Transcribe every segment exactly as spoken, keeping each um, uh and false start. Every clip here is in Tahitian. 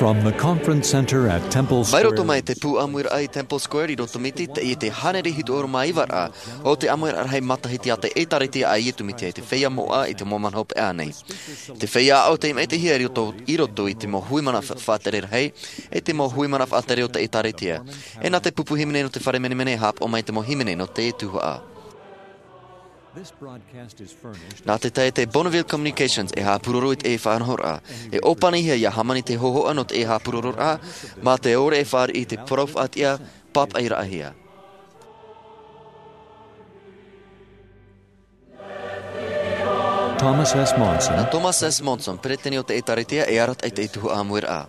From the Conference Center at Temple Square. Mai roto mai te pū ʻāmuiraʻa i Temple Square i Rotomiti, teie te hānere hitu ʻahuru mā iva ra o te ʻāmuiraʻa rahi matahiti a te ʻĒtārētia a Iesu Mesia i te feiā moʻa i te mau mahana hopeʻa nei. Te feiā aʻo tei maʻitihia i roto, i roto i te mau hui mana fa-, faʻatere rahi, e te mau hui mana faʻatere o te ʻĒtārētia. E nā te pupu hīmene nō te fare menemene e haʻapaʻo mai te mau hīmene nō te tuhaʻa. Nā te taeaʻe Bonneville Communications e haʻapūroro i te faʻanahoraʻa. E ʻōpanihia ia hāmani te hōhoʻa nō te haʻapūrororaʻa, mā te ʻore e fāriʻi i te parau faʻatiʻa pāpaʻiraʻahia. Thomas S. Monson. Nā Thomas S. Monson, peretiteni o te ʻĒtārētia, e arataʻi i te tuhaʻa ʻāmuiraʻa.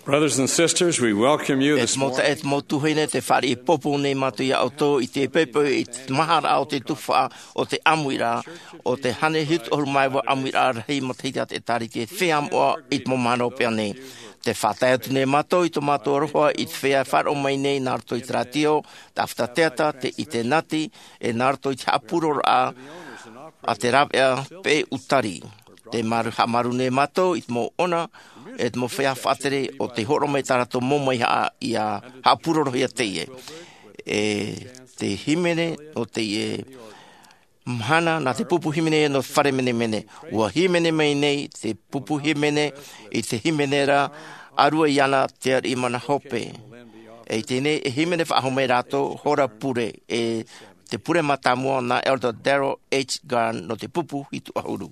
Brothers and sisters, we welcome you this morning. E te mau taeaʻe, e te mau tuahine, tē fāriʻi pōpou nei mātou ia ʻoutou i te poʻipoʻi i te maharaʻa o te tuhaʻa o te ʻāmuiraʻa, o te hānere hitu ʻahuru mā iva ʻāmuiraʻa rahi matahiti a te ʻĒtārētia i te feiā moʻa i te mau mahana hopeʻa nei. Tē faʻatae atu nei mātou i tō mātou aroha i te feiā e faʻaroʻo mai nei nā roto i te rātio, te ʻāfata teata, te ʻinitēneti, e nā roto i te haʻapūrororaʻa a te rāveʻa Peʻe Utari. Tē maru, haʻamaru nei mātou i te mau ʻona, e te mau feiā faʻatere o tē hōroʻa mai tā rātou mau maihaʻa ia haʻapūrorohia teie. E te hīmene o teie mahana nā te pupu hīmene nō te fare menemene. ʻUa hīmene mai nei te pupu hīmene i te hīmene ra, ʻārua iāna te ariʻi mana hope. E i teie nei e hīmene faʻahou mai rātou, hora pure, e te pure mātāmua nā Elder Daryl H. Garn nō te pupu hitu ʻahuru.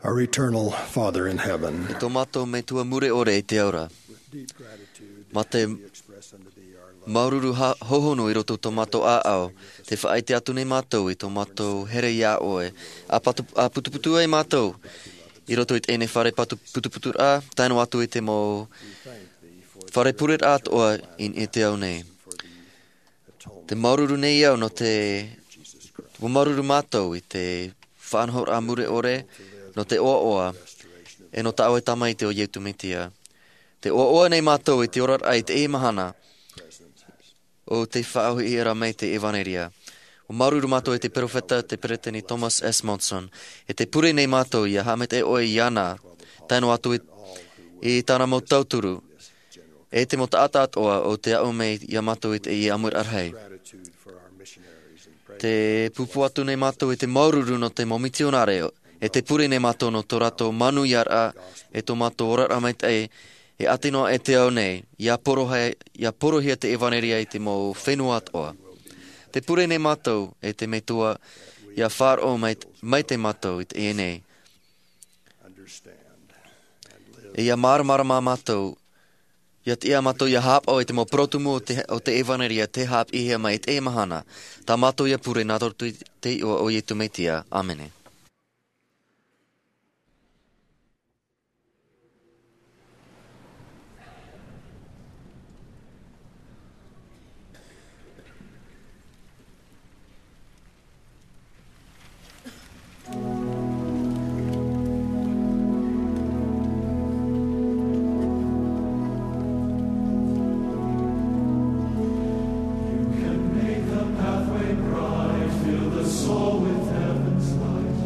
Our eternal Father in heaven, e tō mātou Metua mure ʻore i te ao ra, mā te māuruuru ha-, hōhonu i roto i tō mātou ʻāʻau, tē faʻaʻite atu nei mātou i tō mātou here iā ʻoe, ʻa patu-, ʻa putuputu ai mātou i roto i teie fare patu-, putuputuraʻa, tae noa atu i te mau fare pureraʻa atoʻa i, i te ao nei. Te māuruuru nei au nō te, ʻua māuruuru mātou i te faʻanahoraʻa mure ʻore, nō te ʻoaʻoa, e nō tā ʻoe Tamaiti ʻo Iesu Mesia. Tē ʻoaʻoa nei mātou i te oraraʻa i teie mahana, ʻo tē faʻaʻohipa ra mai te ʻevanelia. ʻUa māuruuru mātou i te peropheta, te peresideni Thomas S. Monson, e tē pure nei mātou ʻia haʻamaitaʻi ʻoe iāna, tae noa atu i, i tāna mau tauturu, e te mau taʻata atoʻa ʻo tē aʻo mai iā mātou i teie ʻāmuiraʻa rahi. Tē pūpū atu nei mātou i te māuruuru nō te mau mitionare, e tē pure nei mātou nō tō rātou manuiaraʻa, e tō mātou oraraʻa maitaʻi, e ʻati noa i te ao nei, ʻia porohia, ʻia porohia te ʻevanelia i te mau fenua atoʻa. Tē pure nei mātou, e te Metua, ʻia faʻaroʻo mai, maitaʻi mātou i teie nei. E ʻia māramarama mātou, ʻia tiʻa mātou ʻia haʻapaʻo i te mau parau tumu o te, o te ʻevanelia tē haʻapiʻihia mai i teie mahana. Tā mātou ʻia pure nā roto i te iʻoa o Iesu Mesia. ʻĀmene. You can make the pathway bright, fill the soul with heaven's light.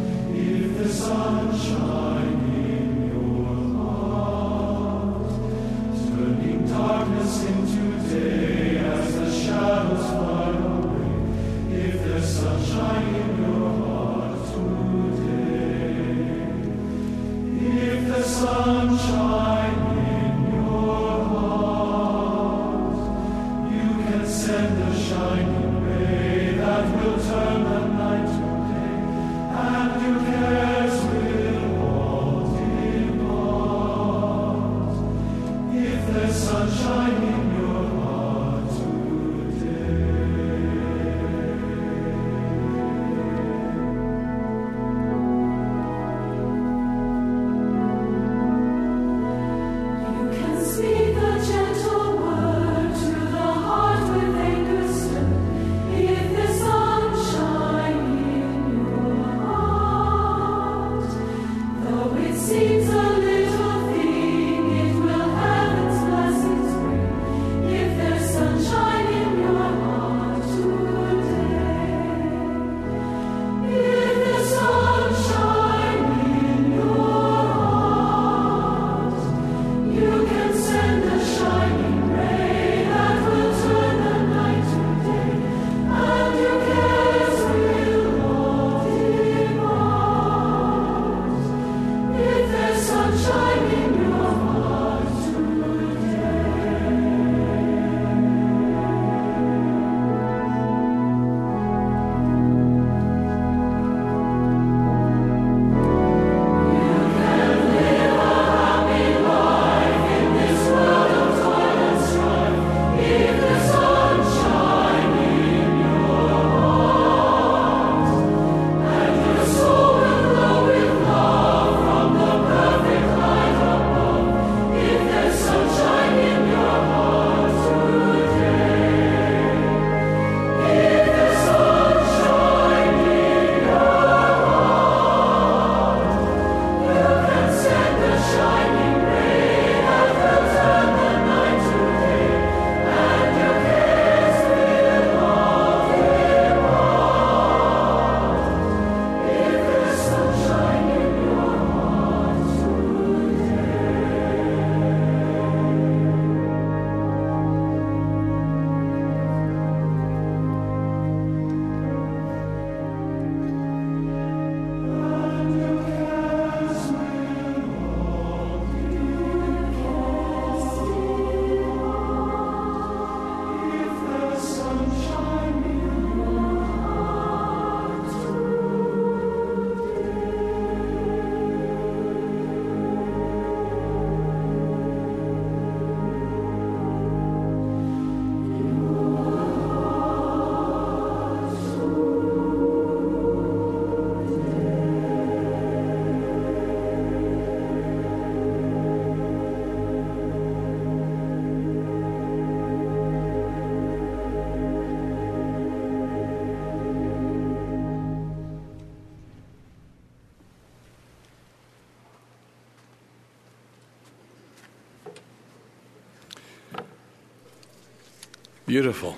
Beautiful.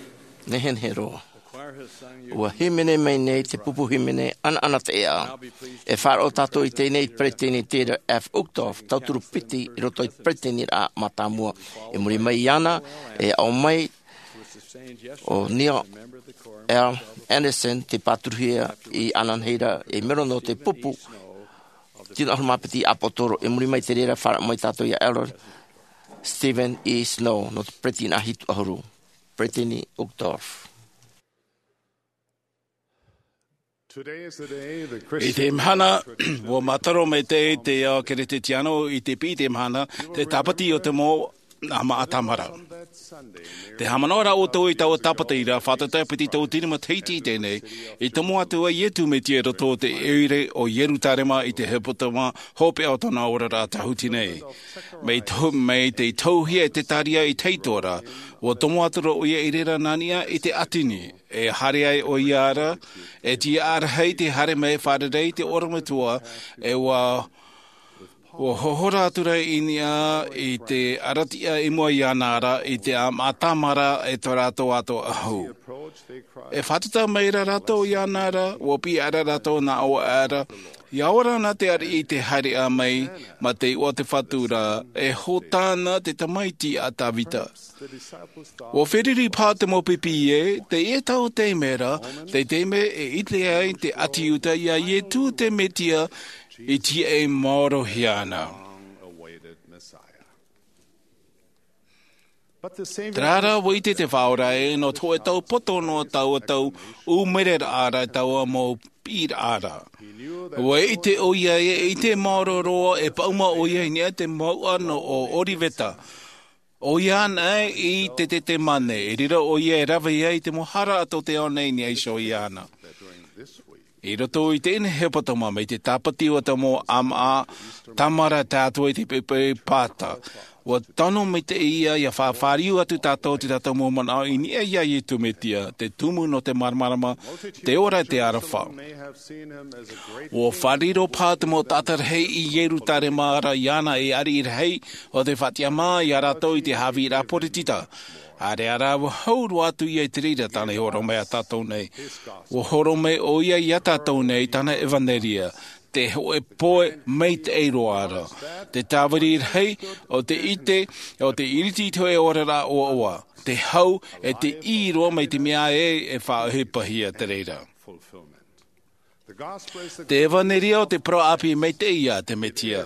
Nehenehe roa. Ua hīmene mai nei te pupu hīmene ʻanaʻana teʻa. E faʻaroʻo tātou i teie nei i te peresideni Dieter F. Uchtdorf, tauturu piti i roto i te peresideniraʻa mātāmua. I muri mai iāna, e aʻo mai ʻo Neil L. Andersen, te pāturuhia i ananahi ra, e mero nō te pupu tino ʻahuru mā piti ʻāpōsetolo. I muri mai i te reira, faʻaroʻo mai tātou iā Elder Steven E. Snow, nō te peresideni hitu ʻahuru. Peresideni Uchtdorf. I te mahana, ua mātaro mai te, te ao Keresetiano i te piti mahana, te tāpati o te mau ʻāmaʻa tāmara. Te haʻamanaʻo ra ʻoutou i taua tāpati ra, fātata piti tauatini matahiti i teie nei, i tomo atu ai Iesu Mesia i roto i te ʻoire o Ierutarema i te hepetoma hopeʻa o tōna oraraʻa tāhuti nei. Mai tō, mai te tauhia e te tāria i te itoraʻa, ua tomo atu ra ʻoia i reira nā niʻa i te ʻātini. E haere ai ʻoia ra, e tiʻa rahi te haere mai fārerei te ʻorometua, e ua, ua hohora atu ra i niʻa i te ʻaratiʻa i mua iāna ra, i te ʻāmaʻa tāmara e tō rātou atoʻa ʻahu. E fātata mai ra rātou iāna ra, ua piʻi ra rātou nā ʻō ra, ʻia ora na te ariʻi i te haereʻa mai, mā te iʻoa o te Fatu ra, e Hōtana te tamaiti a Tavita. Ua feruri paha te mau pipi ē, teie tau taime ra, te taime e ʻite ai te ʻāti Iuta iā Iesu te Mesia i tiaʻi maorohia ana. Terā rā, ua ʻite te Faʻaora ē, nō te hōʻē tau poto noa taua tau ʻūmereraʻa ra taua mau piʻiraʻa ra. Ua ʻite ʻoia ē, e ʻite maoro roa e paʻuma ʻoia i niʻa i te mouʻa nō ʻo Oriveta. ʻOia anaʻe i te Tetemane, e riro ʻoia e rave ai te mau hara a tō te ao nei i niʻa iho iāna. I roto i teie nei hepetoma, mai te tāpati o te mau ʻāmaʻa tāmara tātou i te pepe pāta. Ua tano mai te ia, ʻia faʻafāriu atu tātou te tātou mau manaʻo i niʻa iā Iesu Mesia, te tumu nō te māramarama, te ora, te aroha. Ua fārerei paha te mau taʻata rahi i Ierutarema ra iāna ei ariʻi rahi, ʻo tē faʻatiʻa mai iā rātou i te haʻavīraʻa poritita. ʻĀreʻa rā, ua hau roa atu ia i te reira tāna i hōroʻa mai iā tātou nei. Ua hōroʻa mai ʻoia iā tātou nei tāna ʻevanelia, te hōʻē pohe maitaʻi roa ra. Te tāviri rahi, ʻo te ʻite, ʻo te ʻiriti i te hōʻē oraraʻa ʻoaʻoa. Te hau, e te ʻī roa mai te mea ē e faʻaʻohipahia te reira. Te ʻevanelia ʻo te parau ʻāpī maitaʻi iā te Mesia,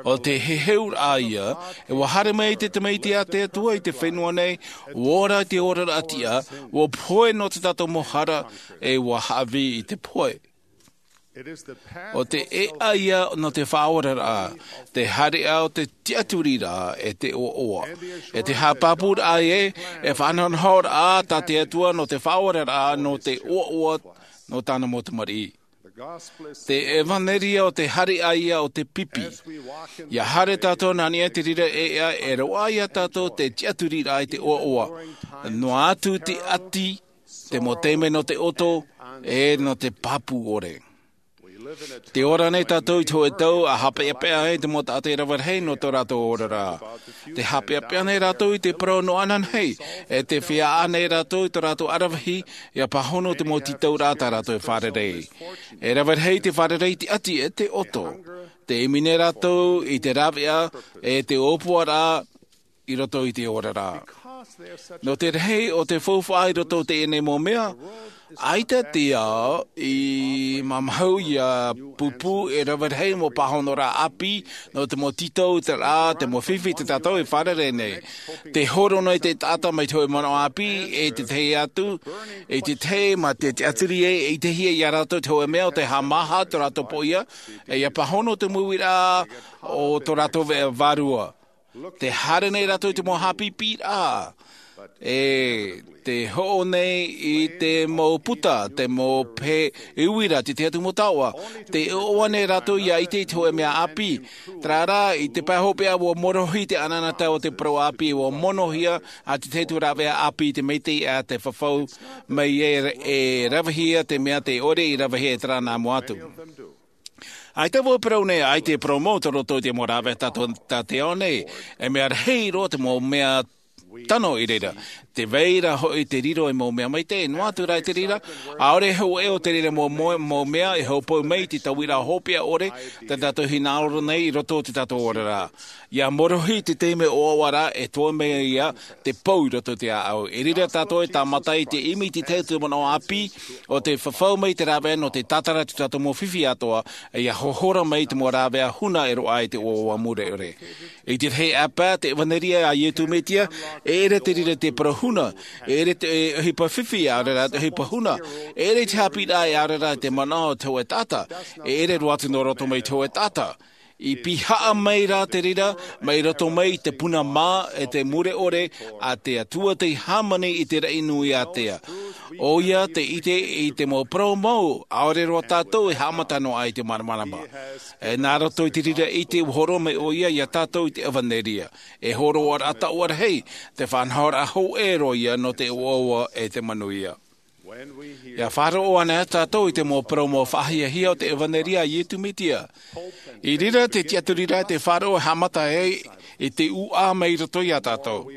ʻo te heheuraʻa ia, e ua haere mai te Tamaiti a te Atua i te fenua nei, ua ora i te oraraʻa tiʻa, ua pohe nō te tātou mau hara, e ua haʻavī i te pohe. ʻO te ʻēʻa ia nō te faʻaoraraʻa, te haereʻa ʻo te tiʻaturiraʻa e te ʻoaʻoa. E te haʻapāpūraʻa ē, e faʻanahonahoraʻa tā te Atua nō te faʻaoraraʻa nō te ʻoaʻoa nō tāna mau tamariʻi. Te ʻevanelia ʻo te haereʻa ia ʻo te pipi. ʻIa haere tātou nā niʻa i te reira ʻēʻa, e roaʻa iā tātou te tiʻaturiraʻa i te ʻoaʻoa. Noa atu te ʻati, te mau taime nō te ʻoto, e nō te pāpū ʻore. Tē ora nei tātou i te hōʻē tau ʻa haʻapeʻapeʻa ai te mau taʻata e rave rahi nō tō rātou oraraʻa. Tē haʻapeʻapeʻa nei rātou i te parau nō ananahi, e tē feiā nei rātou i tō rātou ʻaravihi, ʻia pāhono te mau tītauraʻa tā rātou e fārerei. E rave rahi te fārerei i te ʻati e te ʻoto. Tē ʻimi nei rātou i te rāveʻa, e te ʻōpuaraʻa, i roto i te oraraʻa. Nō te rahi o te faufaʻa i roto i teie nei mau mea, ʻaita te ao i māmāhau ʻia pūpū e rave rahi mau pāhonoraʻa ʻāpī, nō te mau tītauraʻa, te mau fifi tā tātou e fārerei nei. Tē horo nei te taʻata mai te hōʻē manaʻo ʻāpī, e te tahi atu, e te tahi mā te tiʻaturi e, e ʻitehia iā rātou te hōʻē mea ʻo tē haʻamāha tō rātou poʻia, e ʻia pāhono te mau uiraʻa o tō rātou veʻa vārua. Tē haere nei rātou i te mau haʻapiʻiraʻa. E tē hoʻo nei i te mau puta, te mau pē uira, te tahi atu mau taoʻa. Tē ʻoaʻoa nei rātou ʻia ʻite i te hōʻē mea ʻāpī. Terā rā, i te pae hopeʻa ua morohi te ʻanaʻanatae o te parau ʻāpī, ua monohia ʻa te tahi atu rāveʻa ʻāpī i te maitaʻi ʻa te fafau mai e, e ravehia te mea tē ʻore i ravehia e terā nā mua atu. ʻAita vau e parau nei, ʻaita e parau mau tō roto i te mau rāveʻa tā tō, tā te ao nei, e mea rahi roa te mau mea tano i reira. Te vai ra hoʻi te riro e mau mea maitaʻi, noa atu rā i te reira, ʻaore e hōʻē o te reira mau, mau, mau mea e hōpoi mai i te tauiraʻa hopeʻa ʻore, tā tātou hinaʻaro nei i roto o tā tātou oraraʻa. ʻIa morohi te taime ʻoaʻoa ra, e toe mai ia te pou i roto i te ʻāʻau. I reira tātou e tāmata i te ʻimi i te tahi o te manaʻo ʻāpī o te fafau mai i te rāveʻa nō te tātara i tō tātou mau fifi atoʻa, ʻia hohora mai i te mau rāveʻa huna e roaʻa i te ʻoaʻoa mure ʻore. I te tahi ʻāpī, te ʻevanelia a Iesu Mesia, e ʻere te reira te parau huna, e ʻere te, e ʻohipa fifi, ʻaore rā te ʻohipa huna, e ʻere te haʻapiʻiraʻa, ʻaore rā te manaʻo o te hōʻē taʻata, e ʻere roa atu nō roto mai i te hōʻē taʻata. I pihaʻa mai rā te reira, mai roto mai i te puna mā e te mure ʻore a te Atua tei hāmani i te raʻi nui ātea. ʻOia tei ʻite i te mau parau mau, ʻaore roa tātou e haʻamata noa aʻe i te māramarama. E nā roto i te reira ʻite ʻua hōroʻa mai ʻoia ia tātou i te ʻevanelia. E hōroʻaraʻa taʻu rahi, te faʻanahoraʻa hōʻē roa ia nō te ʻoaʻoa e te manuia. ʻIa faʻaroʻo anaʻe tātou i te mau parau mau faʻahiahia o te ʻevanelia a Iesu Mesia. I reira te tiʻaturiraʻa te faʻaroʻo e haʻamata ai i te ʻūʻā mai roto ia tātou.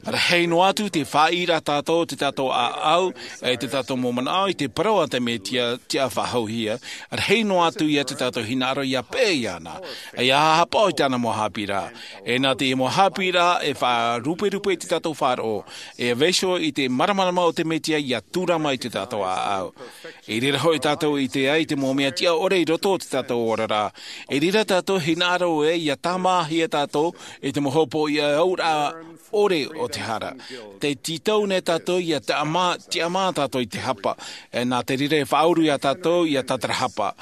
Rahi noa atu te faʻaʻīraʻa tātou o tō tātou ʻāʻau, e tō tātou mau manaʻo i te parau a te Mesia tiʻa faʻahouhia. Rahi noa atu ia tō tātou hinaʻaro ʻia peʻe iāna, ʻia haʻapaʻo i tāna mau haʻapiʻiraʻa. E nā te mau haʻapiʻiraʻa e faʻaruperupe i tō tātou faʻaroʻo, e vaiiho i te māramarama o te Mesia ʻia tūrama i tō tātou ʻāʻau. I reira hoʻi tātou i ʻite ai te mau mea tiʻa ʻore i roto o tō tātou oraraʻa. I reira tātou hinaʻaro ē ʻia tāmāhia tātou i te mau hopoiʻa auraʻa ʻore o te hara. Tē tītau nei tātou ʻia tāmā, tiʻamā tātou i te hapa. E nā te reira e faʻauru ia tātou ʻia tātarahapa.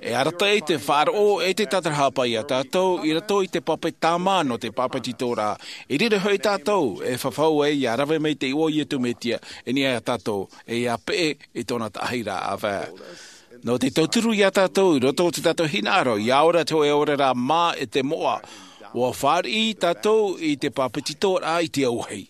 E arataʻi te faʻaroʻo e te tātarahapa ia tātou i roto i te pape tāmā nō te bāpetizoraʻa. I reira hoʻi tātou e fafau ai ʻia rave mai i te iʻoa o Iesu Mesia, e niʻa ia tātou, e ʻia peʻe i tōna taʻahiraʻa ʻāvae. Nō te tauturu ia tātou i roto o tō tātou hinaʻaro, ʻia ora te hōʻē oraraʻa mā e te moʻa, ʻua fāriʻi tātou i te bāpetizoraʻa i te auahi.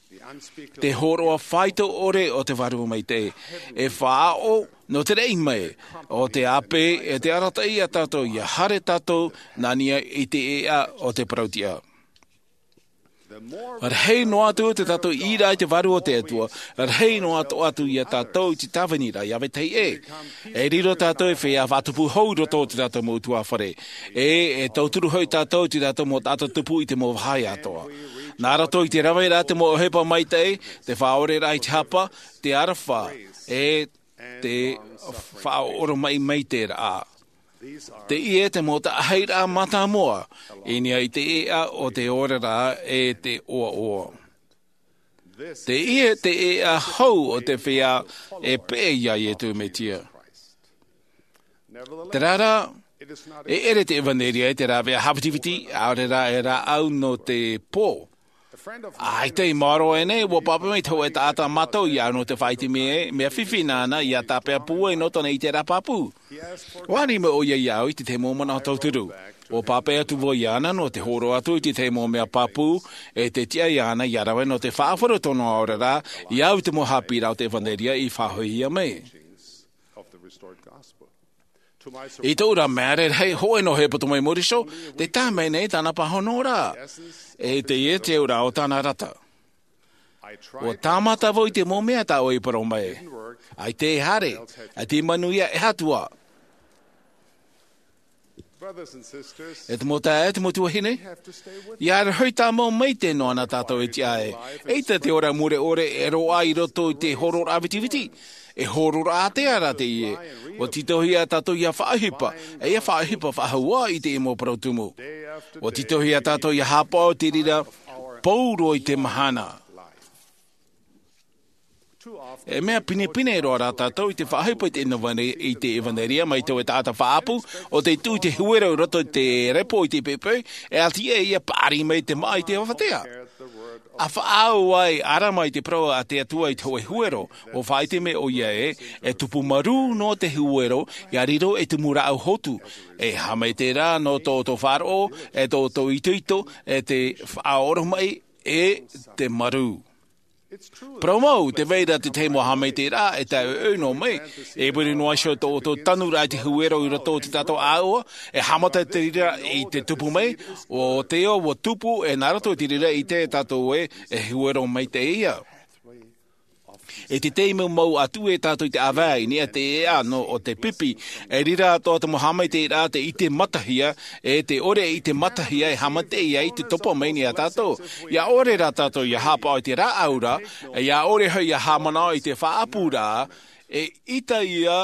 Te hōroʻa faito ʻore o te Vārua Maitaʻi, e faʻaʻo nō te raʻi mai o te ʻāpī, e te arataʻi ia tātou ʻia haere tātou nā niʻa i te ʻēʻa o te parau tiʻa. Rahi noa atu tō tātou ʻīraʻa i te Vārua o te Atua, rahi noa atu ia tātou i te tāviniraʻa i ʻāvae tahi ʻē. E riro tātou ei feiā faʻatupu hou i roto o tō tātou mau ʻutuāfare. E, e tauturu hoʻi tātou i tō tātou mau taʻata tupu i te mau vāhi atoʻa. Nā roto i te raveraʻa te mau ʻohipa maitaʻi, te faʻaoreraʻa i te hapa, te aroha, e te faʻaoromaʻi maitaʻiraʻa. Teie te mau taʻahiraʻa mātāmua i niʻa i te ʻēʻa o te oraraʻa e te ʻoaʻoa. Teie te ʻēʻa hou o te feiā e peʻe ia Iesu Mesia. Terā rā, e ʻere te ʻevanelia e te rāveʻa hāvitiviti, ʻaore rā e rāʻau nō te pō. ʻAita i maoro aʻenei, ʻua pāpaʻi mai te hōʻē taʻata mātou iāʻu nō te faʻaʻite mea, mea fifi nāna ʻia tāpeʻa pūai nō tōna ʻiteraʻa pāpū. ʻUa ani mai ʻoia iāʻu i te tahi mau manaʻo tauturu. ʻUa pāpaʻi atu vau iāna nō te hōroʻa atu i te tahi mau mea pāpū, e te tiʻa iāna ʻia rave nō te faʻaʻore tōna oraraʻa, iāʻu i te mau haʻapiʻiraʻa o te ʻevanelia i faʻahoʻihia mai. I tōʻu ra mea rarahi, hōʻē noa e poto mai i muri iho, tē tae mai nei tāna pāhonoraʻa. E teie te auraʻa o tāna rata. ʻUa tāmata vau i te mau mea tā ʻoe i parau mai. ʻAita e haere, ʻaita i manuia, e aha atu ā. E te mau taeaʻe, e te mau tuahine, ʻia rohi tāmau maitaʻi noa na tātou e tiʻa ai. ʻAita te ora mure ʻore e roaʻa i roto i te hōroʻaraʻa ʻāvitiviti. E hōroʻaraʻa ātea rā teie. ʻUa tītauhia tātou ʻia faʻaʻohipa, e ʻia faʻaʻohipa faʻahou ā i te mau parau tumu. ʻUa tītauhia tātou ʻia haʻapaʻo i te reira pauroa i te mahana. E mea pinepine roa rā tātou i te faʻaʻohipa i te ʻevanelia, i te ʻevanelia mai te hōʻē taʻata faʻaʻapu, ʻo tē tuʻu i te huero i roto i te repo i te poʻipoʻi, e ʻati ʻē ʻia paʻari mai te māʻa i te avatea. ʻA faʻaau ai ʻArama i te parau a te Atua i te hōʻē huero, ʻua faʻaʻite mai ʻoia ē, e tupu marū noa te huero, ʻia riro ei tumu rāʻau hotu. E aha mai terā nō tō ʻoutou faʻaroʻo, e tō ʻoutou itoito, e te faʻaoromaʻi, e te marū. Parau mau, tē vai ra te tahi mau haʻamaitaʻiraʻa e tae ʻoʻoʻo noa mai. E muri noa iho tō ʻoutou tanuraʻa i te huero i roto i tā tātou ʻāʻau, e haʻamata te reira i te tupu mai, ʻo tē ʻoʻoʻo tupu e nā roto i te reira i te tātou e, e huero maitaʻi ia. I te taime mau atu e tātou i te ʻāvae i niʻa i te ʻēʻa nō ʻo te pipi, e reira atoʻa te mau haʻamaitaʻiraʻa te ʻite matahia, e te ʻore i te matahia e haʻamaitaʻi ai te topa mai nei iā tātou. ʻIa ʻore rā tātou ʻia haʻapaʻo i te rāʻau ra, ʻia ʻore hoʻi ʻia haʻamanaʻo i te faʻaʻapu ra, e ʻita ia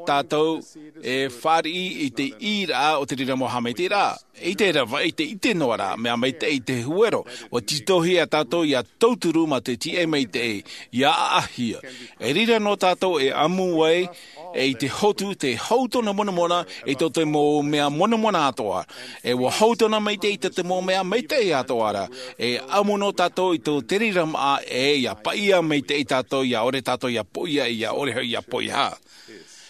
tātou e fāriʻi i te ʻī ra o te reira mau haʻamaitaʻiraʻa. I te rava, i te ʻite noa ra, mea maitaʻi i te huero, ʻua tītauhia tātou ʻia tauturu mā te tiʻa maitaʻi, ʻia ʻaʻahia. E reira nō tātou e ʻamu ai, e i te hotu, te hau tōna monamona, i tō te mau mea monamona atoʻa. E ʻua hau tōna maitaʻi i tō te mau mea maitaʻi atoʻa ra. E ʻamu nō tātou i tō te reira māʻa, e ʻia paʻia maitaʻi tātou, ʻia ʻore tātou ʻia poʻia, ʻia ʻore hoʻi ʻia poʻia.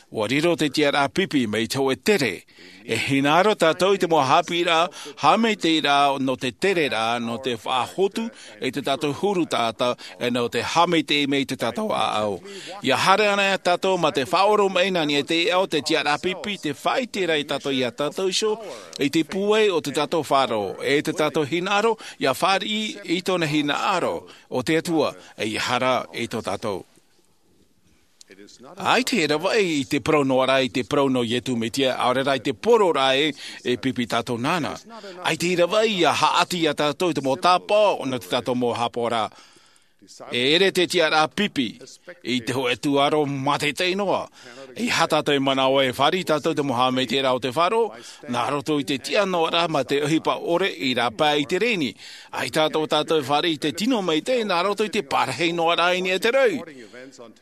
ʻUa riro te tiʻaraʻa pipi mai te hōʻē tere. E hinaʻaro tātou i te mau haʻapiʻiraʻa, haʻamaitaʻiraʻa nō te tere ra, nō te faʻahotu i tō tātou huru taʻata, e nō te haʻamaitaʻi mai i tō tātou ʻāʻau. ʻIa haere ana tātou mā te faʻaoromaʻi nā niʻa i te ʻēʻa o te tiʻaraʻa pipi, te faʻaʻite ra ia tātou, ia tātou iho, i te pūai o tō tātou faʻaroʻo, e tō tātou hinaʻaro, ʻia fāriʻi i tōna hinaʻaro, ʻo te Atua, e ʻia haere i tō tātou. ʻAita e ravaʻi i te parau noa ra, i te parau nō Iesu Mesia, ʻaore rā i te poro ra e, e pipi tātou nāna. ʻAita e ravaʻi ʻia haʻati ia tātou i te mau tāpaʻo, nō tō tātou mau haʻapaʻoraʻa. E ʻere te tiʻaraʻa pipi, i te hōʻē tūʻaro mātaʻitaʻi noa. ʻEiaha tātou e manaʻo e fāriʻi tātou te mau haʻamaitaʻiraʻa o te faʻaroʻo, nā roto i te tiʻa noa ra mā te ʻohipa ʻore i rāpae i te rēni. ʻAita atoʻa tātou e fāriʻi i te tino maitaʻi nā roto i te parahi noa ra i niʻa i te rau.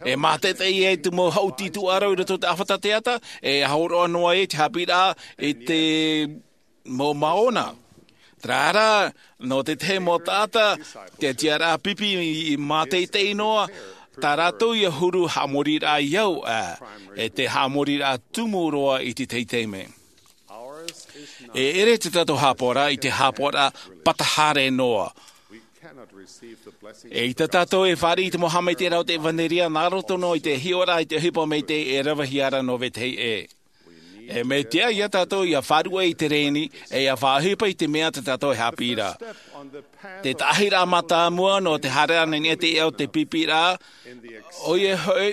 E mātaʻitaʻi ai te mau haʻuti tūʻaro i roto i te ʻāfata teata, e hōroʻa noa ai te haʻapiʻiraʻa i te mau maona. Terā rā, nō te tahi mau taʻata, te tiʻaraʻa pipi i mātaʻitaʻi noa, tā rātou ʻia huru haʻamoriraʻa i au, ā, e te haʻamoriraʻa tumu roa i te taime. E ʻere tō tātou haʻapaʻoraʻa i te haʻapaʻoraʻa pata haere noa. ʻEita tātou e fāriʻi i te mau haʻamaitaʻiraʻa o te ʻevanelia nā roto noa i te hiʻoraʻa i te ʻohipa maitaʻi e ravehia ra nō vetahi ʻē. E mea tiʻa ia tātou ʻia faʻaruʻe i te rēni, e ʻia faʻaʻohipa i te mea tā tātou e haʻapiʻi ra. Te taʻahiraʻa mātāmua nō te haere i niʻa i te ʻēʻa o te pipi ra, ʻoia hoʻi,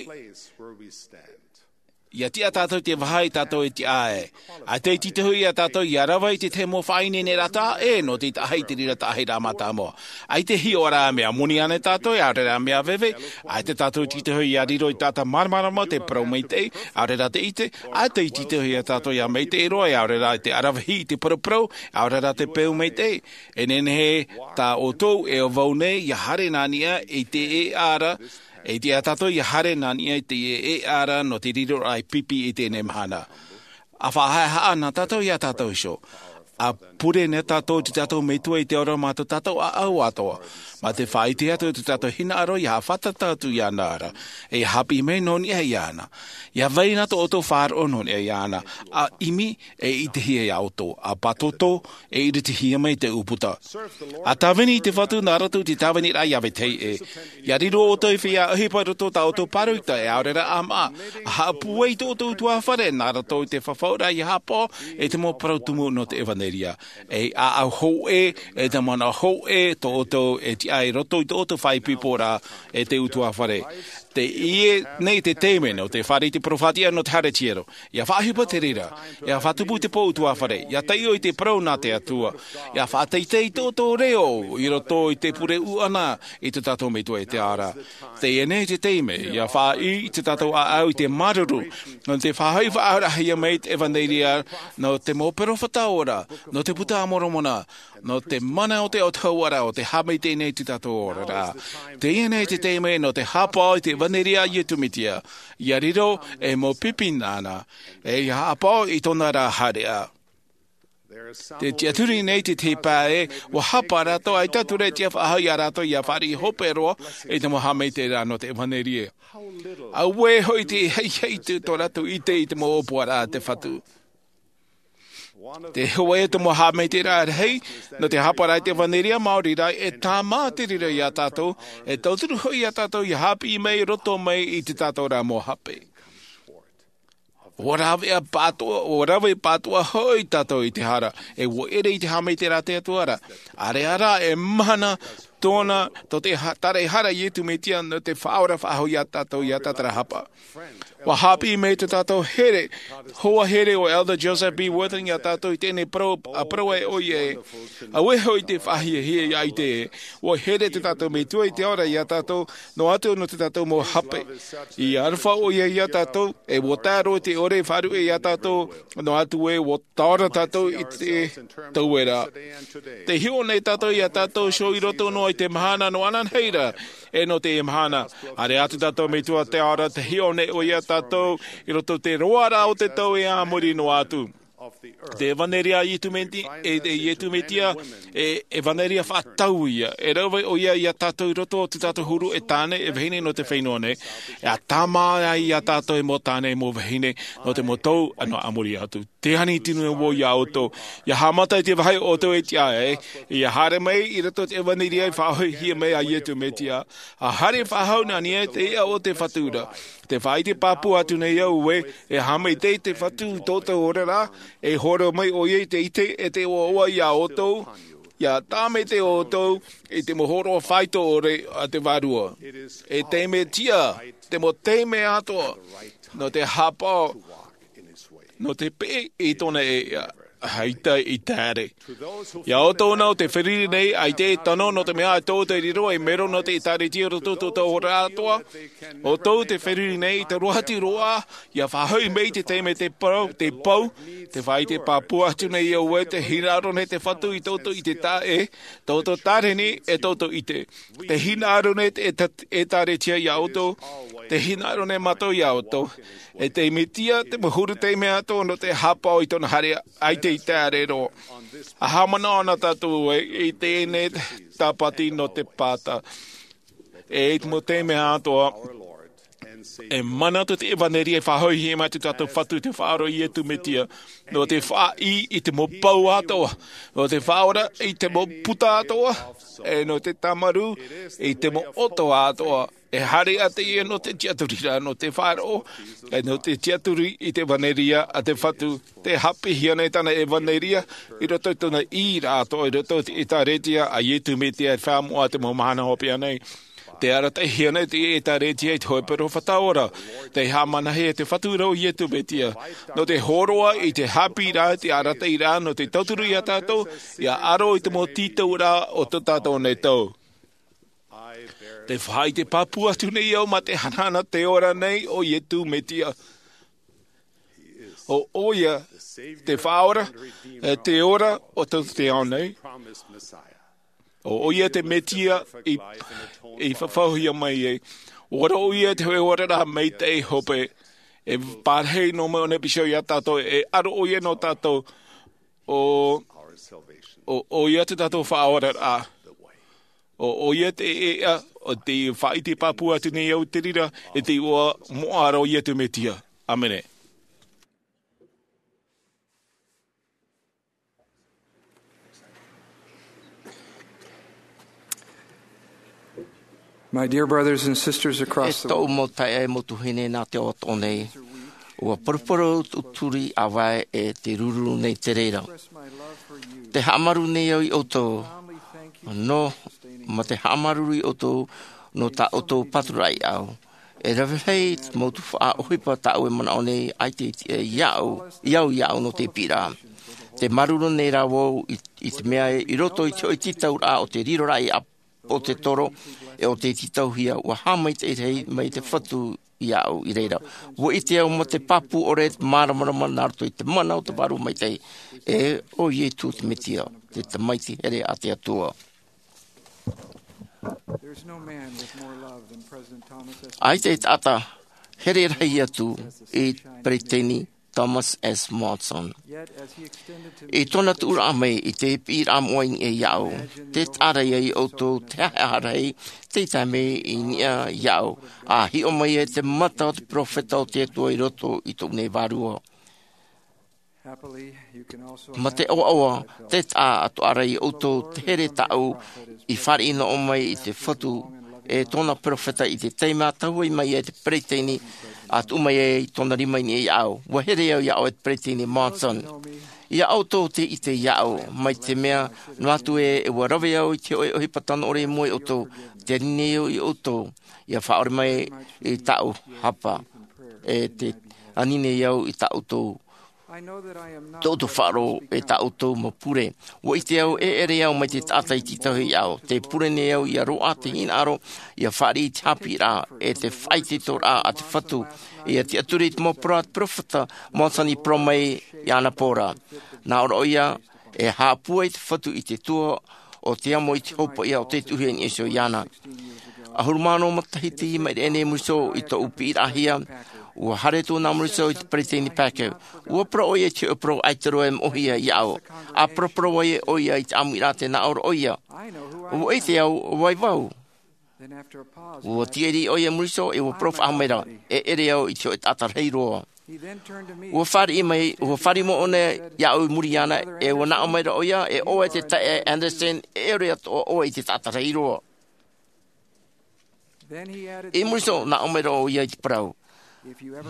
ʻia tiʻa tātou i te vāhi tātou e tiʻa ai. ʻAita e tītauhia ia tātou ʻia rave i te tahi mau faʻaineineraʻa, e nō te taʻahi i te reira taʻahiraʻa mātāmua. ʻAita e hiʻo ra mea moni ānei tātou, ʻaore rā mea veve, ʻaita tātou e tītauhia ʻia riro i te taʻata māramarama te parau maitaʻi, ʻaore rā te ʻite, ʻaita e tītauhia ia tātou ʻia maitaʻi roa, ʻaore rā te ʻaravihi i te paraparau, ʻaore rā te peu maitaʻi. E nehenehe tā ʻoutou e vau nei ʻia haere nā niʻa i te ʻēʻa ra, e tiʻa tātou ʻia haere nā niʻa i te ʻēʻa ra nō te riroraʻa e pipi i teie mahana. ʻA faʻahaʻehaʻa na tātou ia tātou iho. ʻA pure na tātou i tō tātou Metua i te ora mā tō tātou ʻāʻau atoʻa. Mā te faʻaʻite atu i tō tātou hinaʻaro ʻia haʻafātata atu iāna ra. E ʻia haʻapiʻi mai nō niʻa iāna. ʻIa vai na tō ʻoutou faʻaroʻo nō niʻa iāna. ʻA ʻimi e ʻitehia ia ʻoutou. ʻA pātōtō e ʻiritihia mai te ʻūputa. ʻA tāvini i te Fatu nā roto i te tāviniraʻa ia vetahi ʻē. ʻIa riro ʻoutou i feiā ʻohipa i roto i tā ʻoutou pāroita, e ʻaore rā ʻāmaʻa. ʻA haʻapūai i tō ʻoutou ʻutuāfare nā roto i te fafauraʻa ʻia haʻapaʻo i te mau parau tumu nō te ʻevanelia. E ʻāʻau hōʻē, e te mana hōʻē tō ʻoutou e tiʻa i roto i tō ʻoutou faʻaipoiporaʻa e te ʻutuāfare. Teie nei te taime nō te fāriʻi i te peropheta nō te haere tiero. ʻIa faʻaʻohipa te reira, ʻia faʻatupu i te pō ʻutuāfare, ʻia taiʻo i te parau nā te Atua, ʻia faʻateitei i tō ʻoutou reo i roto i te pure ʻuʻana i tō tātou Metua i te ao ra. Teie nei te taime, ʻia faʻaʻī i tō tātou ʻāʻau i te māuruuru, nō te faʻahoʻi faʻaarahia mai te ʻevanelia, nō te mau peropheta ora, nō te Buka a Moromona, nō te mana o te autahuʻaraʻa o te haʻamaitaʻi nei i tō tātou oraraʻa. Teie nei te taime nō te haʻapaʻo i te ʻevanelia a Iesu Mesia, ʻia riro e mau pipi nāna, e ʻia haʻapaʻo i tōna ra haereʻa. Tē tiʻaturi nei te tahi pae, ʻua hapa rātou, ʻaita atu rā e tiʻa faʻahou ia rātou ʻia fāriʻi hope roa i te mau haʻamaitaʻiraʻa nō te ʻevanelia. Auē hoʻi te haʻihaʻi i tō rātou ʻite i te mau ʻōpuaraʻa a te Fatu. Te hōʻē o te mau haʻamaitaʻiraʻa rahi nō te hāpaʻoraʻa i te ʻevanelia māori ra, e tāmā te reira iā tātou, e tauturu hoʻi iā tātou ia haʻapiʻi mai roto mai i te tātou rā mau hape. Ua rave pātoʻa, ua rave pātoʻa hoʻi tātou i te hara, e ua ʻere i te haʻamaitaʻiraʻa a te Atua ra. ʻĀreʻa rā, e mahana tōna, tō te ha-, taraehara a Iesu Mesia nō te faʻaora faʻahou iā tātou, iā tātou rā hapa. Ua haʻapiʻi mai tō tātou here, hoa here ʻo Elder Joseph B. Wirthlin iā tātou i teie nei parau, ʻa parau ai ʻoia ē, auē hoʻi te faʻahiahia ia ʻite ē, ua here tō tātou Metua i te ao ra iā tātou, noa atu nō tō tātou mau hape. I aroha ʻoia iā tātou, e ua tae roa i te ʻore e faʻaruʻe iā tātou, noa atu ē, ua taora tātou i te tauera. Tē hiʻo nei tātou iā tātou iho i roto noa i te mahana nō ananahi ra, e nō teie mahana. ʻĀreʻa atu tātou Metua te ao ra, tē hiʻo nei ʻoia iā tātou i roto i te roaraʻa o te tau e a muri noa atu. Te ʻevanelia a Iesu Meti-, e, e Iesu Mesia, e, ʻevanelia faʻatau ïa. E rave ʻoia iā tātou i roto o tō tātou huru e tāne, e vahine nō te fenua nei. E tāmā ai iā tātou e mau tāne, e mau vahine, nō te mau tau nō a muri atu. Tē ani tino vau iā ʻoutou. ʻIa haʻamata i te vāhi ʻoutou e tiʻa ai, ʻia haere mai i roto i te ʻevanelia i faʻahoʻihia mai a Iesu Mesia. ʻA haere faʻahou nā niʻa i te iʻa o te Fatu ra. Tē faʻaʻite pāpū atu nei au ē, e haʻamaitaʻi te Fatu i tō ʻoutou oraraʻa, e hōroʻa mai ʻoia i te ʻite e te ʻoaʻoa iā ʻoutou, ʻia tāmateʻi ʻoutou i te mau hōroʻa faito ʻore a te Vārua. E te Mesia, te mau taime atoʻa, nō te haʻapaʻo, nō te peʻe i tōna e, ʻaita i te haere. Iā ʻoutou nā ʻo tē feruri nei, ʻaita e tano, nō te mea ʻaita ʻoutou e riro ei mero nō te ʻĒtārētia i roto i tō ʻoutou oraraʻa atoʻa. ʻOutou tē feruri nei, i te roa atu roa, ʻia faʻahoʻi mai te taime te parau, te pou, tē faʻaʻite pāpū atu nei au ē, tē hinaʻaro nei te Fatu i tō ʻoutou ʻite taʻa ʻē, tō ʻoutou tāreni, e tō ʻoutou ʻite. Tē hinaʻaro nei te ʻĒtā-, ʻĒtārētia iā ʻoutou, tē hinaʻaro nei mātou iā ʻoutou. E te Mesia, te mau huru taime atoʻa nō te haʻapaʻo i tōna haere, ʻaita i te haere roa. ʻA haʻamanaʻo na tātou ē, i teie nei Tāpati nō te Pāta. E i te mau taime atoʻa, e mana atu te ʻevanelia e faʻahoʻihia mai tō tātou Fatu te Faʻaora Iesu Mesia, nō te faʻaʻī i te mau pou atoʻa, nō te faʻaora i te mau puta atoʻa, e nō te tāmarū i te mau ʻoto atoʻa, e haere atu ïa nō te tiʻaturiraʻa, nō te faʻaroʻo, e nō te tiʻaturi i te ʻevanelia a te Fatu, tē haʻapiʻihia nei tāna ʻevanelia, i roto i tōna ʻīraʻa atoʻa, i roto i te ʻĒtārētia a Iesu Mesia, e faʻamoʻa te mau mahana hopeʻa nei. Tē arataʻihia nei te ʻĒtārētia i te hōʻē peropheta ora, tē haʻamanahia e te Fatu ra ʻo Iesu Mesia. Nō te hōroʻa i te haʻapiʻiraʻa, te arataʻiraʻa, nō te tauturu iā tātou, ʻia aro i te mau tītauraʻa o tō tātou nei tau. Tē faʻaʻite pāpū atu nei au mā te hanahana tē ora nei ʻo Iesu Mesia. ʻO ʻoia te Faʻaora, e te ora o tō te ao nei. ʻO ʻoia te Mesia i, i fafauhia mai ai. ʻO ʻoia te hōʻē oraraʻa maitaʻi hope. E parahi noa mai ʻōna e pīhaʻi iā tātou, e aro ʻoia nō tātou. ʻO, ʻo ʻoia te tātou Faʻaoraraʻa. ʻO ʻoia te ʻēʻa, ʻo tē faʻaʻite pāpū atu nei au i te reira, e te iʻoa moʻa ra ʻo Iesu Mesia. ʻĀmene. My dear brothers and sisters across the world. E tōʻu mau taeaʻe, mau tuahine nā te ao atoʻa nei, ʻua poroporo tūturi ʻāvae e te ruru nei te reira. Te haʻamāuruuru nei au iā ʻoutou, nō, mā te haʻamāuruuru iā ʻoutou, nō tā ʻoutou pāturaʻa iā ʻu. E rave rahi te mau tuhaʻa ʻohipa tāʻu e manaʻo nei ʻaita i tiʻa iā ʻu, iā ʻu, iā ʻu nō te piʻiraʻa. Tē māuruuru nei rā vau i, i te mea ē, i roto i te hōʻē tītauraʻa o te riroraʻa i ʻā o te toro, e ʻo te tītauhia, ʻua haʻamaitaʻi rahi mai te Fatu iā ʻu i reira. ʻUa ʻite au mā te pāpū ʻore, te māramarama nā roto i te mana o te Vārua Maitaʻi, e ʻo Iesu te Mesia, te Tamaiti here a te Atua. There's no man with more love than President Thomas S. ʻAita e taʻata here rahi atu i Peresideni Thomas S. Monson. I tōna tuʻuraʻa mai i te piʻiraʻa moʻa i niʻa iā ʻu, tē taʻa ra ia ʻoutou te haʻehaʻa rahi, tei tae mai i niʻa iā ʻu, ʻa hiʻo mai ai te mata o te peropheta o te Atua i roto i tōʻu nei vārua. Happily, you can also mā te ʻoaʻoa, te taʻatoʻa ra ia ʻoutou te here tāʻu i fāriʻi noa mai i te Fatu e tōna peropheta i te taime a tahuʻa mai ai te peresideni a tuʻu mai ai tōna rima i niʻa iāʻu. ʻUa here au iāʻu e te peresideni Monson. Ia ʻoutou te ʻite iāʻu, mai te mea noa atu ē, ʻua rave au i te hōʻē ʻohipa tano ʻore i mua iā ʻoutou, te ani nei au iā ʻoutou ia faʻaʻore mai i tāʻu hapa, e te ani nei au i tā ʻoutou, tō ʻoutou faʻaroʻo e tā ʻoutou mau pure. ʻUa ʻite au e ʻere au mai te taʻata i tītauhia iāʻu. Tē pure nei au ia roaʻa te hinaʻaro, ia fāriʻi i te haʻapiʻiraʻa e te faʻaitoitoraʻa a te Fatu. Ia tiʻaturi i te mau parau a te peropheta Monson i parau mai i ana pō ra. Nā ʻō ra ʻoia, e haʻapūai te Fatu i te tua o te amo i te hopoiʻa o te tuʻuhia i niʻa iho iāna. ʻAhuru mā ono matahiti i maʻiri aʻe nei i muri iho i tōʻu piʻiraʻahia, ʻua haere atu ʻo Morrisey i te peresideni Packer. ʻUa parau ʻoia i te hōʻē parau ʻaita roa e moʻohia iāʻu. ʻA paraparau ai ʻoia i te ʻāmuiraʻa tē nā ʻō ra ʻoia. ʻUa ʻite au ʻo vai vau. ʻUa tīaʻi ʻoia i muri iho, e ʻua parau faʻahou mai ra, e ʻere au i te hōʻē taʻata rahi roa. ʻUa fāriʻi mai, ʻua fāriʻi mai ʻōna iāʻu i muri iāna, e ʻua nā ʻō mai ra ʻoia, e ʻoe te taeaʻe Anderson, e ʻere atoʻa ʻoe i te taʻata rahi roa. I muri iho, nā ʻō mai ra ʻoia i te parau.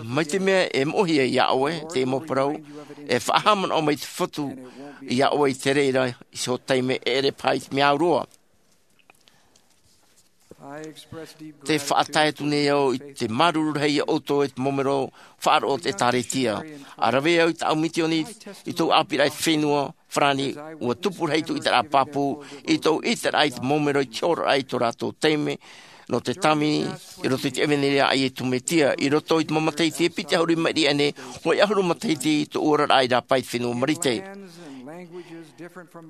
Mai te mea e moʻohia iā ʻoe te mau parau, e faʻahaʻamanaʻo mai te Fatu iā ʻoe i te reira i te taime, e ʻere paha i te mea au roa. Tē faʻatae atu nei au i te māuruuru rahi iā ʻoutou e te mau mero faʻaroʻo o te ʻĒtārētia. ʻA rave au i tāʻu misioni i tōʻu ʻāpīraʻa i te fenua Farāni, ʻua tupu rahi tōʻu ʻiteraʻa pāpū, i tōʻu ʻiteraʻa i te mau mero i te oraraʻa i tō rātou taime, nō te tāvini, i roto i te ʻevanelia a Iesu Mesia, i roto i te mau matahiti e piti ʻahuru i maʻiri aʻe nei, hōʻē ʻahuru matahiti tōʻu oraraʻa i rāpae i te fenua Marite.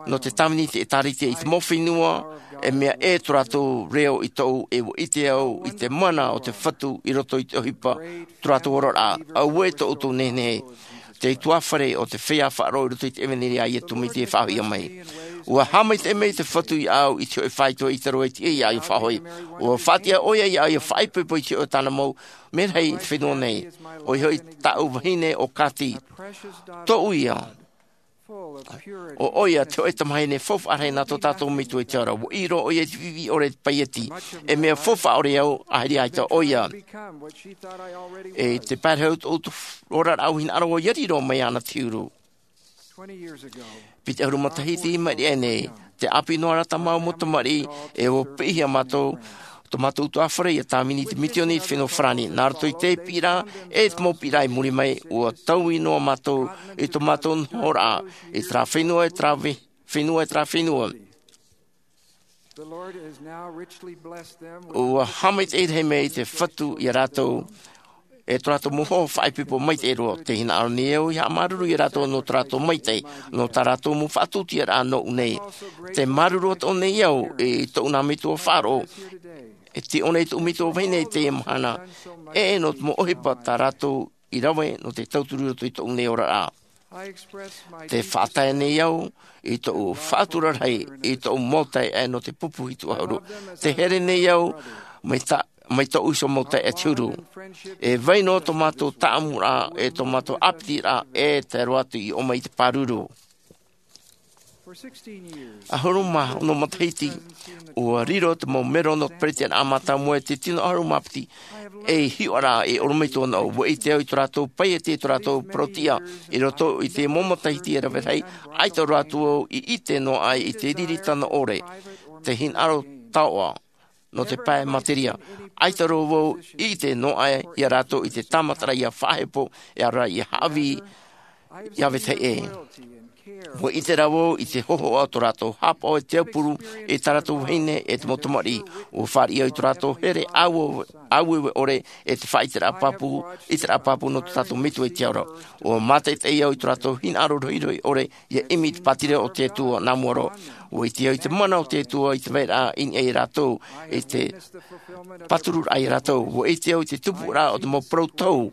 Nō te tāvini i te ʻĒtārētia i te mau fenua, e mea ʻē tō rātou reo i tōʻu, e ʻua ʻite au i te mana o te Fatu i roto i te ʻohipa, tō rātou oraraʻa, auē tō ʻoutou nehenehe. Te ʻutuāfare o te feiā faʻaroʻo i roto i te ʻevanelia a Iesu Mesia e faʻahoʻihia mai. ʻUa haʻamaitaʻi mai te Fatu iāʻu i te hōʻē faito e ʻita roa i te ʻī iāʻu ia faʻahoʻi. ʻUa faʻatiʻa ʻoia iāʻu ia faʻaipoipo i te hōʻē tāna mau merahi i te fenua nei. ʻOia hoʻi tāʻu vahine ʻo Kathy. Tōʻu ia. ʻO ʻoia te hōʻē tamahine faufaʻa rahi nā tō tātou Metua i te ao ra. ʻUa ʻī roa ʻoia i te viʻiviʻi ʻore i te paieti. E mea faufaʻa ʻore au, ʻaita ʻoia. E te pae rahi o tōʻu oraraʻa ʻua hinaʻaro au ia riro mai iāna te huru. Piti ʻahuru matahiti i maʻiri aʻe nei, te ʻāpī noa ra tā māua mau tamariʻi, e ʻua piʻihia mātou, tō mātou ʻutuāfare ia tāvini i te misioni i te fenua Farāni. Nā roto i te piʻiraʻa, e te mau piʻiraʻa i muri mai, ʻua taui noa mātou i tō mātou nohoraʻa, i terā fenua, i terā ve-, fenua, i terā fenua. ʻUa haʻamaitaʻi rahi mai te Fatu ia rātou, e tō rātou mau hoa faʻaipoipo maitaʻi roa. Tē hinaʻaro nei au ia haʻamāuruuru ia rātou nō tō rātou maitaʻi, nō tā rātou mau faʻatūtūraʻa nōʻu nei. Tē māuruuru atoʻa nei au i tōʻu nā metua faʻaroʻo, e tiʻo nei tōʻu metua vahine i teie mahana, e nō te mau ʻohipa tā rātou i rave nō te tauturu i roto i tōʻu nei oraraʻa. Tē faʻatae nei au i tōʻu faʻatura rahi, i tōʻu mau taeaʻe nō te pupu hitu ʻahuru. Tē here nei au mai tā, mai tōʻu iho mau taeaʻe te huru. E vai noa tō mātou tāʻamuraʻa, e tō mātou ʻāpitiraʻa, e tae roa atu i ʻō mai i te pāruru. ʻAhuru mā ono matahiti, ʻua riro te mau mero nō te peretitiraʻa mātāmua e te tino ʻahuru mā piti, ei hiʻoraʻa e ʻorometua noa. ʻUa ʻite au i tō rātou paieti, i tō rātou parau-tiʻa, i roto i te mau matahiti e rave rahi, ʻaita roa atu au i ʻite noa aʻe i te riri tano ʻore, te hinaʻaro taoʻa, nō te pae materia. ʻAita roa vau i ʻite noa aʻe ia rātou i te tāmataraʻa ia faʻahepo, e ʻaore rā ia haʻavī, ia vetahi ʻē. ʻUa ʻite rā vau i te hōhoʻa o tō rātou haʻapaʻo e te aupuru i tā rātou vahine e te mau tamariʻi. ʻUa fāriʻi au i tō rātou here ʻāueue, ʻāueue ʻore e te faʻaʻiteraʻa pāpū, ʻiteraʻa pāpū nō tō tātou Metua i te ao ra. ʻUa mātaʻitaʻi au i tō rātou hinaʻaro rohirohi ʻore ia ʻimi i te pātireia o te Atua nā mua roa. ʻUa ʻite au i te mana o te Atua i te vairaʻa i niʻa ia rātou, i te pātururaʻa ia rātou. ʻUa ʻite au i te tupuraʻa o te mau parau tohu.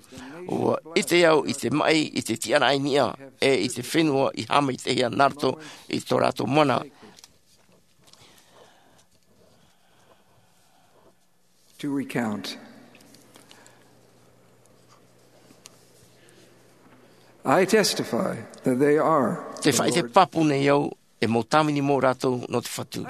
ʻUa ʻite au i te maʻi, i te tiʻaraʻa i niʻa, e i te fenua i haʻamaitaʻihia nā roto i tō rātou mana. To recount. I testify that they are. Te faʻaʻite pāpū nei au, e mau tāvini mau rātou nō te Fatu.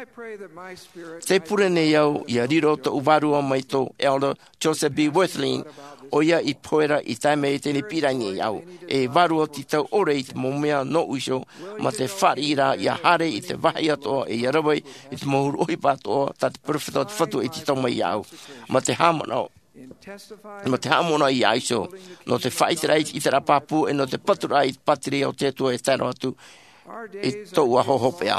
Te pure nei au, ʻia riro tōʻu vārua mai tō Elder Joseph B. Wirthlin, ʻoia i pohe ra i tae mai i teie nei pīraʻi nei au. E vārua tītau ʻore i te mau mea nōʻu iho, mā te fāriʻi ra ʻia haere i te vāhi atoʻa, e ʻia rave i te mau huru ʻohipa atoʻa, tā te peropheta o te Fatu e tītau mai iāʻu. Mā te haʻamanaʻo, mā te haʻamanaʻo iāʻu iho, nō te faʻaʻiteraʻa i te ʻiteraʻa pāpū, e nō te paturaʻa i te pātireia o te Atua e tae roa atu i tōʻu aho hopeʻa.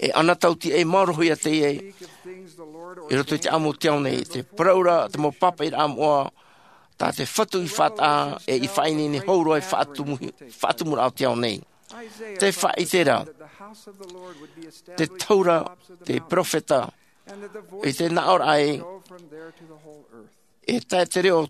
E ana tauti e maorohia teie i roto i te ʻāʻamu o te ao nei, te parau ra, te mau pāpaʻiraʻa moʻa, tā te Fatu i faʻataʻa, e i faʻaineine hou roa i faʻatumu, faʻatumuraʻa o te ao nei. Te faʻaʻite ra, te taura, te peropheta, i te nāʻōraʻa e, e tae te reo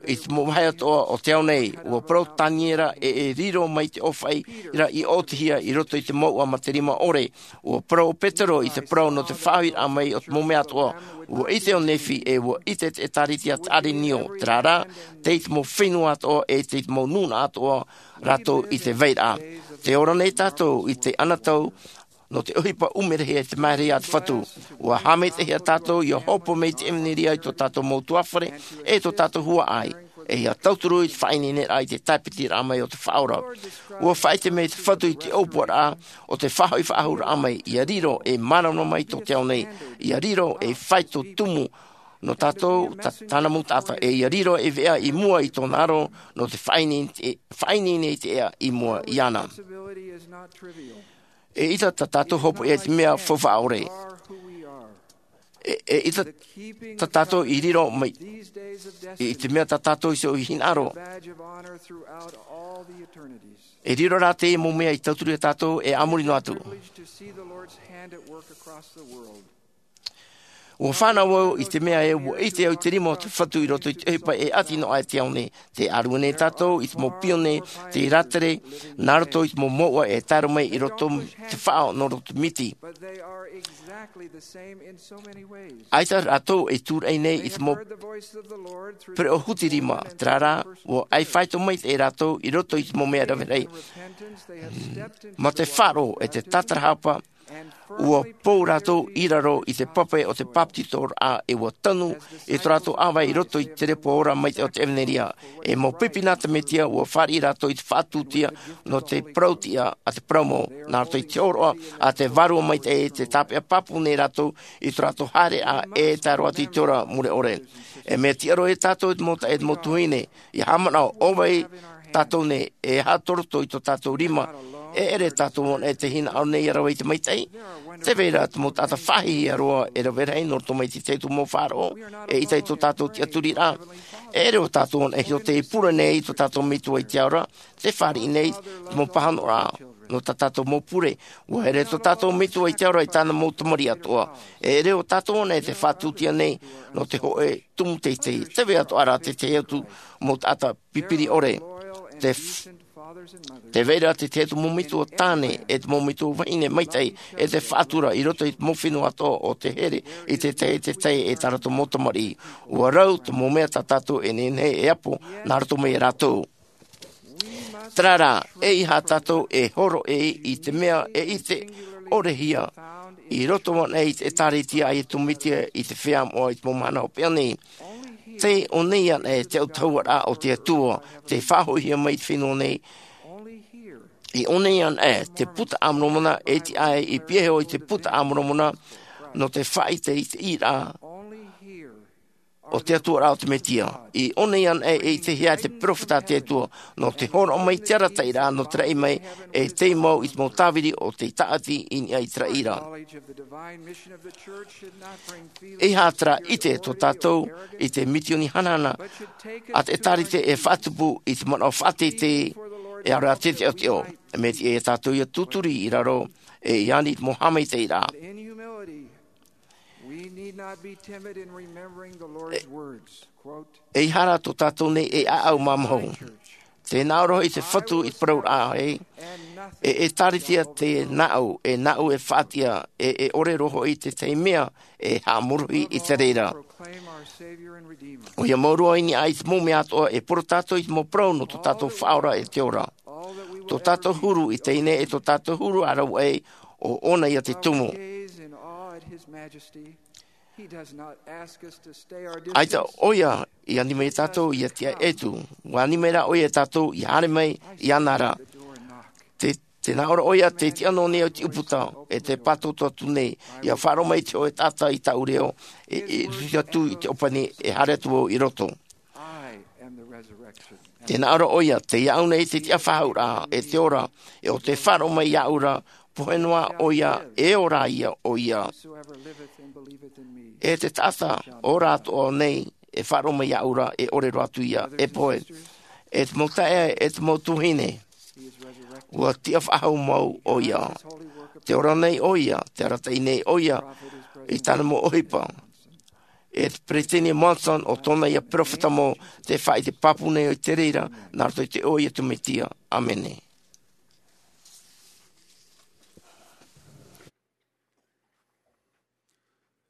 i te mau vāhi atoʻa o te ao nei, ʻua parau Taniera e, e riro mai te ʻōfaʻi ra i ʻōtihia i roto i te mouʻa mā te rima ʻore, ʻua parau ʻo Petero i te parau nō te faʻahoʻiraʻa mai o te mau mea atoʻa, ʻua ʻite ʻo Nephi e ʻua ʻite te ʻĒtārētia a te ʻĀrenio, terā rā, tei te mau fenua atoʻa e tei te mau nūnaʻa atoʻa rātou i te vairaʻa. Tē ora nei tātou i te anotau, nō te ʻohipa ʻumerehia e te māʻerehia a te Fatu. ʻUa haʻamaitaʻihia tātou ʻia hopoiʻa mai i te ʻevanelia i tō tātou mau ʻutuāfare, e tō tātou huaʻai, e ʻia tauturu i te faʻaineineraʻa i te tāpitiraʻa mai o te Faʻaora. ʻUa faʻaʻite mai te Fatu i te ʻōpuaraʻa o te faʻahoʻi faʻahou raʻa mai, ʻia riro e māramarama mai tō te ao nei, ʻia riro e faito tumu nō tātou, tā, tāna mau taʻata, e ʻia riro e veʻa i mua i tōna aro, nō te faʻaineine, faʻaineine i te ea i mua iāna. E ʻita tā tātou hopoiʻa i te mea faufaʻa ʻore. E, e ʻita tā tātou i riro mai i te mea tā tātou iho i hinaʻaro. E riro rā te mau mea i tauturu ia tātou e a muri noa atu. ʻUa fānau au i te mea ē, ʻua ʻite au i te rima o te Fatu i roto i te ʻohipa e ʻati noa aʻe i te ao nei. Tē ʻārue nei tātou i te mau pione, tei rātere, nā roto i te mau mouʻa e tae roa mai i roto i te faʻaʻo nō roto miti. ʻAita rātou e tūraʻi nei i te mau pereʻoʻo huti rima, terā rā, ʻua ʻai faito maitaʻi rātou i roto i te mau mea rave rahi. Mā te faʻaroʻo e te tātarahapa, ʻua pou rātou i raro i te pape o te bapetizoraʻa, e ʻua tanu i tō rātou ʻāvae i roto i te repo ora maitaʻi o te ʻevanelia. E mau pipi nā te Mesia, ʻua fāriʻi rātou i te faʻatūtia nō te parau-tiʻa a te parau mau, nā roto i te hōroʻa a te Vārua Maitaʻi, tē tāpeʻa pāpū nei rātou i tō rātou haereraʻa e tae roa atu i te ora mure ʻore. E mea tiʻa roa ia tātou e te mau taeaʻe, e te mau tuahine, ʻia haʻamanaʻo, ʻo vai tātou nei, e aha tō roto i tō tātou rima? E ʻere tātou anaʻe tei hinaʻaro nei ʻia rave i te maitaʻi? Tē vai ra te mau taʻata faʻahiahia roa e rave rahi nō roto mai i te tahi atu mau faʻaroʻo, eʻita i tō tātou tiʻaturiraʻa. E ʻere ʻo tātou anaʻe iho tei pure nei i tō tātou Metua i te ao ra, tē fāriʻi nei te mau pāhonoraʻa nō tā tātou mau pure. ʻUa here tō tātou Metua i te ao ra i tāna mau tamariʻi atoʻa. E ʻere ʻo tātou anaʻe tē faʻatūtia nei nō te hōʻē tumu teitei. Tē vai atoʻa ra te tahi atu mau taʻata pipiri ʻore. Tē f-, tē vai ra te tahi atu mau metua tāne, e te mau metua vahine maitaʻi, e tē faʻatura i roto i te mau fenua atoʻa o te here i te tahi, te tahi e tā rātou mau tamariʻi. ʻUa rau te mau mea tā tātou e nehenehe e apo nā roto mai ia rātou. Terā rā, ʻeiaha tātou e hōroʻa i te mea e ʻite ʻorehia i roto anaʻe i te ʻĒtārētia a Iesu Mesia i te feiā moʻa i te mau mahana hopeʻa nei. Tei ʻō nei anaʻe te autahuʻaraʻa o te Atua, tei faʻahoʻihia mai i te fenua nei. I ʻō nei anaʻe te Buka a Moromona, e tiʻa ai i pihaʻi iho i te Buka a Moromona, nō te faʻaʻite i te ʻīraʻa o te Atua ra o te Mesia. I ʻō nei anaʻe e ʻitehia e te peropheta a te Atua, nō te hōroʻa mai te arataʻiraʻa nō te raʻi mai, e tei mau i te mau tāviri o tei tāʻati i niʻa i te raʻi ra. ʻEiaha terā ʻite tō tātou i te misioni hanahana a te ʻĒtārētia e faʻatupu i te manaʻo faʻateitei, e ʻaore rā te teʻoteʻo. Mea tiʻa ia tātou ʻia tūturi i raro, e i ani i te mau haʻamaitaʻiraʻa. We need not be timid in remembering the Lord's words. Quote, ʻEiaha rā tō tātou nei e ʻāʻau mamahu. Church, Te nā ʻō ra hoʻi te Fatu i te parau raʻa, e, e tāritia te nāʻu, e nāʻu e faʻatiʻa, e, e ʻore roa hoʻi te tahi mea e haʻamorohi i te reira. ʻOia mau roa i niʻa i te mau mea atoʻa e poro tātou i te mau parau nō tō tātou Faʻaora e te ora. Tō tātou huru i teie nei e tō tātou huru a rau ai, ʻo ʻōna ia te tumu. ʻAita ʻoia i ani mai tātou ia tiʻa ʻetu, ʻua ani mai rā ʻoia tātou ia haere mai iāna ra. Te, te nā ʻō ra ʻoia te tiʻa noa nei au i te ʻūputa, e te pātoʻitoʻa atu nei, ia faʻaroʻo mai te hōʻē taʻata i tāʻu reo, e, e tuti atu i te ʻōpani, e haere atu vau i roto. Te nā ʻō ra ʻoia, tei iāʻu nei te tiʻa faʻahou ra, e te ora, e ʻo tē faʻaroʻo mai iāʻu ra, pohe noa ʻoia, e ora ia ʻoia. E te taʻata, ʻo rātou nei, e faʻaroʻo mai iāʻu ra, e ʻore roa atu ia, e pohe. E te mau taeaʻe, e te mau tuahine, ʻua tiʻa faʻahou mau ʻoia. Tē ora nei ʻoia, tē arataʻi nei ʻoia, i tāna mau ʻohipa. E te Peresideni Monson ʻo tōna ia peropheta mau, tē faʻaʻite pāpū nei au i te reira, nā roto i te iʻoa o Iesu Mesia. ʻĀmene.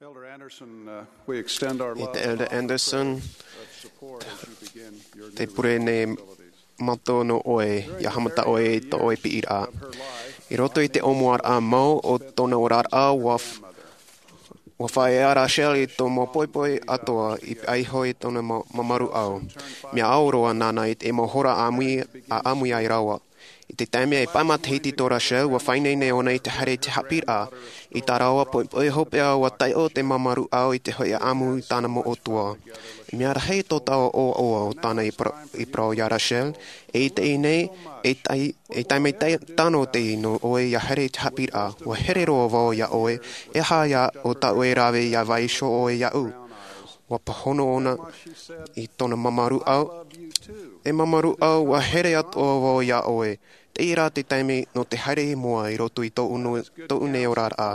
Elder Anderson, uh, we extend our love and Elder Anderson, prayer of support as you begin your new responsibilities. Te pure nei mātou nō ʻoe, ia haʻamata ʻoe i tō ʻoe piʻiraʻa. I roto i te ʻōmuaraʻa mau o tōna oraraʻa, ʻua f-, ʻua faʻaea Rachel i tō mau poipoi atoʻa i pihaʻi iho i tōna ma-, mamaru ʻau. Mea ʻau roa nāna i te mau hora ʻāmui, ʻa ʻāmui ai rāua. I te taime e pae matahiti tō Rachel, ʻua faʻaineine ʻōna i te haere i te haʻapiʻiraʻa. I tā rāua poipoi hopeʻa, ʻua taiʻo te mamaru ʻau i te hōʻē ʻāmui i tāna mau ʻutuāfare. Mea rahi tō taua ʻoaʻoa o tāna i parau, i parau ia Rachel, e i teie nei, e tai-, e taime tai-, tano teie nō ʻoe ia haere i te haʻapiʻiraʻa. ʻUa here roa vau ia ʻoe, e aha ia ʻo tāʻu e rave ia vaiiho ʻoe iāʻu. ʻUa pāhono ʻōna i tōna mamaru ʻau. E mamaru ʻau, ʻua here atoʻa vau ia ʻoe. Teie rā te taime nō te haere i mua i roto i tōʻu nō-, tōʻu nei oraraʻa.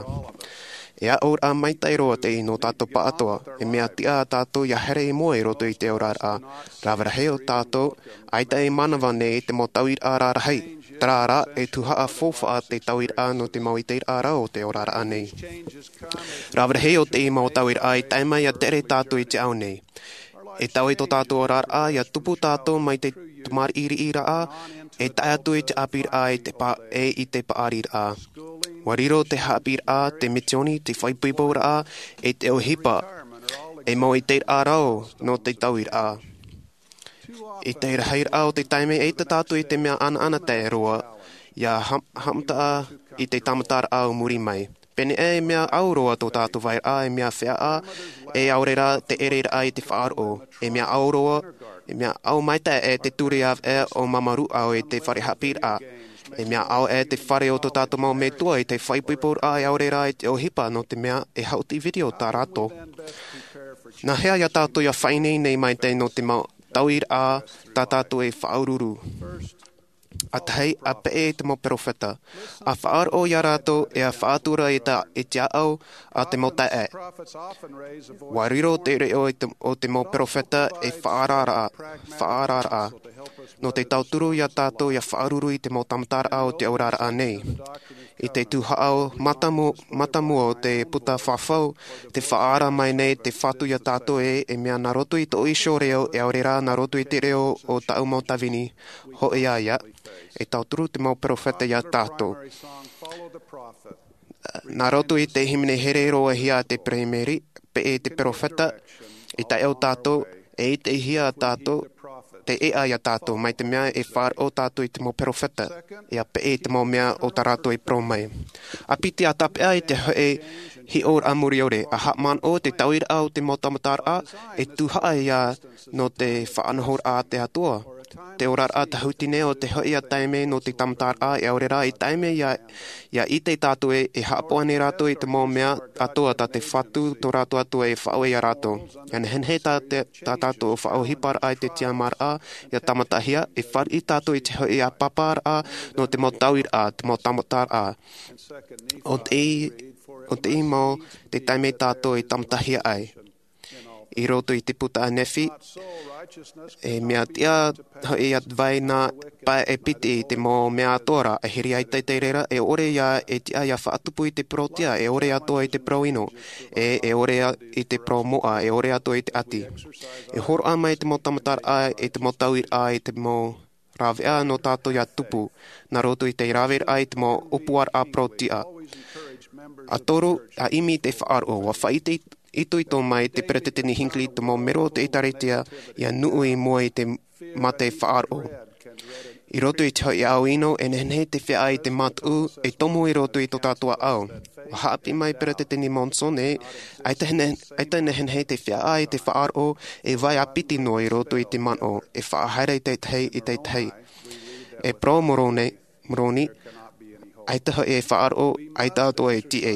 E aʻoraʻa maitaʻi roa teie nō tātou pāʻatoʻa, e mea tiʻa tātou ia haere i mua i roto i te oraraʻa. Rave rahi o tātou, ʻaita e manava nei te mau tauiraʻa rarahi. Terā rā, e tuhaʻa faufaʻa te tauiraʻa nō te mau ʻiteraʻa rau o te oraraʻa nei. Rave rahi o teie mau tauiraʻa e tae mai ia tere tātou i te ao nei. E taui tō tātou oraraʻa, ia tupu tātou mai te tamariʻiriʻiraʻa, e tae atu i te ʻāpīraʻa, e te pa-, e i te paʻariraʻa. ʻUa riro te haʻapiʻiraʻa, te misioni, te faʻaipoiporaʻa, e te ʻohipa, e mau ʻiteraʻa rau nō te tauiraʻa. I te rahiraʻa o te taime, ʻaita tātou i te mea ʻanaʻanatae roa, ia ha-, haʻamata i te tāmataraʻa o muri mai. Pēneiaʻe, mea ʻau roa tō tātou vairaʻa, e mea feʻaʻa, e ʻaore rā te ʻereraʻa i te faʻaroʻo. E mea ʻau roa, e mea ʻau maitaʻi te ture ʻāvaʻe o mamaru ʻau i te fare haʻapiʻiraʻa. E mea ʻau ʻē te fare o tō tātou mau metua i te faʻaipoiporaʻa, e ʻaore rā i te ʻohipa, nō te mea e haʻuti video tā rātou. Nā hea ia tātou ia faʻaineine mai teie nō te mau tauiraʻa tā tātou e faʻaururu? ʻA tahi, ʻa peʻe i te mau perofeta, ʻa faʻaroʻo ia rātou, e ʻa faʻatura i tā, i te ʻāʻau a te mau taeaʻe. ʻUa riro te reʻo i te, o te mau perofeta e faʻaararaʻa, faʻaararaʻa. Nō te tauturu ia tātou ia faʻaururu i te mau tāmataraʻa o te oraraʻa nei. I te tuhaʻa o mātāmu-, mātāmua o te puta fafau, tē faʻaara mai nei te Fatu ia tātou ē, e mea nā roto i tō iho reo, e ʻaore rā nā roto i te reo o tāʻu mau tāvini, hōʻē ia, e tauturu te mau perofeta ia tātou. Nā roto i te hīmene here roa hia te Peremeri, peʻe te perofeta, e taiʻo tātou, e ʻitehia tātou, te ʻēʻa ia tātou, mai te mea e faʻaroʻo tātou i te mau perofeta, e ʻa peʻe i te mau mea o tā rātou e parau mai. ʻA piti ʻa tāpeʻa i te hōʻē hiʻoraʻa muriore, ʻa haʻamanaʻo te tauiraʻa o te mau tāmataraʻa, e tuhaʻa ia nō te faʻanahoraʻa a te Atua. Te oraraʻa tahuti nei o te hōʻē ia taime nō te tāmataraʻa, e ʻaore rā i taime ia, ia ʻite tātou ē, e haʻapaʻo nei rātou i te mau mea atoʻa tā te Fatu tō rātou Atua e faʻaue ia rātou. Ia nehenehe tā te, tā tātou faʻaʻohiparaʻa i te tiʻamāraʻa, ia tāmatahia, e fāriʻi tātou i te hōʻē ia pāpāraʻa nō te mau tauiraʻa, te mau tāmataraʻa. ʻO tei, ʻo tei mau te taime tātou e tāmatahia ai. I roto i te puta a Nephi, E mea tiʻa hoʻi ia vai nā pae e piti i te mau mea atoʻa ra, e hiri ai te reira, e ʻore ia e tiʻa ia faʻatupu i te parau tiʻa, e ʻore atoʻa i te parau ʻino, e, e ʻore a-, i te parau moʻa, e ʻore atoʻa i te ʻati. E hōroʻa mai te mau tāmataraʻa, i te mau tauiraʻa, i te mau rāveʻa nō tātou ia tupu, nā roto i te rāveʻa i te mau ʻōpuaraʻa parau tiʻa. A toru, a ʻimi i te faʻaroʻo, ʻua faʻaitoito mai te Peresideni Hinckley i te mau mero o te ʻĒtārētia ia nuʻu i mua i te mate faʻaroʻo. I roto i te hoʻi ao ʻino, e nehenehe te feiā i te mataʻu, e tomo i roto i tō tātou ʻāʻau. ʻUa haʻapiʻi mai Peresideni Monson ē, ʻaita nehe-, ʻaita nehenehe te feiā i te faʻaroʻo, e vai ā piti noa i roto i te manaʻo, e faʻahaere i te tahi, i te tahi. E parau Moroni, Moroni, ʻaita hoʻi e faʻaroʻo, ʻaita atoʻa e tiʻa.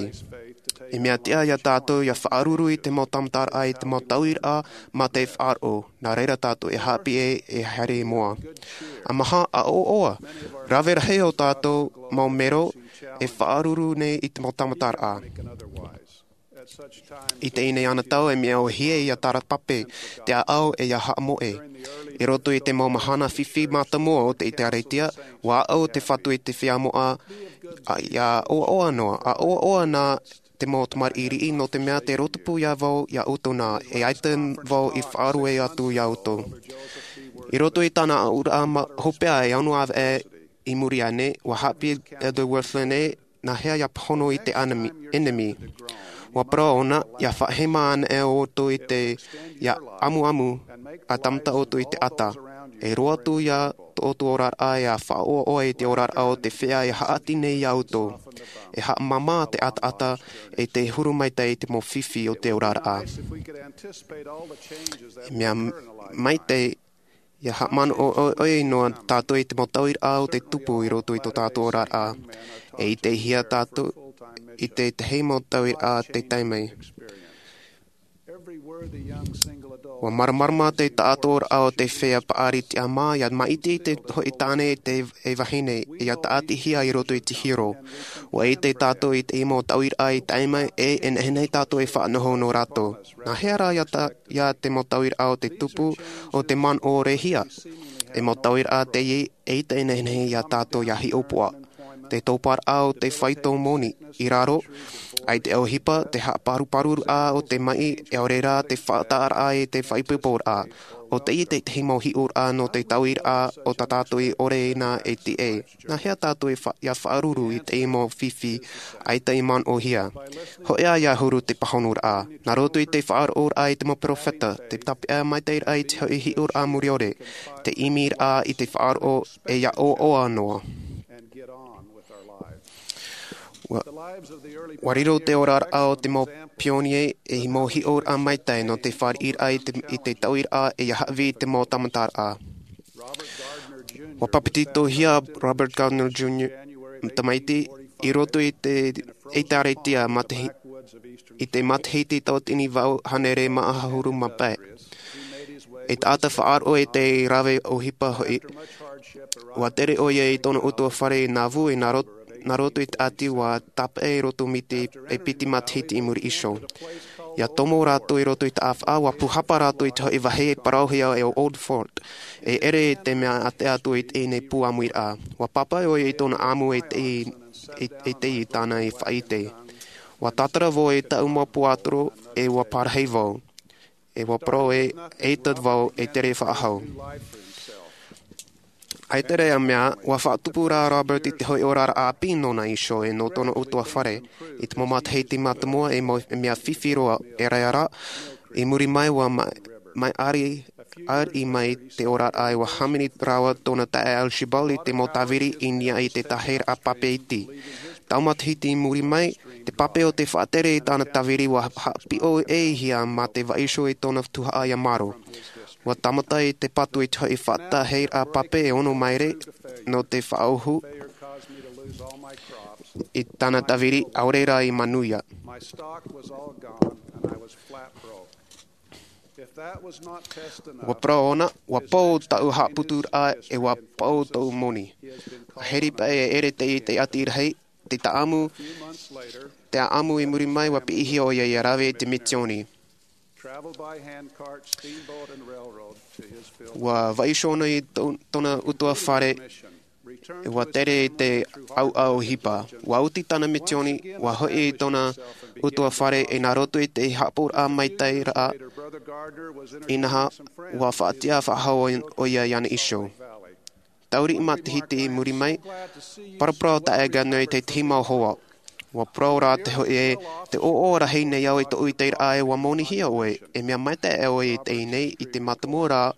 E mea tiʻa ia tātou ia faʻaruru i te mau tāmataraʻa, i te mau tauiraʻa mā te faʻaroʻo, nā reira tātou e haʻapiʻi e, e haere i mua. A maha, a ʻoaʻoa, rave rahi o tātou mau mero e faʻaruru nei i te mau tāmataraʻa. I teie nei anotau, e mea ʻōhie ia tārapape te ʻāʻau e ia haʻamoʻe. I roto i te mau mahana fifi mātāmua o te ʻĒtārētia, ʻua aʻo te Fatu i te feiā moʻa, a, ia ʻoaʻoa noa, a ʻoaʻoa nā te mau tamariʻi riʻi, nō te mea tē rōpū ia vau ia ʻoutou na, e ʻaita vau i faʻaruʻe atu ia ʻoutou. I roto i tāna aʻoraʻa ma-, hopeʻa e ono ʻāvaʻe i muri aʻe nei, ʻua haʻapiʻi Elder Wirthlin ē, nā hea ia pāhono i te ʻenemi, ʻenemi. ʻUa parau ʻōna, ia faʻahema ana e ʻoutou i te, ia ʻamuʻamu, a tāmata ʻoutou i te ʻata. E roaʻa atu ia tō ʻoutou oraraʻa, ia faʻaʻoaʻoa i te oraraʻa o te feiā e haʻati nei ia ʻoutou. E haʻamāmā te ʻataʻata, e te huru maitaʻi i te mau fifi o te oraraʻa. E mea maitaʻi, ia haʻamanaʻo ʻoiʻoi noa tātou i te mau tauiraʻa o te tupu i roto i tō tātou oraraʻa. E ʻitehia tātou i te tahi mau tauiraʻa tei tae mai. ʻUa māramarama te taʻatoʻaraʻa o te feiā paʻari tiʻamā, ia maʻiti te hoʻi tāne e te, e vahine, ia tāʻatihia i roto i te hiero. ʻUa ʻite tātou i te mau tauiraʻa i tae mai, e, e nehenehe tātou e faʻanoho nō rātou. Nā hea rā ia ta-, ia te mau tauiraʻa o te tupu, o te manaʻo rēhia? E mau tauiraʻa teie, e ʻaita e nehenehe ia tātou ia hiʻopoʻa. Te tōparaʻa o te faito moni, i raro, ʻaita e ʻohipa, te haʻaparuparuraʻa o te maʻi, e ʻaore rā te faʻataʻaraʻa i te faʻaipoiporaʻa. ʻO teie te tahi mau hiʻoraʻa nō te tauiraʻa o tā tātou i ʻore ina e tiʻa. Nā hea tātou e fa-, ia faʻaruru i te mau fifi, ʻaita i manaʻohia? Hōʻē ia huru te pāhonoraʻa. Nā roto i te faʻaroʻoraʻa i te mau perofeta, te tāpeʻa maitaʻiraʻa i te hoʻi hiʻoraʻa muriore, te ʻimiraʻa i te faʻaroʻo e ia ʻoaʻoa noa. ʻUa, ʻua riro te oraraʻa o te mau pionie ei mau hiʻoraʻa maitaʻi nō te fāriʻiraʻa i te, i te tauiraʻa e ia haʻavī i te mau tāmataraʻa. ʻUa papetitohia Robert Gardner Junior tamaiti i roto i te ʻĒtārētia matahi-, i te matahiti tauatini vaʻu hānere mā ʻahuru mā pae. E taʻata faʻaroʻo e te rave ʻohipa hoʻi, ʻua tere ʻoia i tōna ʻutuāfare i Nauvoo, e nā ro-, nā roto i te ʻati ʻua tāpeʻa i roto miti e piti matahiti i muri iho. ʻIa tomo rātou i roto i te ʻāfaʻa, ʻua pūhapa rātou i te hoʻi vāhi e parauhia e ʻo Old Fort, e ʻere i te mea ʻātea atu i teie nei pū ʻāmuiraʻa. ʻUa pāpaʻi ʻoia i tōna ʻāmu e te, e, e te i tāna i faʻaʻite. ʻUa tātara vau i taʻu mau puaʻatoro, e ʻua parahi vau. E ʻua parau ē, ʻaita vau e tere faʻahou. ʻAita rā mea, ʻua faʻatupu rā Robert i te hoʻi oraraʻa ʻāpī nōna iho e nō tōna ʻutuāfare. I te mau matahiti mātāmua e mau, e mea fifi roa, e rā rā, i muri mai ʻua ma-, mai ʻari, ʻari mai te oraraʻa e ʻua hāmani rāua tōna taeaʻe Archibald i te mau tāviri i niʻa i te tāhiraʻa pape iti. Taʻu matahiti i muri mai, te pape o te faʻatere i tāna tāviri ʻua haʻapiʻo ʻē hia mā te vaiiho i tōna tuhaʻa ia Maro. ʻUa tāmata i te patu i te hoʻi faʻatere pape e ono maere nō te faʻaʻohu i tāna tāviri ʻaore rā i manuia. ʻUa parau ʻōna, ʻua pau taʻu haʻaputuraʻa e ʻua pau taʻu moni. ʻA hiri paʻi e ʻere te, te ʻati rahi, te taʻamu, te ʻaʻamu i muri mai ʻua piʻihia ʻoia ʻia rave i te misioni. Ua vaiiho ʻōna i tōna utuafare, ua tere i te ʻauʻau ʻohipa. Ua oti tāna misioni, ua hoʻi i tōna utuafare i nā roto i te haʻapaʻoraʻa maitaʻi raʻa. Inaha, ua faʻatiʻa faʻahou ʻoia iāna iho. Taurii matahiti i muri mai, paraparau taʻe Gardner i te tahi mau hoa. Ua parau rā te hoʻi ē, te ʻoaʻoa rahi nei au i tōʻu ʻiteraʻa ē, ua monihia ʻoe, e mea maitaʻi ʻoe i teie nei, i te mātāmua rā,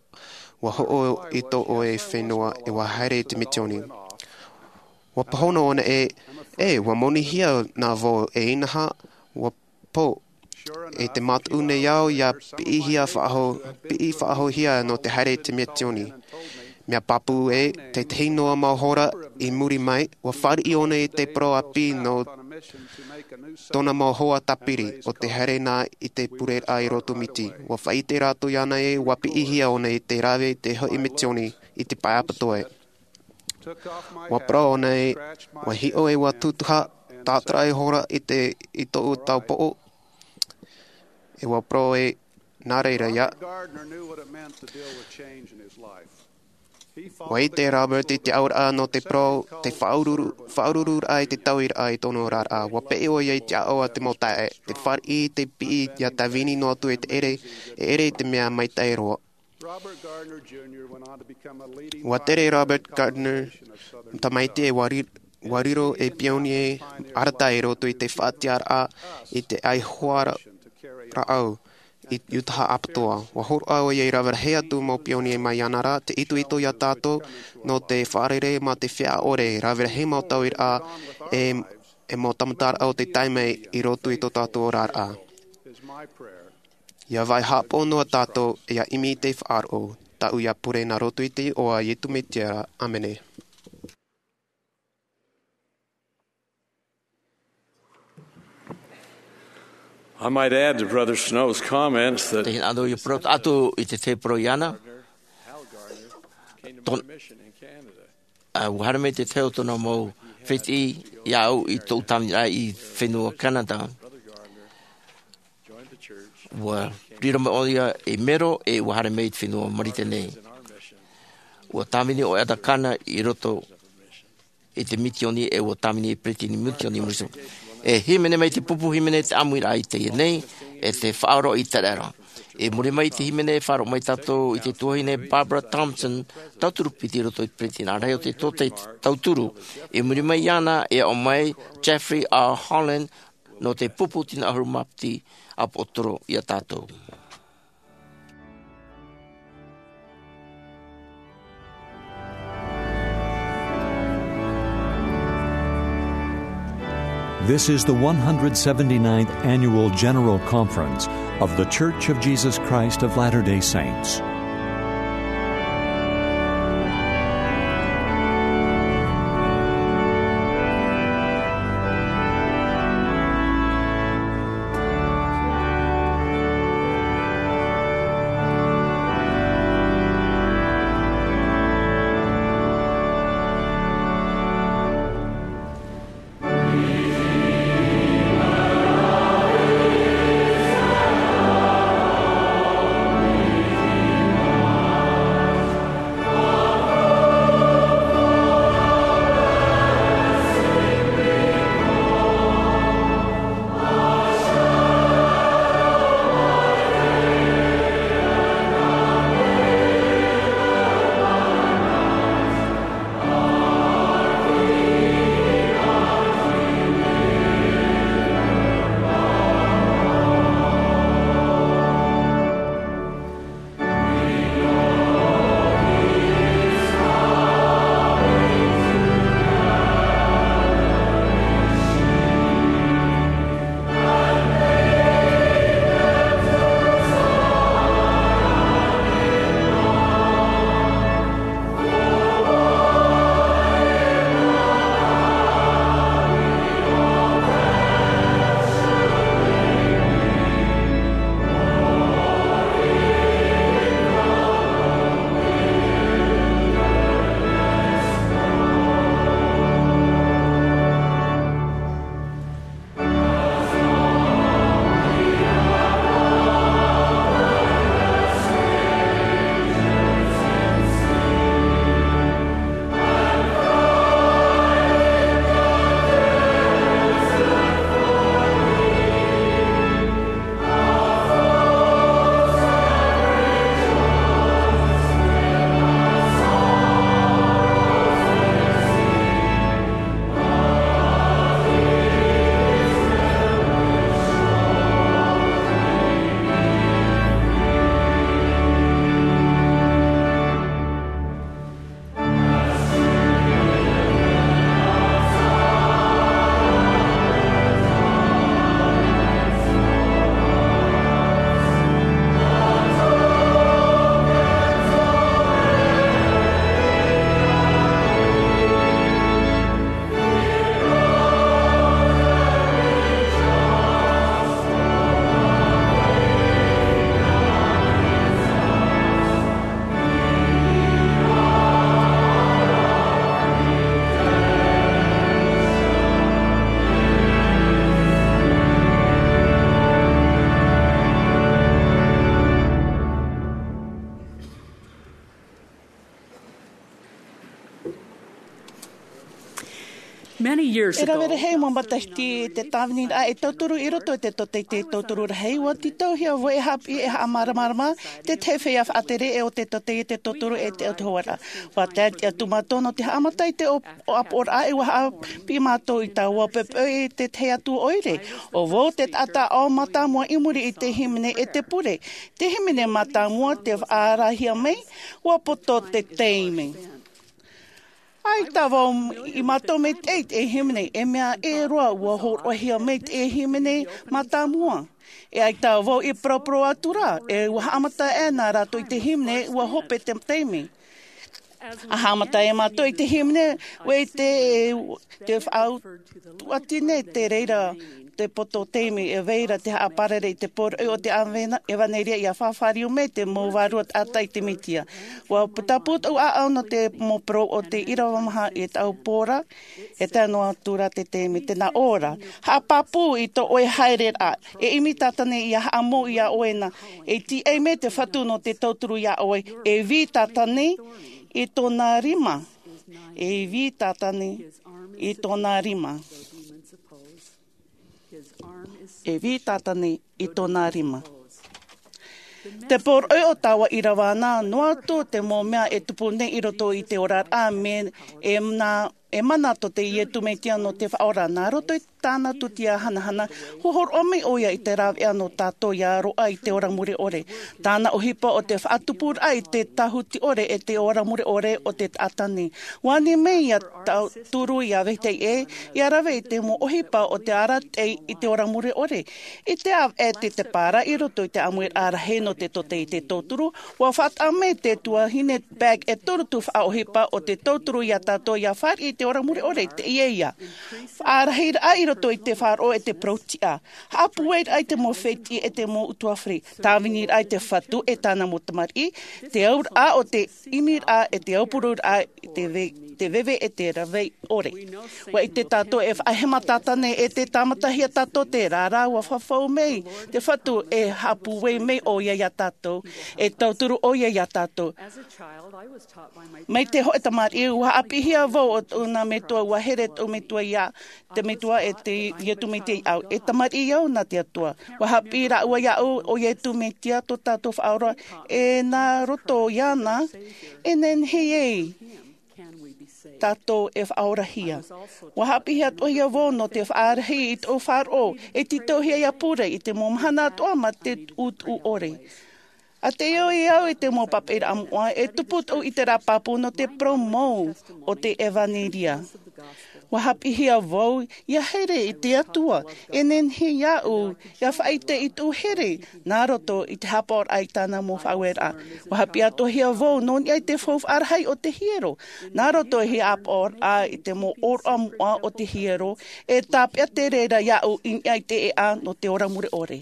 ua hoʻo i tō ʻoe fenua, e ua haere i te misioni. Ua pāhono ʻōna ē, e, ua monihia nā vau, e inaha, ua pō. E te mātau nei au ia piʻihia faʻahou, piʻi faʻahouhia nō te haere i te misioni. Mea pāpū ē, te tahi noa mau hora i muri mai, ua fāriʻi ʻōna i te parau ʻāpī nō tōna mau hoa tāpiri, ʻo te haere na i te pureraʻa i roto Miti. Ua faʻaʻite rātou iāna ē, ua piʻihia ʻōna i te rave i te hoʻi misioni i te pae ʻapatoʻa. Ua parau ʻōna ē, ua hiʻo ē ua tūtuha, tātaraʻa hora i te, i tōʻu taupoʻo, e ua parau ē, nā reira ia. Ua ʻite Robert i te auraʻa nō te parau, te faʻaururu, faʻaurururaʻa i te tauiraʻa i tōna oraraʻa. Ua peʻe ʻoia i te ʻaʻau a te mau taeaʻe, te fāriʻi, te piʻi, ia tāvini noa atu i te ʻere, e ʻere i te mea maitaʻi roa. Ua tere Robert Gardner, tamaiti e ua ri-, ua riro ei pionie arataʻi i roto i te faʻatiʻaraʻa i te ʻaihoa ra-, rāʻau i Utah ʻapatoʻa. Ua hōroʻa ʻoia i rave rahi atu mau pionie mai iāna ra, te itoito ia tātou nō te fārereiraʻa mā te feiā ʻore, rave rahi mau tauiraʻa e, e mau tāmataraʻa o te taime i roto i tō tātou oraraʻa. Ia vai haʻapaʻo noa tātou, ia ʻimi i te faʻaroʻo, tāʻu ia pure nā roto i te iʻoa a Iesu Mesia ra. ʻĀmene. I might add to Brother Snow's comments that Te hinaʻaro ia parau atu i te tahi parau iāna. Ton-, ʻA, ua haere mai te tahi o tōna mau fētiʻi iāʻu i tōʻu tāviniraʻa i fenua Canada. Ua riro mai ʻoia ei mero e ua haere mai i te fenua Marite nei. Ua tāvini ʻo Elder Gardner i roto i te misioni e ua tāvini i te peretiteni misioni i muri iho. E hīmene mai te pupu hīmene te ʻāmuiraʻa i teie nei, e te faʻaroʻo i te reira. I muri mai i te hīmene e faʻaroʻo mai tātou i te tuahine Barbara Thompson, tauturu piti i roto i te peretiteni rahi o te tōtaiete tauturu. I muri mai iāna e aʻo mai Jeffrey R. Holland nō te pupu tino ʻahuru mā piti ʻāpoʻotoro ia tātou. This is the one hundred seventy-ninth Annual General Conference of The Church of Jesus Christ of Latter-day Saints. E rave rahi mau matahiti te tāviniraʻa e tauturu i roto i te tōtaiete tauturu rahi, ua tītauhia vau e haʻapiʻi e haʻamāramarama te tahi feiā faʻatere o te tōtaiete tauturu e te autahuʻaraʻa. Ua tae atu mātou nō te haʻamata i te ʻōpuaraʻa, e ua haʻapiʻi mātou i taua poʻipoʻi i te tahi atu ʻoire. ʻO vau te taʻata ʻo mātāmua i muri i te hīmene e te pure. Te hīmene mātāmua te faʻaarahia mai, ua poto te taime. ʻAita vau i mātau maitaʻi te hīmene, e mea ʻē roa ua hōroʻahia mai te hīmene mātāmua. E ʻaita vau i paraparau atu ra, e ua haʻamata aʻe na rātou i te hīmene, ua hope te taime. A haʻamata e mātou i te hīmene, ua ʻite e te faʻaʻutuʻati nei te reira te poto taime, e vai ra te haʻaparauraʻa i te poroʻi o te ʻāvena-, ʻevanelia ʻia faʻafāriu mai te mau vārua taʻata i te Mesia. Ua putapū tōʻu ʻāʻau nō te mau parau o te ʻīrava maha i taua pō ra, e tae noa atu ra te taime tē nā ʻō ra. Haʻapāpū i tō ʻoe haereraʻa, e ʻimi tātane ʻia haʻamou iā ʻoe na, e tīaʻi mai te Fatu nō te tauturu iā ʻoe, e vī tātane i tōna rima, e vī tātane i tōna rima. E vī tātane i tōna rima. Te poroʻi o taua ʻīrava na, noa atu te mau mea e tupu nei i roto i te oraraʻa, mea e mana, e mana tō te Iesu Mesia nō te Faʻaora. Nā roto i tāna tūtia hanahana, ua hōroʻa mai ʻoia i te rāveʻa nō tātou ʻia roaʻa i te ora mure ʻore. Tāna ʻohipa o te faʻatupuraʻa i te tāhuti ʻore e te ora mure ʻore o te taʻata nei. Ua ani mai ʻia tauturu ʻia vetahi ʻē, ʻia rave i te mau ʻohipa o te arataʻi i te ora mure ʻore. I te ʻāvaʻe te teparaʻa i roto i te ʻāmuiraʻa rahi nō te tōtaiete tauturu, ua faʻataʻa mai te tuahine Begg e toru tuhaʻa ʻohipa o te tauturu iā tātou ʻia fāriʻi i te ora mure ʻore i teie ia. Faʻarahiraʻa i roto i te faʻaroʻo e te parau-tiʻa. Haʻapūairaʻa i te mau fētiʻi e te mau ʻutuāfare. Tāviniraʻa i te Fatu e tāna mau tamariʻi. Te auraʻa o te ʻimiraʻa e te aupururaʻa i te ve-, te veve e te rave ʻore. Ua ʻite tātou e faʻahema tātane e te tāmatahia tātou te reira, ua fafau mai te Fatu e haʻapūai mai ʻoia iā tātou, e tauturu ʻoia iā tātou. Mai te hōʻē tamariʻi, ua haʻapiʻihia vau ʻo tōʻu nā metua, ua here tōʻu metua iā, te Metua e te Iesu Mesia iāʻu. E tamariʻi au nā te Atua. Ua haʻapiʻi rāua iāʻu, ʻo Iesu Mesia tō tātou Faʻaora, e nā roto iāna, e nehenehe ai tātou e faʻaorahia. Ua haʻapiʻihia atoʻahia vau nō te faʻarahi i tōʻu faʻaroʻo, e tītauhia ʻia pure i te mau mahana atoʻa mā te tuʻutuʻu ʻore. ʻA tae au i te mau papaʻiraʻa moʻa, e tupu tōʻu ʻiteraʻa pāpū nō te parau mau o te ʻevanelia. Ua haʻapiʻihia vau ʻia here i te Atua, e nehenehe iāʻu ʻia faʻaʻite i tōʻu here nā roto i te haʻapaʻoraʻa i tāna mau faʻaueraʻa. Ua haʻapiʻi atoʻahia vau nō niʻa i te faufaʻa rahi o te hiero. Nā roto i te haʻapaʻoraʻa i te mau ʻōroʻa moʻa o te hiero, e tāpeʻa te reira iāʻu i niʻa i te ʻēʻa nō te ora mure ʻore.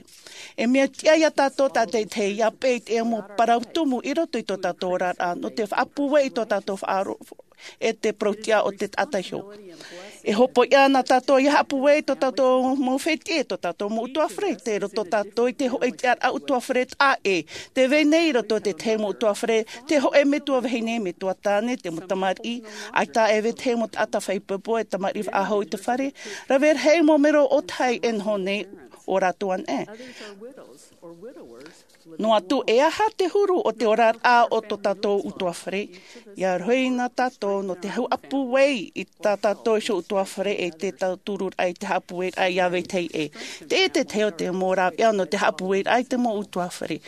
E mea tiʻa iā tātou tātaʻitahi ʻia peʻe i te mau parau tumu i roto i tō tātou oraraʻa, nō te faʻapūai i tō tātou faʻaroʻo e te parau-tiʻa o te taʻata iho. E hopoiʻa na tātou ʻia haʻapūai i tō tātou mau fētiʻi, tō tātou mau ʻutuāfare, tē roto tātou i te hōʻē tiʻaraʻa ʻutuāfare taʻa ʻē. Tē vai nei i roto i te tahi mau ʻutuāfare te hōʻē metua vahine, metua tāne, te mau tamariʻi, ʻaita e vetahi mau taʻata feiā pōpō, e tamariʻi faʻahou i te fare, rave rahi mau mero ʻōtahi e noho nei ʻo rātou anaʻe. Noa atu e aha te huru o te oraraʻa o tō tātou ʻutuāfare, ʻia rohi na tātou nō te haʻapūai i tā tātou iho ʻutuāfare e te tautururaʻa i te haʻapūairaʻa ʻia vetahi ʻē. Teie te tahi o te mau rāveʻa nō te haʻapūairaʻa i te mau ʻutuāfare.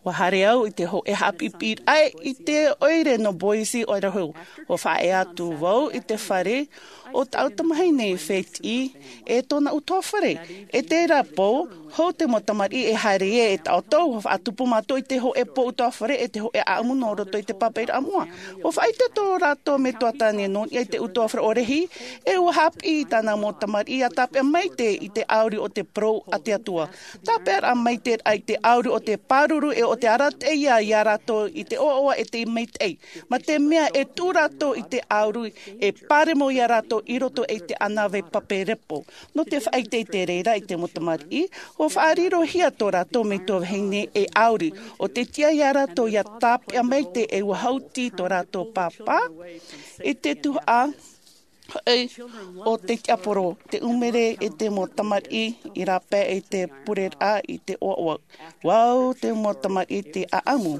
Ua haere au i te hōʻē haʻapiʻiraʻa i te ʻoire nō Boise, Idaho. Ua faʻaea atu vau i te fare o tāʻu tamahine fētiʻi e tōna ʻutuāfare. I terā pō, hou te mau tamariʻi e haere ai e taʻoto, ua faʻatupu mātou i te hōʻē pō ʻutuāfare e te hōʻē ʻāʻamu nō roto i te papaʻiraʻa moʻa. Ua faʻaʻite tō rātou metua tāne nō niʻa i te ʻutuāfare ʻōrehi, e ua haʻapiʻi i tāna mau tamariʻi ʻia tāpeʻa maitaʻi i te ʻauri o te parau a te Atua. Tāpeʻaraʻa maitaʻi i te ʻauri o te pāruru e o te arataʻi ia rātou i te ʻoaʻoa e te maitaʻi. Mā te mea e tuʻu rātou i te ʻauri, e pāremo ia rātou i roto i te ʻānāvai pape repo. Nō te faʻaʻite i te reira i te mau tamariʻi, ua faʻarirohia tō rātou metua vahine e ʻauri, ʻo te tiʻa ia rātou ʻia tāpeʻa maitaʻi e ua hauti tō rātou pāpā i te tuhaʻa Hoʻi, o te tiaporo, te ʻumere e te mau tamariʻi i rāpae i te pureraʻa i te ʻoaʻoa. Ua au te mau tamariʻi te ʻaʻamu.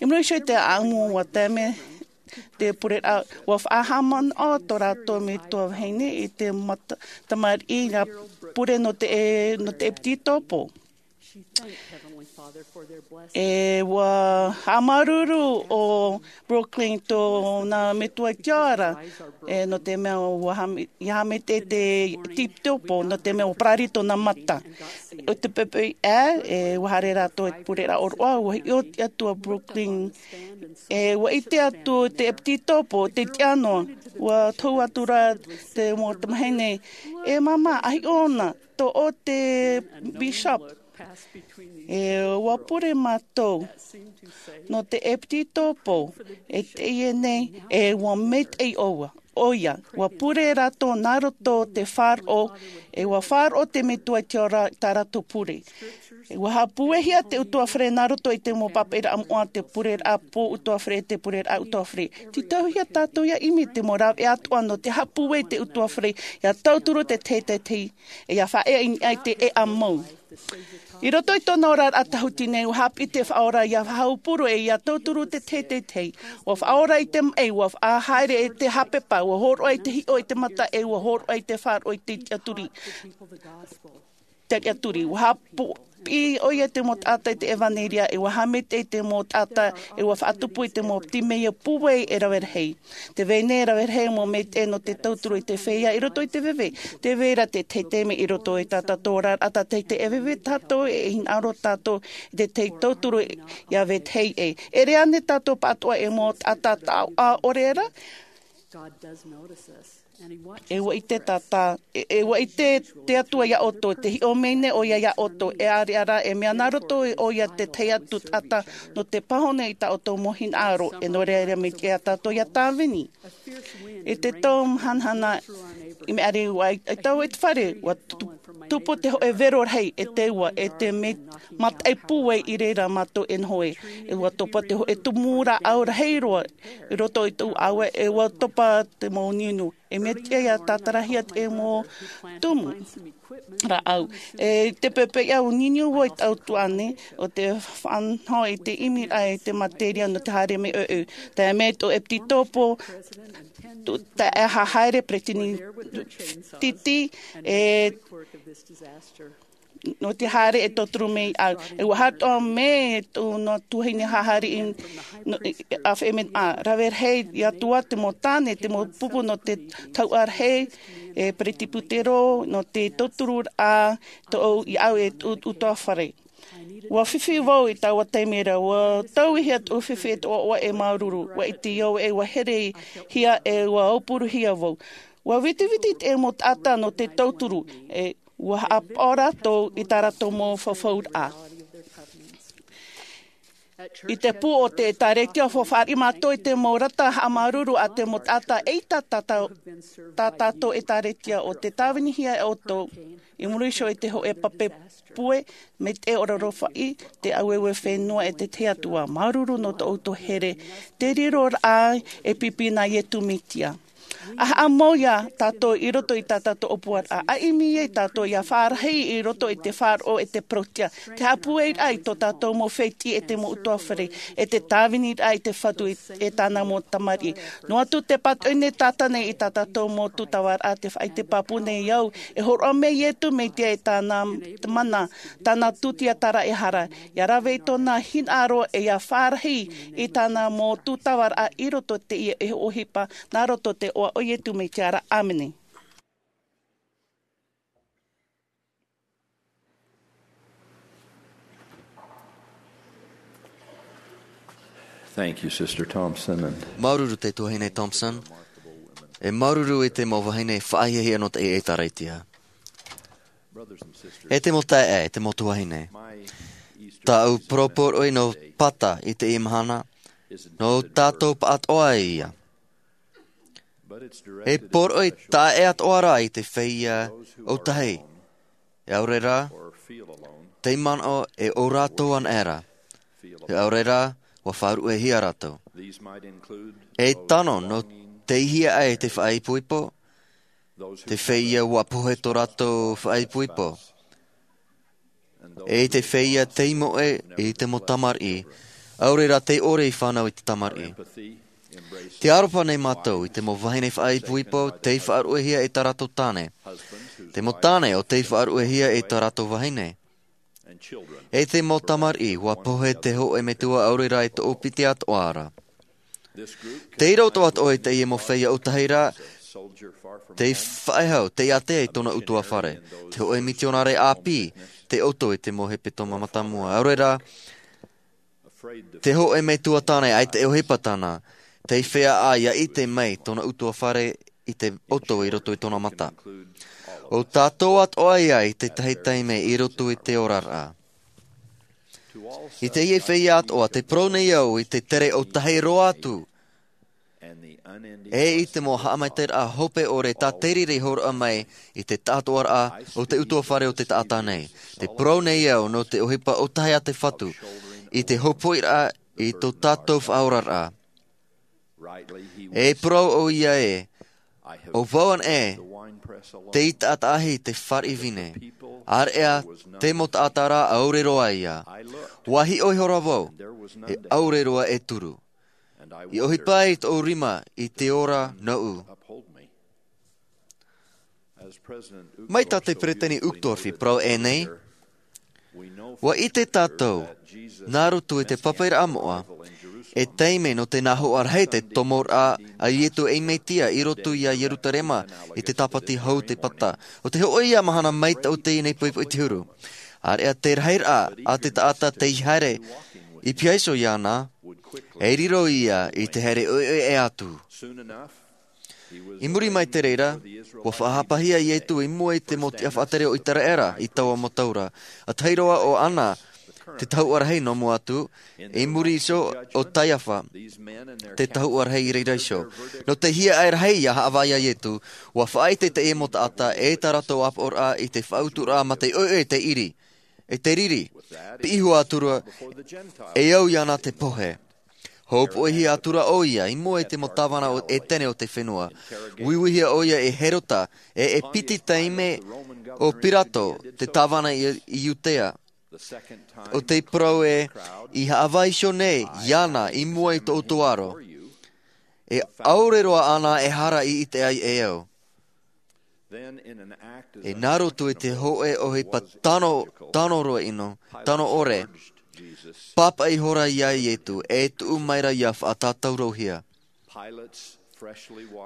I muri iho i te ʻaʻamu, ua tae mai te pureraʻa, ua faʻahaʻamanaʻo tō rātou metua vahine i te mau tamariʻi nā pure nō te, nō te ʻepititopo. E ua haʻamāuruuru o Brooklyn tōna metua i te ao ra, e, nō te mea ua hame-, ʻia haʻamaitaʻi te ʻepititopo, nō te mea ua parari tōna mata. ʻO te poʻipoʻi ā, e, ua haere rātou i te pureraʻa ʻōroʻa, ua hiʻo te Atua Brooklyn. E, ua ʻite atu te ʻepititopo, te tiʻa noa, ua tohu atu ra te mau tamahine, e māmā, ʻa hiʻo na, tō ʻoe te bishop. E, ua pure mātou. Nō te ʻepititopo, e teie nei, e ua maitaʻi ʻoia. ʻOia, ua pure rātou nā roto te faʻaroʻo, e ua faʻaroʻo te metua i te ao ra tā rātou pure. E ua haʻapūaihia te ʻutuāfare nā roto i te mau pāpaʻiraʻa moʻa, te pureraʻa pō ʻutuāfare, te pureraʻa ʻutuāfare. Tītauhia tātou ʻia ʻimi te mau rāveʻa atoʻa nō te haʻapūai te ʻutuāfare, ʻia tauturu te tahi e tahi, e ʻia faʻaea i niʻa i te ʻēʻa mau. I roto i tōna oraraʻa tāhuti nei, ua haʻapiʻi te Faʻaora ʻia faʻahaupuru e ʻia tauturu te tahi e tahi. Ua faʻaora i te maʻi, ua faʻahaere i te hāpepa, ua hōroʻa i te hiʻo i te mata, e ua hōroʻa i te faʻaroʻo i te tiʻaturi. Te tiʻaturi, ua haʻapiʻi ʻoia i te mau taʻata i te ʻevanelia, e ua haʻamaitaʻi i te mau taʻata, e ua faʻatupu i te mau timeia pūai e rave rahi. Te vai nei e rave rahi mau maitaʻi nō te tauturu i te feiā i roto i te veve. Tē vai ra te tahi taime i roto i tā tātou oraraʻa, tā te tahi e veve tātou, e hinaʻaro tātou i te tahi tauturu ʻia vetahi ʻē. E ʻere ānei tātou pāʻatoʻa e mau taʻata taʻoʻa ʻore ra? E ua ʻite tātou, e, e ua ʻite te Atua iā ʻoutou, tē hiʻo mai nei ʻoia iā ʻoutou, e ʻāreʻa rā, e mea nā roto ʻoia i te tahi atu taʻata nō te pāhono i tā ʻoutou mau hinaʻaro, e nō reira, mea tiʻa iā tātou ʻia tāvini. I te tau mahanahana i maʻiri, ʻua ʻaita vau i te fare, ʻua tu-, tupu te hōʻē vero rahi, e te ua, e te mea mataʻi pūai i reira mātou e noho ai, e ua topa te hōʻē tumu rāʻau rahi roa, i roto i tōʻu ʻāvae, e ua topa te mau niuniu. E mea tiʻa ʻia tātarahia te mau tumu rāʻau. E te poʻipoʻi ā, ʻua niuniu vau i taʻu tuahine, ʻo tē faʻanaho i te ʻimiraʻa i te materia nō te haere mai ʻoʻoʻo. Tae mai tō ʻepititopo, tō, tae haere peretiteni Titi, e nō te haere e tauturu mai au. E ua haʻatoʻa mai tōna tuahine hahari i, nō, i, ʻāfaʻi mai, ʻa, rave rahi atu ā te mau tāne, te mau pupu nō te tauʻa rahi, e peretiputero, nō te tauturu ā, tōʻu, iā ʻu e tōʻu ʻutuāfare. Ua fifi vau i taua taime ra, ua tauihia tōʻu fifi e te ʻoaʻoa e māuruuru, ua ʻite au e ua herehia e ua aupuruhia vau. Ua vitiviti te mau taʻata nō te tauturu, e ua haʻapaʻo rātou i tā rātou mau fafauraʻa. I te pū o te ʻĒtārētia, ua fāriʻi mātou i te mau rata haʻamāuruuru a te mau taʻata, eʻita tā, tā, tā tātou ʻĒtārētia, ʻo tē tāvinihia e ʻoutou. I muri iho i te hōʻē pape pūai, mai te ʻoroʻa faʻi, te ʻaueue fenua e te tahi atu ā. Māuruuru nō tō ʻoutou here, te riroraʻa e pipi nā Iesu Mesia. ʻA haʻamau iā tātou i roto i tā tātou ʻōpuaraʻa, ʻa ʻimi ai tātou ʻia fārahi i roto i te faʻaroʻo e te parauʻtiʻa, te haʻapūairaʻa i tō tātou mau fētiʻi e te mau ʻutuāfare, e te tāviniraʻa i te Fatu e, e tāna mau tamariʻi. Noa atu te pātoʻi nei Sātane i tā tātou mau tūtavaraʻa, tē faʻaʻite pāpū nei au, e hōroʻa mai Iesu Mesia e tāna mana, tāna tūtiataraʻehara, ʻia rave i tōna hinaʻaro e ʻia fārahi i tāna mau tūtavaraʻa i roto i teie ʻohipa, nā roto i te iʻoa o Iesu Mesia ra. ʻĀmene. Thank you, Sister Thompson, and Māuruuru te tuahine Thompson. E māuruuru i te mau vahine faʻahiahia nō te ʻĒtārētia. E te mau taeaʻe, e te mau tuahine. Tāʻu poroporoʻi nō Pata i teie mahana, nō tātou pāʻatoʻa ia. E poroʻi taeaʻe atoʻa rā i te feiā ʻōtahi. E ʻaore rā, tei manaʻo e ʻo rātou anaʻe ra. E ʻaore rā, ʻua faʻaruʻehia rātou. E tano nō Tei hea ai te faʻaipoipo? Te feiā ua pohe tō rātou faʻaipoipo. E te feiā tei moʻe i te mau tamariʻi, ʻaore rā tei ʻore i fānau i te tamariʻi. Te aroha nei mātou i te mau vahine faʻaipoipo tei faʻaruʻehia e tā rātou tāne. Te mau tāne ʻo tei faʻaruʻehia e tā rātou vahine. E te mau tamariʻi, ua pohe te hōʻē metua ʻaore rā e toʻopiti atoʻa ra. Tei roto atoʻa i teie mau feiā ʻōtahi ra, tei faʻehau, tei ātea i tōna ʻutuāfare. Te hōʻē mitionare ʻāpī, tei ʻoto i te mau hepetoma mātāmua. ʻAore rā, te hōʻē metua tāne ʻaita e ʻohipa tāna, tei feiā ʻā ʻia ʻite mai tōna ʻutuāfare i te ʻoto i roto i tōna mata. ʻO tātou atoʻa ia i te tahi taime i roto i te oraraʻa. I teie feiā atoʻa, tē parau nei au i te tere ʻōtahi roa atu. E i te mau haʻamaitaʻiraʻa hope ʻore tā te riri hōroʻa mai i te taʻatoʻaraʻa o te ʻutuāfare o te taʻata nei. Tē parau nei au nō te ʻohipa ʻōtahi a te Fatu, i te hopoiʻiraʻa i tō tātou faʻaoraraʻa. E parau ʻoia ē, ʻo vau anaʻe, tei taʻataʻahi te fāriʻi vine. ʻĀreʻa te mau taʻata ra ʻaore roa ia. Ua hiʻo ihora vau, e ʻaore roa e turu. I ʻohipa i tōʻu rima i te ora nōʻu. Mai tā te peresideni Uchtdorf i parau ʻē nei, ua ʻite tātou, nā roto i te papaʻiraʻa moʻa, e taime nō te nā hoʻa rahi te tomoraʻa a Ietu ei Mesia i roto ia Ierutarema i te tāpati hau te pata. ʻO te hōʻē ia mahana mai tō teie nei poʻipoʻi te huru. ʻĀreʻa te rahiraʻa a te taʻata tei haere i piha iho iāna, e riro ia i te haere ʻoiʻoi atu. I muri mai te reira, ua faʻahapahia Ietu i mua i te mau tiʻa faʻatere o ʻĪteraʻera i taua mau tau ra. ʻA tahi roa ʻo Ana, te tahuʻa rahi nō mua atu, i muri iho ʻo Kaiafa, te tahuʻa rahi i reira iho. Nō te hiaʻai rahi ʻia haʻavā ia Ietu, ua faʻaʻite teie mau taʻata e tā rātou ʻāpoʻoraʻa i te faʻauturaʻa mā te ʻoiʻoi e te ʻiri, e te riri, piʻi iho atu ra, e au iāna te pohe. Hōpoihia atu ra ʻoia i mua i te mau tāvana o ʻētene o te fenua. Uiuihia ʻoia e Herota, e, e piti taime ʻo Pirato, te tāvana i, i Iudea. ʻO tei parau ē, i haʻavā iho nei iāna i mua i tō ʻoutou aro. E ʻaore roa āna e hara i ʻite ai e au. E nā roto i te hōʻē ʻohipa tano, tano roa ʻino, tano ʻore, pāpaʻi ihora ia Ietu, e tuʻu maira ʻia faʻatātaurohia.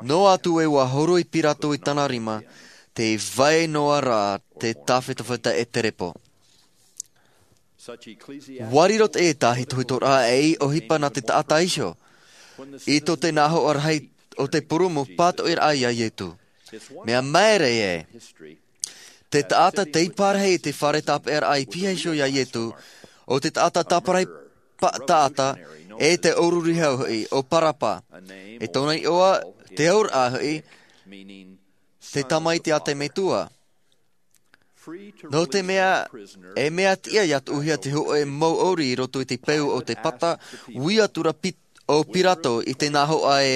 Noa atu ē ua horoi Pirato i tāna rima, tē vai noa ra te tāfetafeta e te repo. Ua riro teie tāhitohitoraʻa ei ʻohipa nā te taʻata iho. I tō te nā hoʻa rahi o te purūmu pātoʻiraʻa ia Ietu. Mea maere ē, te taʻata tei pārahi i te fare tāpeʻaraʻa i piha iho ia Ietu, ʻo te taʻata tāparahi pa-, taʻata, e te ʻōrurihau hoʻi, ʻo Parapa. E tōna iʻoa, te auraʻa hoʻi, te tamaiti a te Metua. Nō te mea, e mea tiʻa ʻia tuʻuhia te hōʻē mau ʻōuri i roto i te peu o te pata, ui atu ra Pi-, ʻo Pirato i te nā hoʻa ē,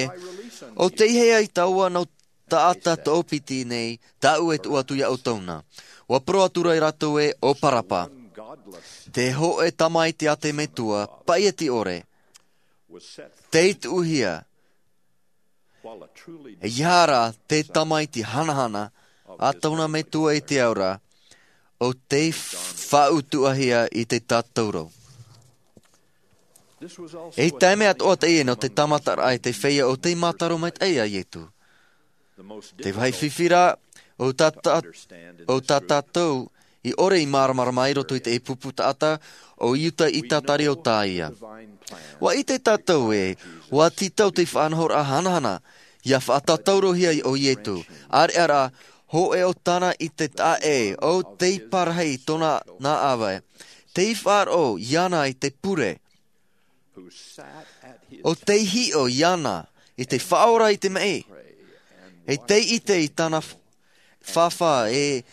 ʻo tei hea i taua nau taʻata toʻopiti nei, tāʻu e tuʻu atu ia ʻoutou na. Ua parau atu ra rātou ē, ʻo Parapa, te hōʻē tamaiti a te Metua, paʻiati ʻore, tei tuʻuhia, ʻeiaha rā te tamaiti hanahana a tōna Metua i te ao ra, ʻo tei faʻautuʻahia i te tātauro. Ei taime atoʻa teie nō te tāmataraʻa i te feiā ʻo tei mātaro maitaʻi ia Ietu. Te vāhi fifi rā, ʻo tā tā-, ʻo tā tātou i ʻore i māramarama i roto i te pupu taʻata, ʻo Iuta Isakariota ïa. Ua ʻite tātou ē, ua tītau te faʻanahoraʻa hanahana, ʻia faʻatātaurohia ʻo Ietu. ʻĀreʻa rā, hōʻē ʻo tāna i te taʻa ʻē, ʻo tei pārahi i tōna nā ʻāvae. Tei faʻaroʻo iāna i te pure. ʻO tei hiʻo iāna i te Faʻaora i te maʻi. E tei ʻite i tāna f-, fāfā e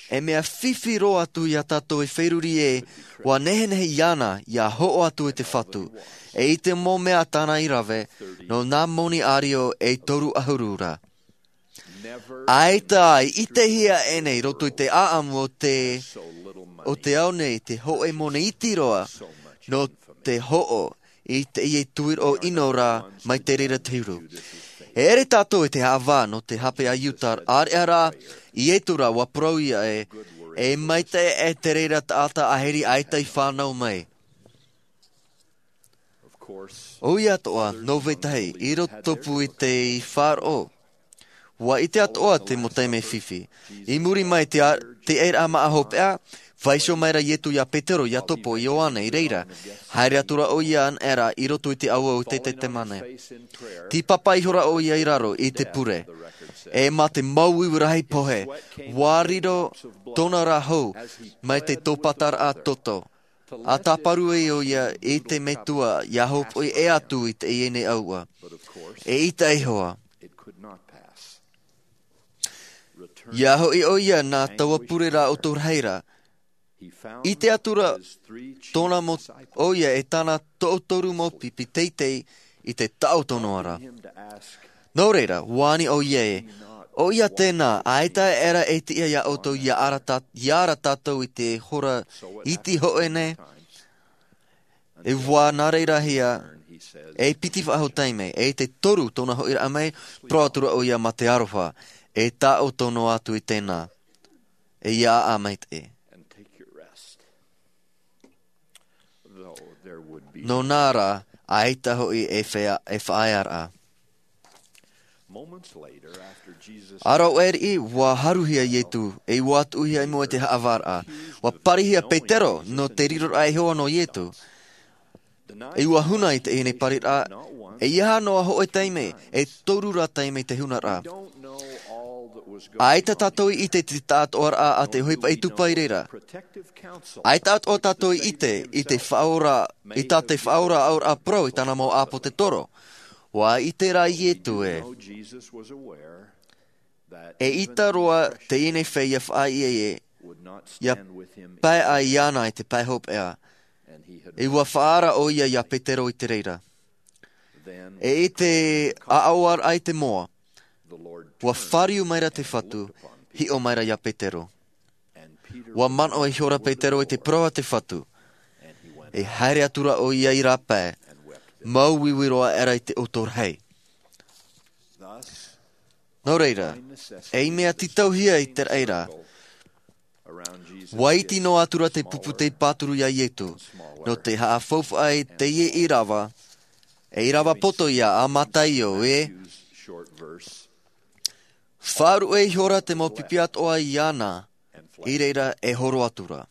e mea fifi roa atu iā tātou e feruri e ua nehenehe iāna ia hoʻo atu i te fatu. E i te mau mea tāna i rave nō nā moni ʻārio e toru ʻahuru ra. ʻAita i ʻitehia ʻēnei roto i te ʻaʻamu o te o te ao nei te hoʻe moni iti roa nō te hoʻo i te ie tuiroʻo ʻino rā mai te reira te huru. E ere tātou i te haʻavā nō te hape a iuta ʻāreʻa rā i ietu rā ua parau ia e e maitaʻi e te reira taʻata ʻahiri ʻaita i fānau mai. ʻO ia atoʻa nō vetahi i roto pū i te faʻaroʻo. Ua ʻite atoʻa te mau taime fifi i muri mai te ʻairaʻa maʻa hopeʻa. Fāiso mai ra ietu iā petero iā topo i ioane i reira haere atu ra ʻo ia ana era i roto i te ʻauau i te tetemane. Tīpapa ihora ʻo ia i raro i te pure e mā te mau iwi rahi pohe ua riro tōna rā hou mai te tōpataraʻa toto. A tāparu ai ʻo ia i te metua ia hōpoʻi e atu i te ie nei ʻauʻa. E ʻita iho ā ia hoʻi ʻo ia nā taua pure rā o tō rahi ra. I te atu ra tōna mau ʻo ia e tāna toʻotoru mau pipi teitei i te taʻoto noa ra. Nō reira ua ani ʻo ia e ʻo ia tēnā ʻaita era e tiʻa iā ʻoutou ia ara tātou i te hora iti hoʻe nei. E ua nā reira hia e piti faʻahou taime e i te toru tōna hoʻiraʻa mai. Parau atu ra ʻo ia mā te aroha e taʻoto noa atu i tēnā e ia aʻa maitaʻi. Nō nā rā ʻaita hoʻi e faʻaearaʻa. Ara o ʻeriʻi ua haruhia ietu e ua tuʻuhia i mua i te haʻavāraʻa. Ua parihia petero nō te riroraʻa iho ā nō ietu. E ua huna i te ʻinei pariraʻa e ia hā noa hoʻe taime e toru rā taime te hunaraʻa. ʻAita tātou i ʻite i te taʻatoʻaraʻa a te ʻohipa i tupu i reira. ʻAita atoʻa tātou i ʻite i te faʻaora i tā te faʻaora auraʻa parau i tāna mau ʻāpōtetoro. Ua ʻite rā ietu e e ʻita roa te ʻinei fea ia faʻaʻite e ia pae ai iāna i te pae hopeʻa. E ua faʻaara ʻo ia iā petero i te reira. E i te ʻaʻaoaraʻa i te moa ua fāriu mai ra te fatu hiʻo mai ra iā petero. Ua manaʻo ihora petero i te parau a te fatu. E haere atu ra ʻo ia i rā pae mau iwi roa era i te ʻoto rahi. Nō reira ei mea tītauhia i te raʻi ra. Ua iti noa atu ra te pupu tei pāturu iā ietu nō te haʻafaufaʻa i teie ʻīrava e ʻīrava poto ia a mataio e faʻaruʻe ihora te mau pipi atoʻa iāna i reira e horo atu ra.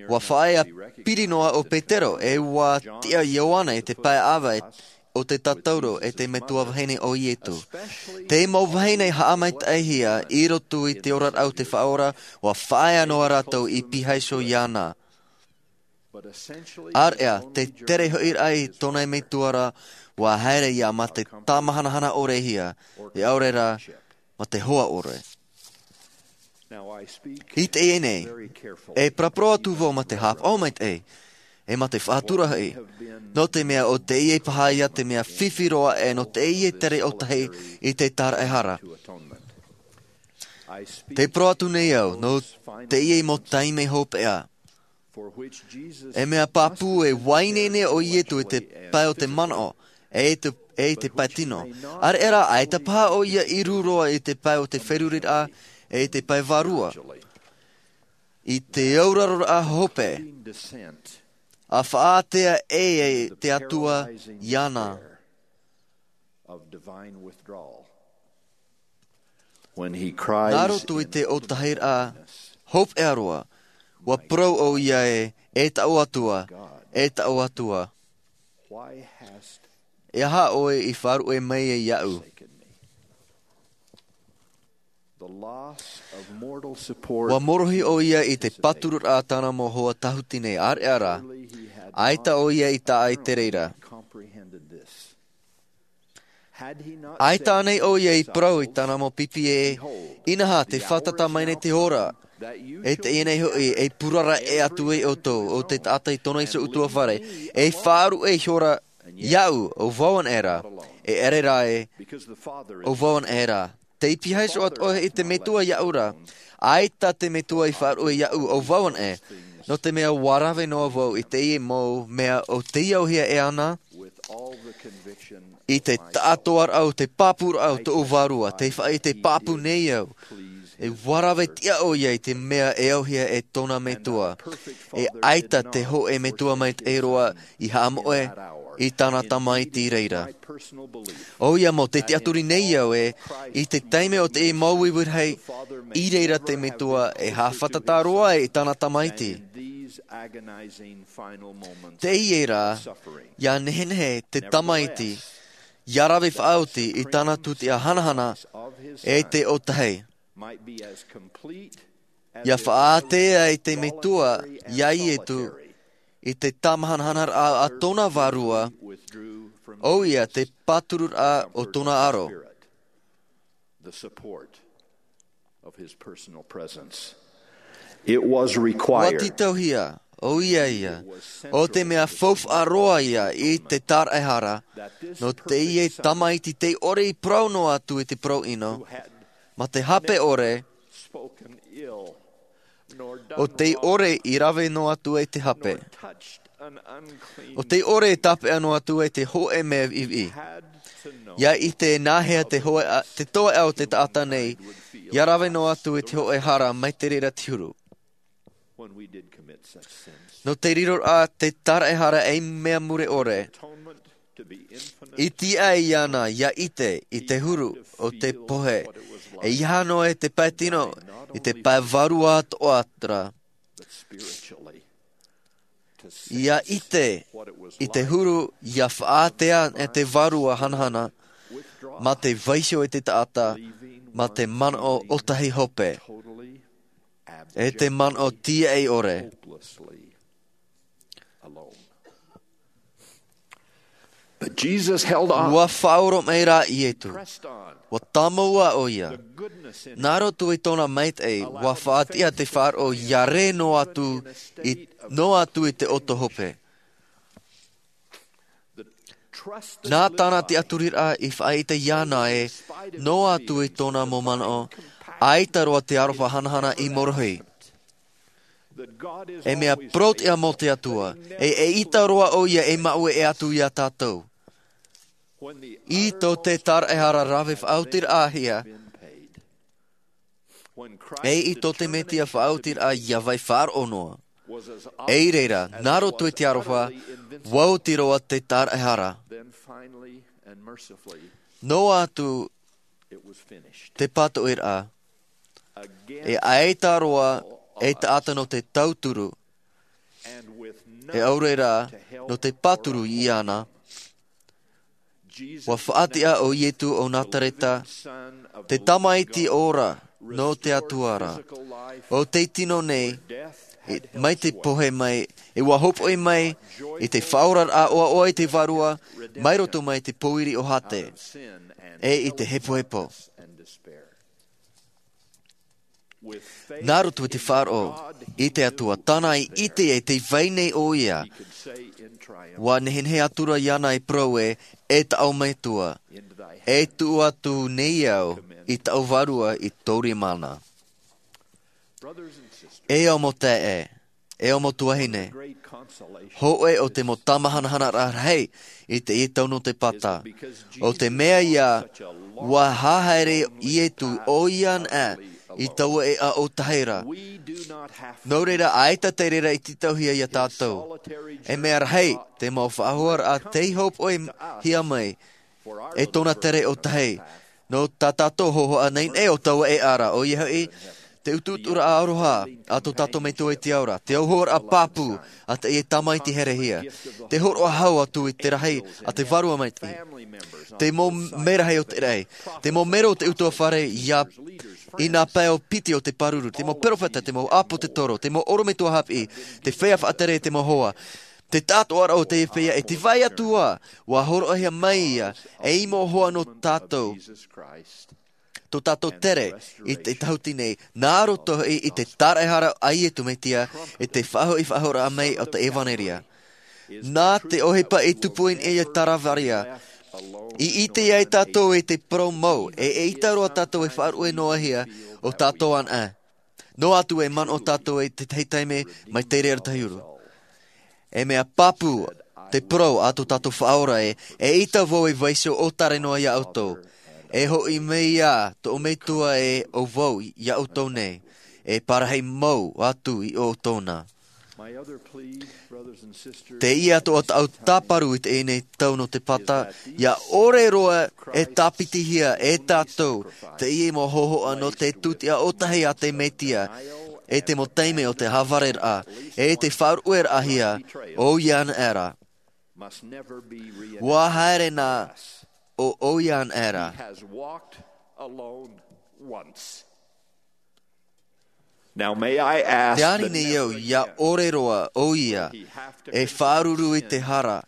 Ua faʻaea piri noa ʻo petero e ua tiʻa ioane i te pae ʻava o te tatauro e te metua vahine o ietu. Te mau vahine haʻamaitaʻihia i roto i te oraraʻa o te faʻaora ua faʻaea noa rātou i pīhaiho iāna. Area te tere hoʻiraʻa i tōna metua ra ua haere ia mā te tāmahanahana ʻore hia e ʻaore rā mā te hoa ʻore. I teie nei e paraparau atu vau mā te hāpaʻo maitaʻi e mā te faʻatura hoʻi nō te mea ʻo teie paha ia te mea fifi roa e nō teie tere ʻotahi i te tāraʻehara. Te parau atu nei au nō teie mau taime hopeʻa. E mea pāpū e vaiiho nei ʻo ietu i te pae o te manaʻo e i te pae tino. Area rā ʻaita paha ʻo ia i rū roa i te pae o te feruriraʻa e i te pae vārua i te auraroraʻa hope. A faʻaātea e te atua iāna. Nā roto i te ʻotahiraʻa hopeʻa roa ua parau ʻo ia e e taʻu atua e taʻu atua. E aha ʻoe i faʻaruʻe mai ai iaʻu? Ua morohi ʻo ia i te pātururaʻa tāna mau hoa tahuti nei area rā ʻaita ʻo ia i taʻa i te reira. ʻAita ānei ʻoia i parau i tāna mau pipi ē, inaha, te fātata mai nei te hora, e teie nei hoʻi, e purara e atu ai ʻoutou, ʻo te taʻata i tōna iho ʻutuāfare, e faʻaruʻe ihora iāʻu, ʻo vau anaʻe ra, e ʻere rā ē, ʻo vau anaʻe ra. Tei pihaʻi iho atoʻa i te Metua iāʻu ra, ʻaita te Metua i faʻaruʻe iāʻu, ʻo vau anaʻe, nō te mea ʻua rave noa vau i teie mau mea ʻo tei auhia e ana, i te taʻatoʻaraʻa o te pāpūraʻa o tōʻu vārua, tei faʻaʻite pāpū nei au. E ʻua rave tiʻa ʻoia i te mea e auhia e tōna Metua. E ʻaita te hōʻē Metua maitaʻi roa i haʻamoʻe i tāna tamaiti i reira. ʻOia mau, tei tiʻaturi nei au ē, i te taime o te mau uiui rahi i reira te Metua e haʻafātata roa ai i tāna tamaiti. Teie rā, ʻia nehenehe te tamaiti, ʻia rave faʻaoti i tāna tūtia hanahana e te ʻōtahi. ʻIa faʻaātea ai te Metua iā Ietu i te tāmahanahanaraʻa a tōna vārua, ʻoia te pātururaʻa o tōna aro. It was ʻUa required. Tītauhia, ʻoia ia, ʻo te mea faufaʻa roa ia i te tāraʻehara, nō teie tamaiti tei ʻore i parau noa atu i te parau ʻino, mā te hape ʻore, ʻo tei ʻore i rave noa atu ai te hape. ʻO tei ʻore i tāpeʻa noa atu ai te hōʻē mea viʻiviʻi. ʻIa ʻite nāhea te hōʻē, te toeʻa o te taʻata nei, ʻia rave noa atu i te hōʻē hara mai te reira te huru. Nō te riroraʻa te tāraʻehara ei mea mure ʻore. I tiʻa iāna ʻia ʻite i te huru o te pohe. E ʻeiaha noa i te pae tino, i te pae vārua atoʻa ra. ʻIa ʻite i te huru ʻia faʻaātea e te vārua hanahana, mā te vaiiho i te taʻata, mā te manaʻo ʻōtahi hope. E te manaʻo tiaʻi ʻore. But Jesus held on. ʻUa faʻaoromaʻi rā Ietu. ʻUa tāmau ʻoia. Nā roto i tōna maitaʻi, ʻua faʻatiʻa te faʻaroʻo ʻia rē noa atu i, noa atu i te ʻoto hope. Nā tāna tiʻaturiraʻa i faʻaʻite iāna ē, noa atu i tōna mau manaʻo, ʻaita roa te aroha hanahana i morohi. E mea parau-tiʻa mau te Atua, e, e ʻaita roa ʻoia e māueʻe atu iā tātou. I tō te tāraʻehara rave faʻaotiraʻahia, e i tō te Mesia faʻaotiraʻa ʻia vai faʻaroʻo noa. I reira, nā roto i te aroha, ʻua oti roa te tāraʻehara. Noa atu te pātoʻiraʻa, e ʻaita roa e taʻata nō te tauturu, e ʻaore rā, nō te pāturu iāna, ʻua faʻatiʻa ʻo Ietu o Nazareta, te tamaiti ora nō te Atua ra. ʻO tei tino nei, i, mai te pohe mai, e ʻua hōpoʻi mai, i te faʻaoraraʻa ʻoaʻoa i te vārua, mai roto mai te pōiri o Hade, e i te hepohepo. Nā roto i te faʻaroʻo i te Atua, tāna i ʻite e tē vai nei ʻoia, ʻua nehenehe atu ra iāna e parau ē, e tāʻu Metua, e tuʻu atu nei au i tāʻu vārua i tō rima na. E au mau taeaʻe, e au mau tuahine, hōʻē o te mau tāmahanahanaraʻa rahi i teie tau nō te pata. ʻO te mea ia, ʻua haere Ietu ʻoia anaʻe i taua ʻēʻa ʻōtahi ra. Nō reira, ʻaita te reira i tītauhia iā tātou. E mea rahi, te mau faʻahoaraʻa tei hōpoʻihia mai, e tōna tere ʻōtahi. Nō tā tātou hōhoʻa nei nei ʻo taua ʻēʻa ra, ʻoia hoʻi, te utuuturaʻa aroha a tō tātou Metua i te ao ra, te auhoaraʻa pāpū a teie tamaiti herehia, te hōroʻa hau atu i te rahi a te Vārua Maitaʻi, te mau merahi o te raʻi, te mau mero o te ʻutuāfare ia i nā pae piti o te pāruru, te mau peropheta, te mau ʻāpōsetolo, te mau ʻorometua haʻapiʻi, te feiā faʻatere, te mau hoa, Te taʻatoʻaraʻa o te peʻa e te vai atu ā, ua horoʻahia mai ia, e i mohoa nō tātou. Tō tātou tere i te tahuti nei, nā roto i, i te tāraʻehara a Iesu Mesia, e te faʻahoʻi faʻahoʻiraʻa mai o te ʻevanelia. Nā te ʻohipa i tupu i niʻa i a Kalevārio, i ʻite ai tātou i te parau mau, e, e ʻaita roa tātou e faʻaruʻe noa hia o tātou anaʻe. Noa atu e manaʻo tātou i te tahi taime mai te reira tahi uru. E mea pāpū te parau a tō tātou Faʻaora ē, eʻita vau e vaiiho ʻōtare noa ia ʻoutou. E hoʻi mai ā tō metua ē ʻo vau ia ʻoutou nei, e parahi mau atu i ʻoutou na. Teie atoʻa tāʻu tāparu i teie nei tau nō te pata, ʻia ʻore roa e tāpitihia e tātou teie mau hōhoʻa nō te tūtiʻa ʻōtahi a te Mesia, e te mau taime o te havareraʻa, e te faʻaruʻeraʻahia o ia anaʻe ra. ʻUa haere na ʻo, ʻo ia anaʻe ra. Now may I ask Te ani nei au, ʻia ʻore roa ʻo ia e faʻaruru i te hara,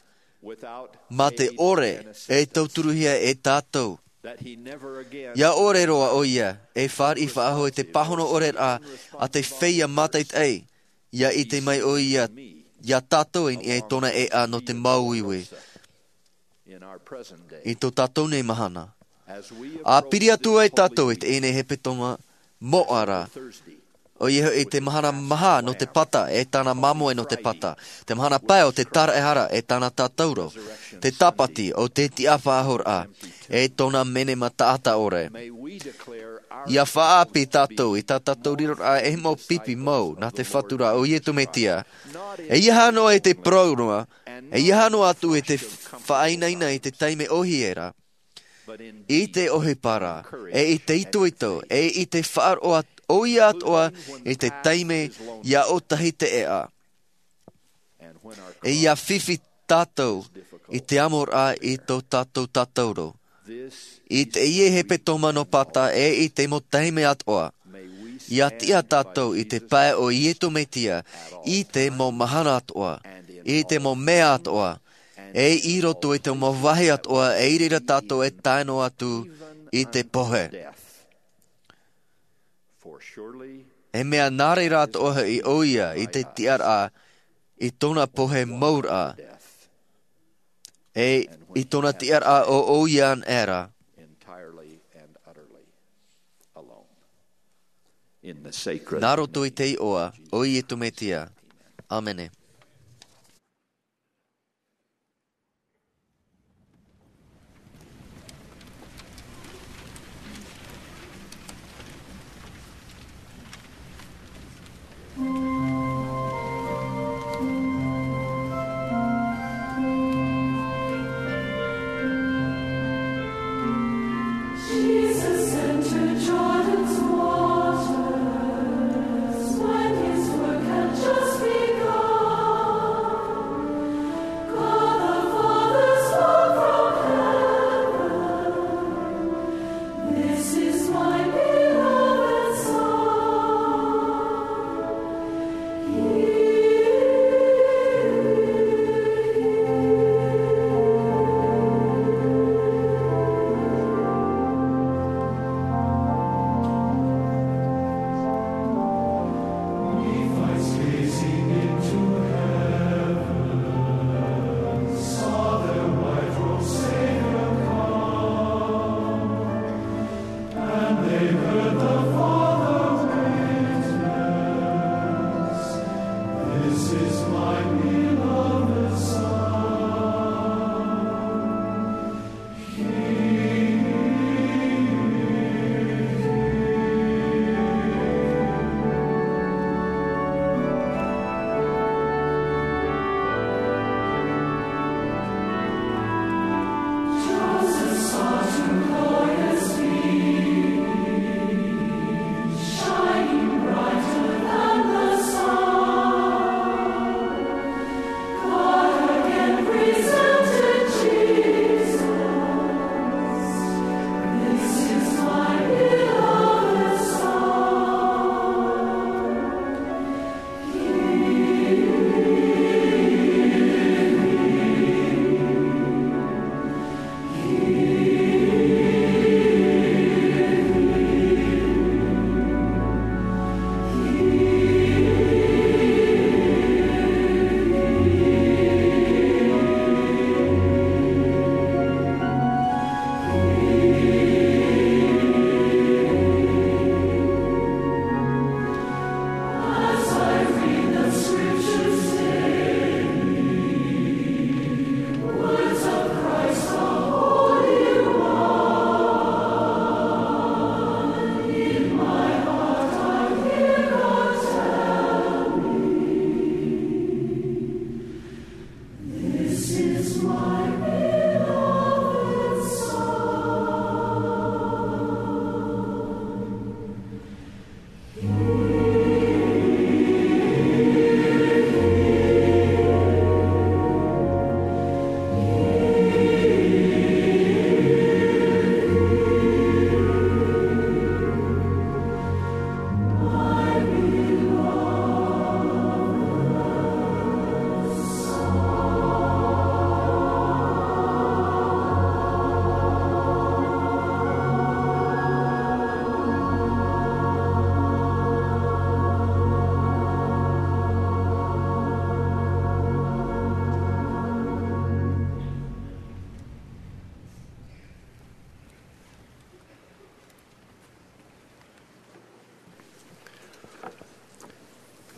mā te ʻore e tauturuhia e tātou. ʻIa ʻore roa ʻo ia e fāriʻi faʻahou i te pāhono ʻore raʻa a te feiā mātaʻitaʻi, ʻia ʻite mai ʻo ia ia tātou i niʻa i tōna ʻēʻa nō te māuiui. I tō tātou nei mahana. ʻA piri atu ai tātou i teie nei hepetoma moʻa ra. ʻOia hoʻi te mahana maha nō te pata, e tāna māmoe nō te pata. Te mahana pae o te tāraʻehara, e tāna tātauro. Te tāpati o te tiʻa faʻahouraʻa, e tōna menema taʻata ʻore. ʻIa faʻaʻāpī tātou i tā tātou riroraʻa ei mau pipi mau nā te Fatu ra ʻo Iesu Mesia. E ʻeiaha noa i te parau noa, e ʻeiaha noa atu i te faʻainaina i te taime ʻōhie ra. I te ʻohipa ra, e i te itoito, e i te faʻaroʻo ʻo ia atoʻa i te taime ʻia ʻōtahi te ʻēʻa. E ʻia fifi tātou i te amoraʻa i tō tātou tātauro. I teie hepetoma nō pata e i te mau taime atoʻa. ʻIa tiʻa tātou i te pae o Iesu Mesia, i te mau mahana atoʻa, i te mau mea atoʻa, e i roto i te mau vāhi atoʻa, e i reira tātou e tae noa atu i te pohe. E mea nā reira atoʻa hoʻi ʻo ia i te tiʻaraʻa i tōna pohe mau ra. E i tōna tiʻaraʻa ʻo, ʻo ia anaʻe ra. Nā roto i te iʻoa o Iesu Mesia. ʻĀmene.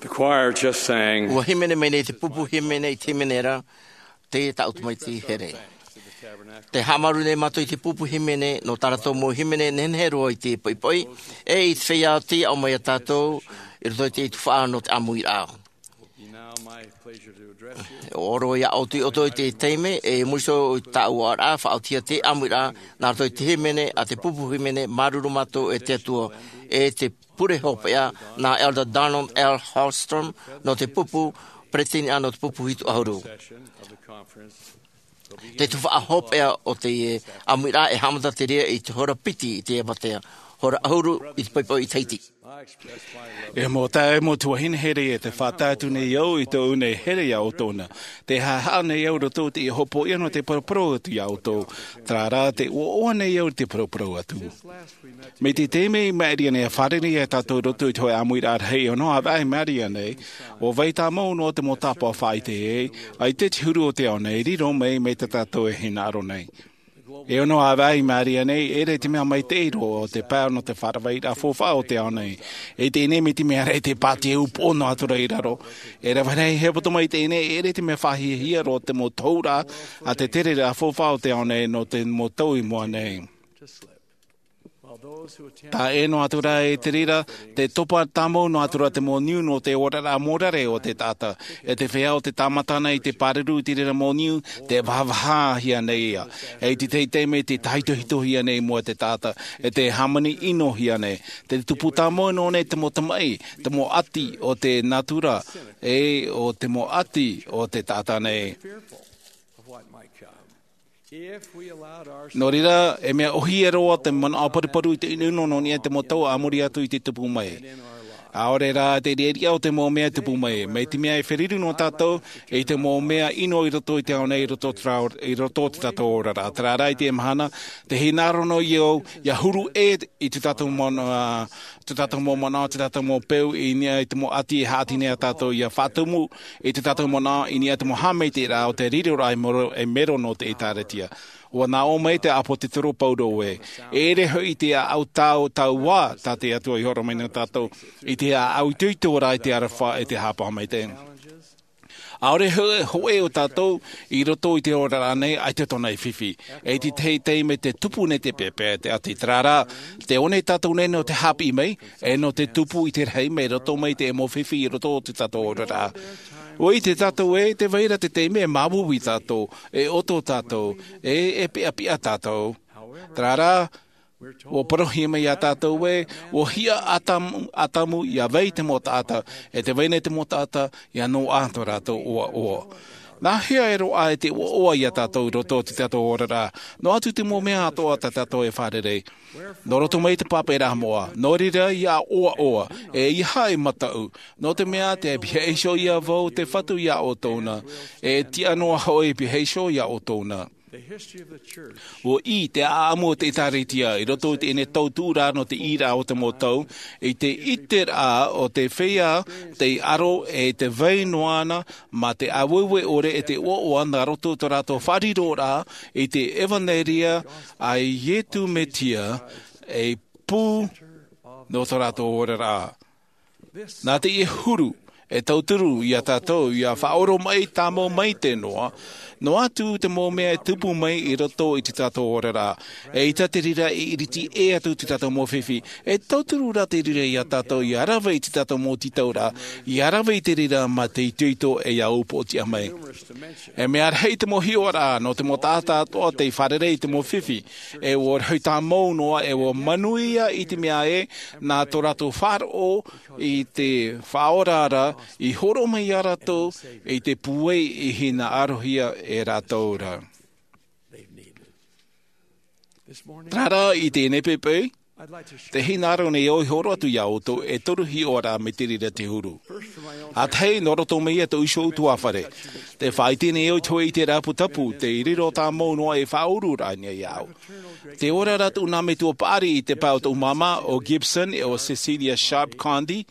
Choir just sang. Ua hīmene mai nei te pupu hīmene i te hīmene ra, te tāʻu tamaiti here. Te haʻamāuruuru nei mātou i te pupu hīmene, nō tā rātou mau hīmene nehenehe roa i te poʻipoʻi, e i te feiā oti aʻo mai iā tātou, i roto i te tuhaʻa nō te ʻāmuiraʻa. Now my pleasure to address you. ʻO roa ia ʻoutou i te taime, e muri iho i tāʻu oraraʻa, faʻaotihia te ʻāmuiraʻa, nā roto i te hīmene, a te pupu hīmene, Māuruuru Mātou e te Atua, e te pure hopeʻa, nā Elder Donald L. Hallstrom, nō te pupu, peretiteni nō te pupu hitu ʻahuru. Te tuhaʻa hopeʻa o te ʻāmuiraʻa e haʻamata te reira i te hora piti i te avatea, hora ʻahuru i te poʻipoʻi i Tahiti. E mau taeaʻe, mau tuahine here, e te faʻatae atu nei au i tōʻu nei here iā ʻoutou na. Te haʻehaʻa nei au i roto i te hopoiʻa nō te paraparau atu iā ʻoutou. Terā rā, tē ʻoaʻoa nei au i te paraparau atu. Mai te taime i maʻiri ana e fārerei ai tātou i roto i te hōʻē ʻāmuiraʻa rahi ʻe ono, ʻāvaʻe mai ʻō nei, ʻua vai tāmau noa te mau tāpaʻo faʻaʻite, ʻaita te huru o te ao nei e riro mai, mai tā tātou e hinaʻaro nei. E ono, ʻāvaʻe mai ʻō nei, e ʻere te mea maitaʻi roa te pae nō te faʻaravaʻiraʻa faufaʻa o te ao nei. E teie nei, mai te mea ra e te pātiaʻa upoʻo noa atu ra i raro. E rave rahi, e hepetoma i teie nei, e ʻere te mea faʻahiahia roa te mau tohuraʻa a te tereraʻa faufaʻa o te ao nei nō te mau tau i mua nei. Taʻa ʻē noa atu ra e te reira, tē topa tāmau noa atu ra te mau niu nō te oraraʻa mōrare o te taʻata. E te feiā ʻo tē tāmata ana i te pāruru i te reira mau niu, tē vāvāhia nei ia. E i te tahi taime tē tāhitohitohia nei i mua e te taʻata, e tē hāmani ʻinohia nei. Tē tupu tāmau noa nei te mau tamaʻi, te mau ʻati o te natura, e ʻo te mau ʻati o te taʻata nei. Nō reira, e mea ʻōhie roa te manaʻo paruparu i te ʻinoʻino nō niʻa i te mau tau a muri atu i te tupu mai. ʻAore rā te riʻariʻa o te mau mea e tupu mai, mai te mea e feruri noa tātou i te mau mea ʻino i roto i te ao nei, i roto i te rā-, i roto i tā tātou oraraʻa. Terā rā, i teie mahana, tē hinaʻaro noa au, ʻia huru ʻē i tā tātou manaʻo, ā, tā tātou mau manaʻo, tā tātou mau peu, i niʻa i te mau ʻati e haʻati nei iā tātou ʻia faʻatumu, i tā tātou manaʻo, i niʻa i te mau haʻamaitaʻiraʻa o te riroraʻa e mero, e mero nō te ʻĒtārētia. ʻUa nā ʻō mai te ʻāpōsetolo Paulo ē, e ʻere hoʻi te ʻāʻau tau, taua tā te Atua i hōroʻa mai nō tātou, i te ʻāʻau itoito rā i te aroha, i te haʻapaʻo maitaʻi. ʻAore hō-, hōʻē o tātou i roto i te oraraʻa nei, ʻaita tōna e fifi. E i te tahi taime tē tupu nei te peʻapeʻa, te ʻati, terā rā, tē ʻō nei tātou nei nō te haʻapiʻi mai, e nō te tupu i te rahi mai roto mai te mau fifi i roto i tā tātou oraraʻa. ʻUa ʻite tātou ē, tē vai ra te taime e māuiui tātou, e ʻoto tātou, e, e piʻapiʻa tātou. Terā rā, ʻua parauhia mai iā tātou ē, ʻua hiʻa ʻo Atamu, Atamu ʻia vai te mau taʻata, e tē vai nei te mau taʻata, ʻia noaʻa tō rātou ʻoaʻoa. Nā hea e roaʻa ai te ʻoaʻoa iā tātou i roto i tā tātou oraraʻa, noa atu te mau mea atoʻa tā tātou e fārerei. Nō roto mai te pāpaʻiraʻa moʻa, nō reira ʻia ʻoaʻoa, e ʻeiaha e mataʻu, nō te mea tē pihaʻi iho ïa vau te Fatu iā ʻoutou na, e tiʻa noa hoʻi e pihaʻi iho iā ʻoutou na. ʻUa ʻī te ʻāʻamu o te ʻĒtārētia i roto i teie nei tauturu nō te ʻīraʻa o te mau tau, i te ʻiteraʻa o te feiā tei aro e tē vai noa na mā te āueue ʻore e te ʻoaʻoa nā roto i tō rātou faʻariroraʻa i te ʻevaneria a Iesu Mesia, ei pū nō tō rātou oraraʻa. Nā teie huru, e tauturu iā tātou ʻia faʻaoromaʻi tāmau maitaʻi noa, noa atu te mau mea e tupu mai i roto i tā tātou oraraʻa. ʻAita te reira e iriti ʻē atu tā tātou mau fifi, e tauturu rā te reira iā tātou ʻia rave i tā tātou mau tītauraʻa, ʻia rave i te reira mā te itoito e ʻia upoʻotiʻa mai. E mea rahi te mau hiʻoraʻa nō te mau taʻata atoʻa tei fārerei i te mau fifi, e ʻua rahi tāmau noa, e ʻua manuia i te mea ē, nā tō rātou faʻaroʻo i te Faʻaora ra, i hōroʻa mai iā rātou i te pūai i hinaʻarohia e rātou ra. Terā rā, i teie nei poʻipoʻi, tē hinaʻaro nei au e hōroʻa atu iā ʻoutou e toru hiʻoraʻa mai te reira te huru. ʻA tahi, nō roto mai iā tōʻu iho ʻutuāfare. Tē faʻaʻite nei au i te hōʻē ʻiteraʻa pūtapu, tei riro tāmau noa ei faʻaururaʻa nei iāʻu. Tē ora ra tōʻu nā metua paʻari i te pae o tōʻu māmā, ʻo Gibson, ʻe ʻo Cecilia Sharp Condie,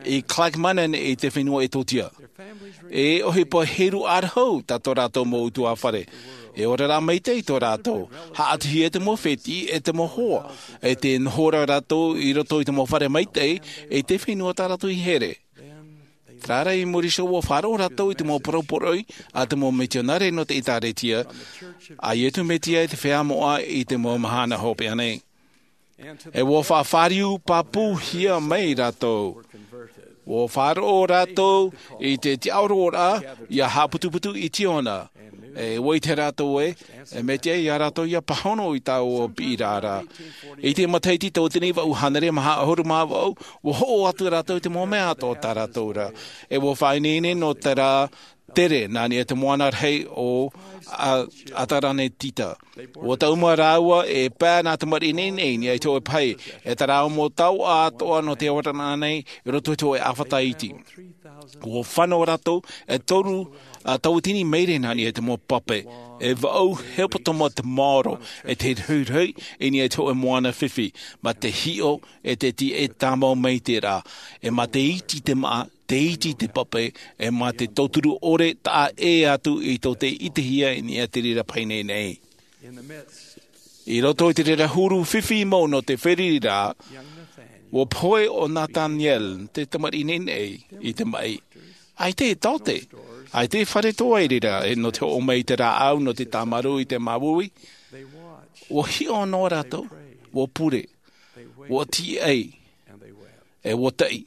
i Clackmannan i te fenua Etiotia. E ʻohipa heru ʻarahu tā tō rātou mau ʻutuāfare. E oraraʻa maitaʻi tō rātou. Haʻatuhia te mau fētiʻi ʻe te mau hoa. E tē noho ra rātou i roto i te mau fare maitaʻi, i te fenua tā rātou i here. Terā rā, i muri iho, ua faʻaroʻo rātou i te mau parau poroʻi a te mau mitionare nō te ʻĒtārētia a Iesu Mesia i te feiā moʻa i te mau mahana hopeʻa nei. E ua faʻafāriu pāpūhia mai rātou. Ua faʻaroʻo rātou i te tiʻaoroʻa ia haʻaputuputu i Ziona. E ʻua ʻite rātou ē, e mea tiʻa ia rātou ia pāhono i taua piʻiraʻa. I te matahiti tauatini vaʻu hānere maha ʻahuru mā vaʻu, ua hoʻo atu rātou i te mau mea atoʻa tā rātou ra. E ua faʻaineine nō terā tere nā niʻa i te moana rahi o Atalantika. Ua taʻu mai rāua e pae nā tamariʻi ineine i niʻa i te hōʻē pahi, e terā mau taoʻa atoʻa nō te oraraʻa nei i roto i te hōʻē ʻāfata iti. Ua fano rātou e toru tauatini maere nā niʻa i te mau pape, e vaʻu hepetoma te maoro, e te rohirohi i niʻa i te hōʻē moana fifi, mā te hiʻo e te tiʻa e tāmau mai te rā, e mā te iti te maʻa, te iti te pape, e mā te tauturu ʻore taʻa ʻē atu i tō te ʻitehia i niʻa i te reira pahi nei. I roto i te reira huru fifi mau nō te feriri ra, ua pohe ʻo Nathaniel, te tamariʻi ineine, i te maʻi. ʻAita e taote, ʻaita e fare atoʻa i reira, e nō te hoʻo mai i te rāʻau nō te tāmarū i te māuiui. Ua hiʻo noa rātou, ua pure, ua tīaʻi, e ua taʻi,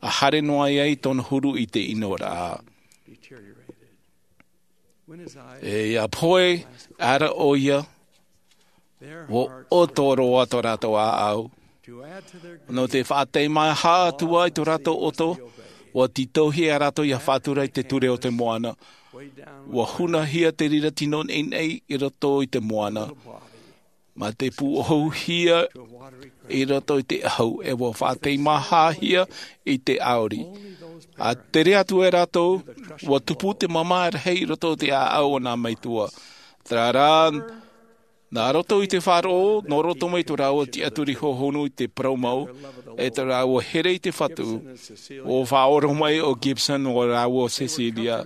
ʻa haere noa ai tōna huru i te ʻino ra. E ia pohe ara ʻoia, ua ʻoto roa tō rātou ʻāʻau. Nō te faʻateimaha atu ai tō rātou ʻoto, ua tītauhia rātou ia faʻatura i te ture o te moana. Ua hunahia te reira tino ineine i roto i te moana, mā te pūʻohuhia i roto i te ʻahu, e ua faʻateimahahia i te ʻauri. ʻA tere atu e rātou, ua tupu te māmā rahi i roto i te ʻāʻau o nā metua. Terā rā, nā roto i te faʻaroʻo, nō roto mai tō rāua tiʻaturi hohonu i te parau mau, e tō rāua here i te Fatu, ua faʻaora mai ʻo Gibson nō rāua ʻo Cecilia.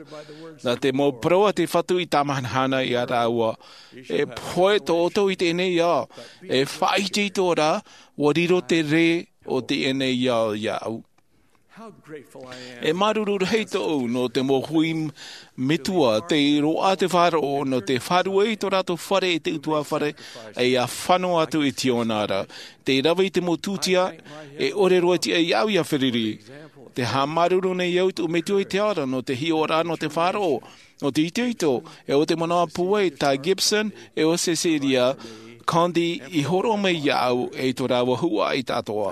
Nā te mau parau a te Fatu i tāmahanahana ia rāua, e pohe tō ʻoutou i teie nei ao, e faʻaʻite atoʻa ra, ua riro te rē o teie nei ao iāʻu. E māuruuru rahi tōʻu nō te mau hui metua tei roaʻa te faʻaroʻo nō te fārua i tō rātou fare i te ʻutuāfare, e ia fano atu i Ziona ra. Tei rave i te mau tūtia, e ʻore roa tiʻa iāʻu ia feruri. Tē haʻamāuruuru nei au i tōʻu metua i te ao ra nō te hiʻoraʻa nō te faʻaroʻo, nō te itoito, e ʻo te manaʻo pūai tā Gibson, e ʻo Cecilia Condie i hōroʻa mai iāʻu, e i tō rāua huaʻai atoʻa.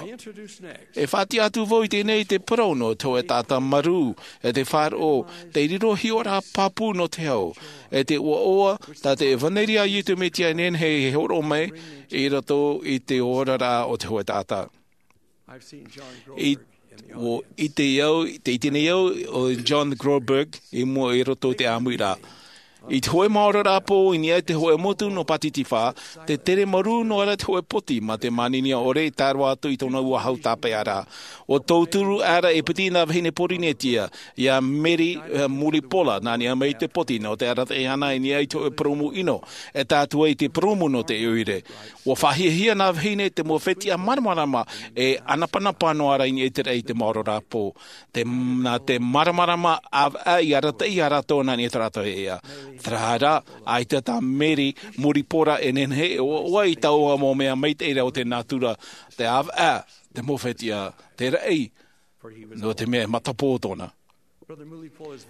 E faʻatiʻa atu vau i teie nei i te parau nō te hōʻē taʻata marū, e te faʻaroʻo, tei riro hiʻoraʻa pāpū nō te hau, e te ʻoaʻoa, tā te ʻevaneria a Iesu Mesia e nehenehe e hōroʻa mai, i roto i te oraraʻa o te hōʻē taʻata. I, ʻua ʻite au, tē ʻite nei au, ʻo John Groberg, i mua i roto i te ʻāmuiraʻa. I te hōʻē maoro rāpō, i niʻa i te hōʻē motu nō Pātitifā, tē tere marū noa ra te hōʻē poti, mā te māninia ʻore e tae roa atu i tōna ua hau tāpeʻaraʻa. ʻUa tauturu aʻera e piti nā vahine Pōrīnetia, ia Mary, eh, Muripola, nā niʻa mai i te poti, nō te arataʻi iāna i niʻa i te hōʻē purūmu ʻino, e tae atu ai i te purūmu nō te ʻoire. ʻUa faʻahiahia nā vahine te mau fetiʻa māramarama, e ʻanapanapa noa ra i niʻa i te raʻi i te maoro rāpō. Te, nā te māramarama ʻāvaʻe i arataʻi ia rātou nā niʻa i tō rātou ea. Terā rā, ʻaita tā Mary Muripola e nehenehe e ʻoaʻoa i taua mau mea maitaʻi ra o te nātura, te ʻāvaʻe, te mau fetiʻa, te raʻi, nō te mea e matapō tōna.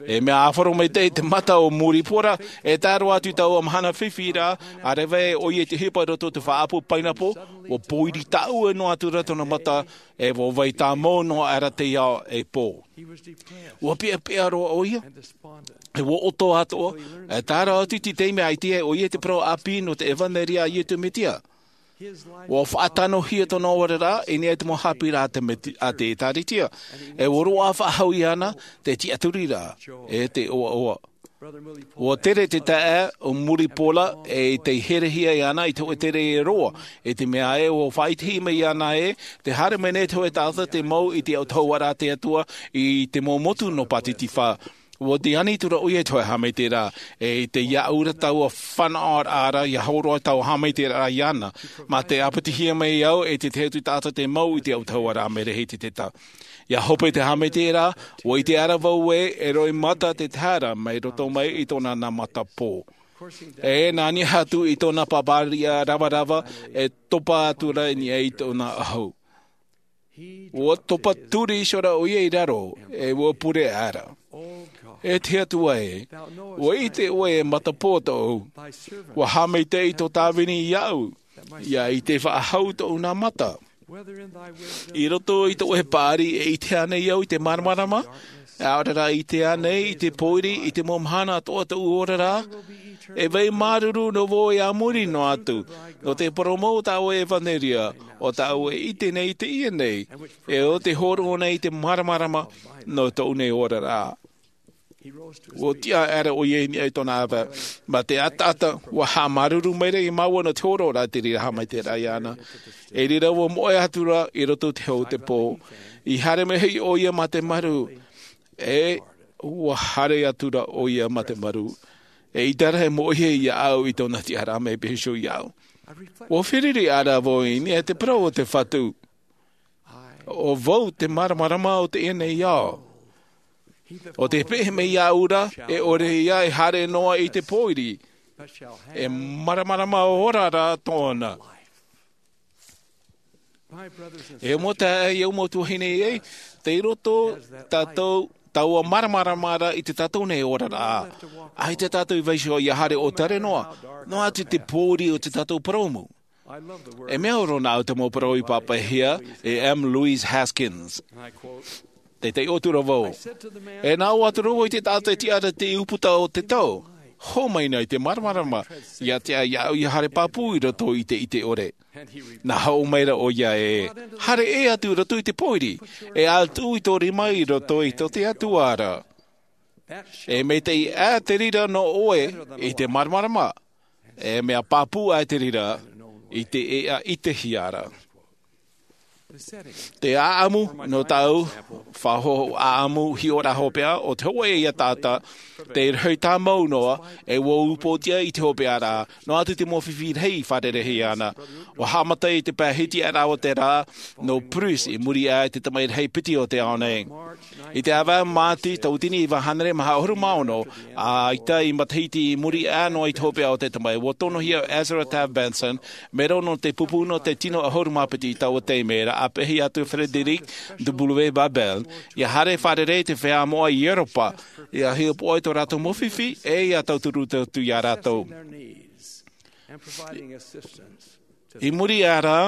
E mea ʻāfaro maitaʻi te mata o Muripola, e tae roa atu i taua mahana fifi ra, ʻa rave ʻoia i te ʻohipa i roto i te faʻaʻapu painapo, ʻua pōiri tāʻue noa atu ra tōna mata, e ʻua vai tāmau noa aʻera te ao e pō. ʻUa peʻapeʻa roa ʻoia, e ʻua ʻoto atoʻa, e tae roa atu i te taime ʻaita e ʻoia i te parau ʻāpī nō te ʻevaneria a Iesu Mesia. ʻUa faʻatanohia tōna oraraʻa i niʻa i te mau haʻapiʻiraʻa a te Meti-, a te ʻĒtārētia. E ʻua roaʻa faʻahou iāna te tiʻaturiraʻa, e te ʻoaʻoa. ʻUa tere te taeaʻe o Muripola e tei herehia iāna i te hōʻē tere e roa, i te mea ē ʻua faʻaʻitehia mai iāna ē, tē haere mai nei te hōʻē taʻata tei mau i te autahuʻaraʻa a te Atua i te mau motu nō Pātitifā. ʻUa ani atu ra ʻoia i te hōʻē haʻamaitaʻiraʻa, e tei aʻu ra taua fānaʻoraʻa ra, ʻia hōroʻa taua haʻamaitaʻiraʻa iāna, mā te ʻāpitihia mai au e te tahi atu taʻata tei mau i te autahuʻaraʻa mai Rehititeta. Ia hope te haʻamaitaʻiraʻa, ʻua ʻite ʻara vau ē, e roimata te tahi ra mai roto mai i tōna nā matapō. E nā niʻa atu i tōna pāpāriʻa ravarava, e topa atu ra i niʻa i tōna ʻahu. ʻUa topa turi iho ra ʻoia i raro, e ʻua pure ʻara. E te Atua ē, ʻua ʻite ʻoe e matapō tōʻu. ʻUa haʻamaitaʻi tō tāvini iāʻu, ia ʻite faʻahou tōʻu nā mata. I roto i tō ʻoe paʻari, e ʻite ānei au i te māramarama? ʻAore rā, e ʻite ānei i te pōiri, i te mau mahana atoʻa tōʻu oraraʻa? E vai māuruuru noa vau i muri noa atu, nō te parau mau o tā ʻoe ʻevanelia, ʻo tā ʻoe e ʻite nei i teie nei, e ʻo te hōroʻa nei i te māramarama nō tōʻu nei oraraʻa. ʻUa tiʻa ʻara ʻoia i niʻa i tōna ʻāvae. Mā te ʻataʻata, ʻua haʻamāuruuru maira māua nō te hōroʻa ra i te reira haʻamaitaʻiraʻa iāna. I reira ʻua moʻe atu ra i roto i te hau o te pō. I haere mai hoʻi ʻoia mā te marū. E, ʻua haere atu ra ʻoia mā te marū. E ʻaita rā e moʻehia iāʻu i tōna tiʻaraʻa mai pēhea iāʻu. ʻUa fāriʻi ʻara vau i niʻa i te parau o te Fatu. ʻO vau te māramarama o teie nei ao. ʻO tē peʻe mai iāʻu ra, e ʻore ia e haere noa i te pōiri, e māramarama ora ra tōna. E mau taeaʻe, e au mau tuahine ē, tei roto tātou, taua māramarama ra i tō tātou nei oraraʻa. ʻAita tātou i vaiiho ia haere ʻōtare noa, noa atu te pōiri o tō tātou purōmu. E mea ora nā ʻu te mau parau i pāpaʻihia e M. Louise Haskins. Tē taiʻo atu ra vau. E nā ʻō atu ra vau i te taʻata e tiʻa ra i te ʻūputa o te tau. Hōmai na i te māramarama, ia tiʻa iāʻu ia haere pāpū i roto i te ʻite ʻore. Nā hōʻē maira ʻoia e, haere ʻē atu i roto i te pōiri, e ʻatu i tō rima i roto i tō te Atua ra. E maitaʻi ʻā te reira nō ʻoe i te māramarama. E mea pāpū ʻā te reira i te ʻēʻa i te hiara. Te ʻāʻamu, nō tāʻu, faʻahoʻi ʻāʻamu hiʻoraʻa hopeʻa, ʻo te hōʻē ia taʻata, tei rahi tāmau noa, e ʻua upoʻotiʻa i te hopeʻa ra, noa atu te mau fifi rahi i fārerei ana. ʻUa haʻamata i te pae hitiʻaraʻa o te rā, nō Bruce i muri aʻe i te tamaʻi rahi piti o te ao nei. I te ʻāvaʻe o Māti, tauatini iva hānere maha ʻahuru mā ono, ʻaita i matahiti i muri aʻe noa i te hopeʻa o te tamaʻi, ʻua tonohia ʻo Ezra Taft Benson, mero nō te pupu nō te tino ʻahuru mā piti i taua taime ra, ʻa peʻahi atu Frederick W. Babel, ia haere fārerei i te feiā moʻa i Europa, ia hiʻopoʻa i tō rātou mau fifi, e ia tauturu atu ia rātou. I muri aʻe ra,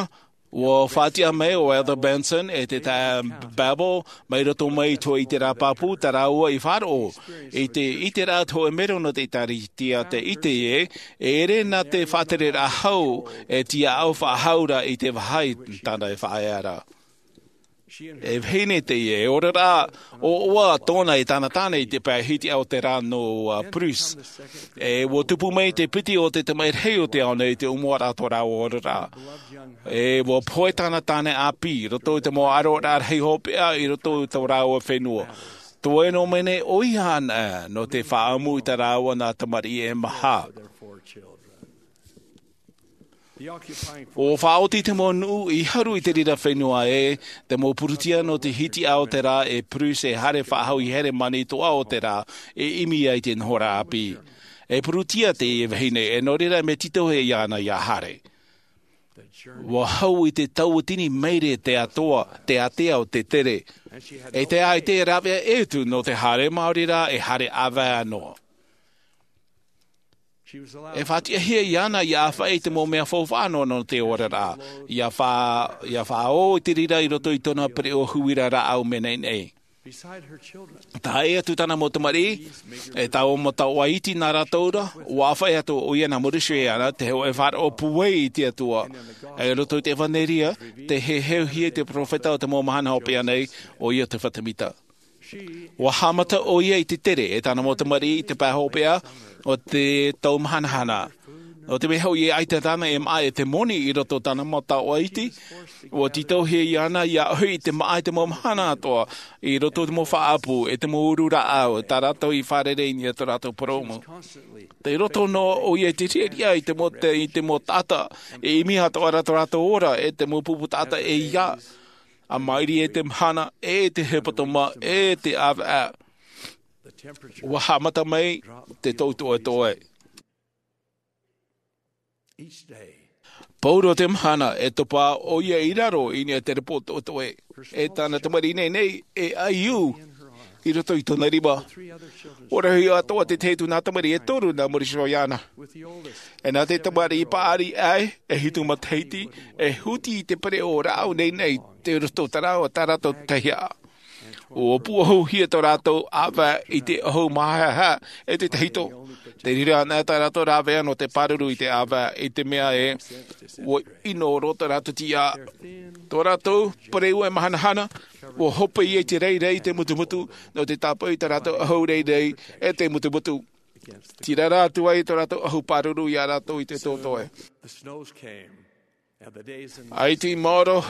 ʻua faʻatiʻa mai ʻo Elder Benson e te taeaʻe Babel, mai roto mai i te hōʻē ʻiteraʻa pāpū tā rāua i faʻaroʻo, i te ʻiteraʻa o te hōʻē mero nō te ʻĒkālesia tei ʻite ē, e ʻere nā te faʻatereraʻa hau, e tiʻaʻau faʻahou ra i te vāhi tāna e faʻaea ra. E vahine teie, e oraraʻa ʻoaʻoa tōna e tāna tāne i te pae hitiʻa o te rā nō, ā, Bruce. E ʻua tupu mai te piti o te tamaʻi rahi o te ao nei i te ʻōmuaraʻa o tō rāua oraraʻa. E ʻua pohe tāna tāne ʻāpī, i roto i te mau ʻaroraʻa rahi hopeʻa, i roto i tō rāua fenua. Toe noa mai nei ʻoia anaʻe, nō te faʻaʻamu i tā rāua nā tamariʻi e maha. ʻUa faʻaoti te mau nuʻu i haru i te reira fenua ē, te mau purutia nō te hitiʻa o te rā e Bruce e haere faʻahou i Heremani toʻa o te rā, e ʻimi ai te nohoraʻa ʻāpī. E purutia teie vahine, e nō reira mea tītauhia iāna ia haere. ʻUa hau i te tauatini maere te atoa, te ātea o te tere. E te ʻaita e rāveʻa ʻē atu nō te haere maori ra e haere ʻāvae noa. E faʻatiʻahia iāna ia ʻāfaʻi i te mau mea faufaʻa noa nō te oraraʻa. Ia fa-, ia faʻaō i te reira i roto i tōna pereʻoʻo huira rāʻau mea naʻinaʻi. Tae atu tāna mau tamariʻi, e taua mau taoʻa iti nā rātou ra, ʻua ʻāfaʻi atu ʻoia nā Maurice iāna, te hōʻē faʻaroʻo pūai i te Atua. I roto i te ʻEvanelia, tē heheuhia i te peropheta o te mau mahana hopeʻa nei, ʻoia te Fatimita. ʻUa haʻamata ʻoia i te tere e tāna mau tamariʻi i te pae hopeʻa o te tau mahanahana. Nō te mea hoʻi e ʻaita tāna e maʻa e te moni i roto i tāna mau taoʻa iti, ʻua tītauhia iāna ia ʻohi i te maʻa i te mau mahana atoʻa, i roto i te mau faʻaʻapu, e te mau uru rāʻau, tā rātou i fārerei i niʻa i tō rātou purōmu. Tei roto noa ʻoia i te riʻariʻa i te mau, te, i te mau taʻata, e ʻimi atoʻa ra tō rātou ora, e te mau pupu taʻata e ia. ʻA mairi e te mahana, e te hepetoma, e te ʻāvaʻe. Ua haʻamata mai te tōtoʻetoʻe. Pauroa te mahana e topa ʻoia i raro i niʻa i te repo toʻetoʻe. E tāna tamariʻi nei nei e ʻaiū i roto i tōna rima. Ua rahi atoʻa te tahi atu nā tamariʻi e toru nā Morrison iāna. E nā te tamariʻi paʻari ʻae e hitu matahiti e huti i te pereʻoʻo rāʻau nei nei te roto tarau a tā rātou tahiʻa. Ua pūʻohuhia tō rātou ʻāvaʻe i te ʻohu māhaehae e te tahito. Te reira ana tā rātou rāveʻa nō te pāruru i te ʻāvaʻe i te mea ē ua ʻino roa tō rātou tiʻa. Tō rātou pereʻoʻo e mahanahana ua hope ia i te reirei i te mutumutu nō te tāpaʻo i tā rātou ʻohu reirei e te mutumutu. Tirara atu ai tō rātou ʻohu pāruru iā rātou i te tōtoʻe. ʻAita i maoro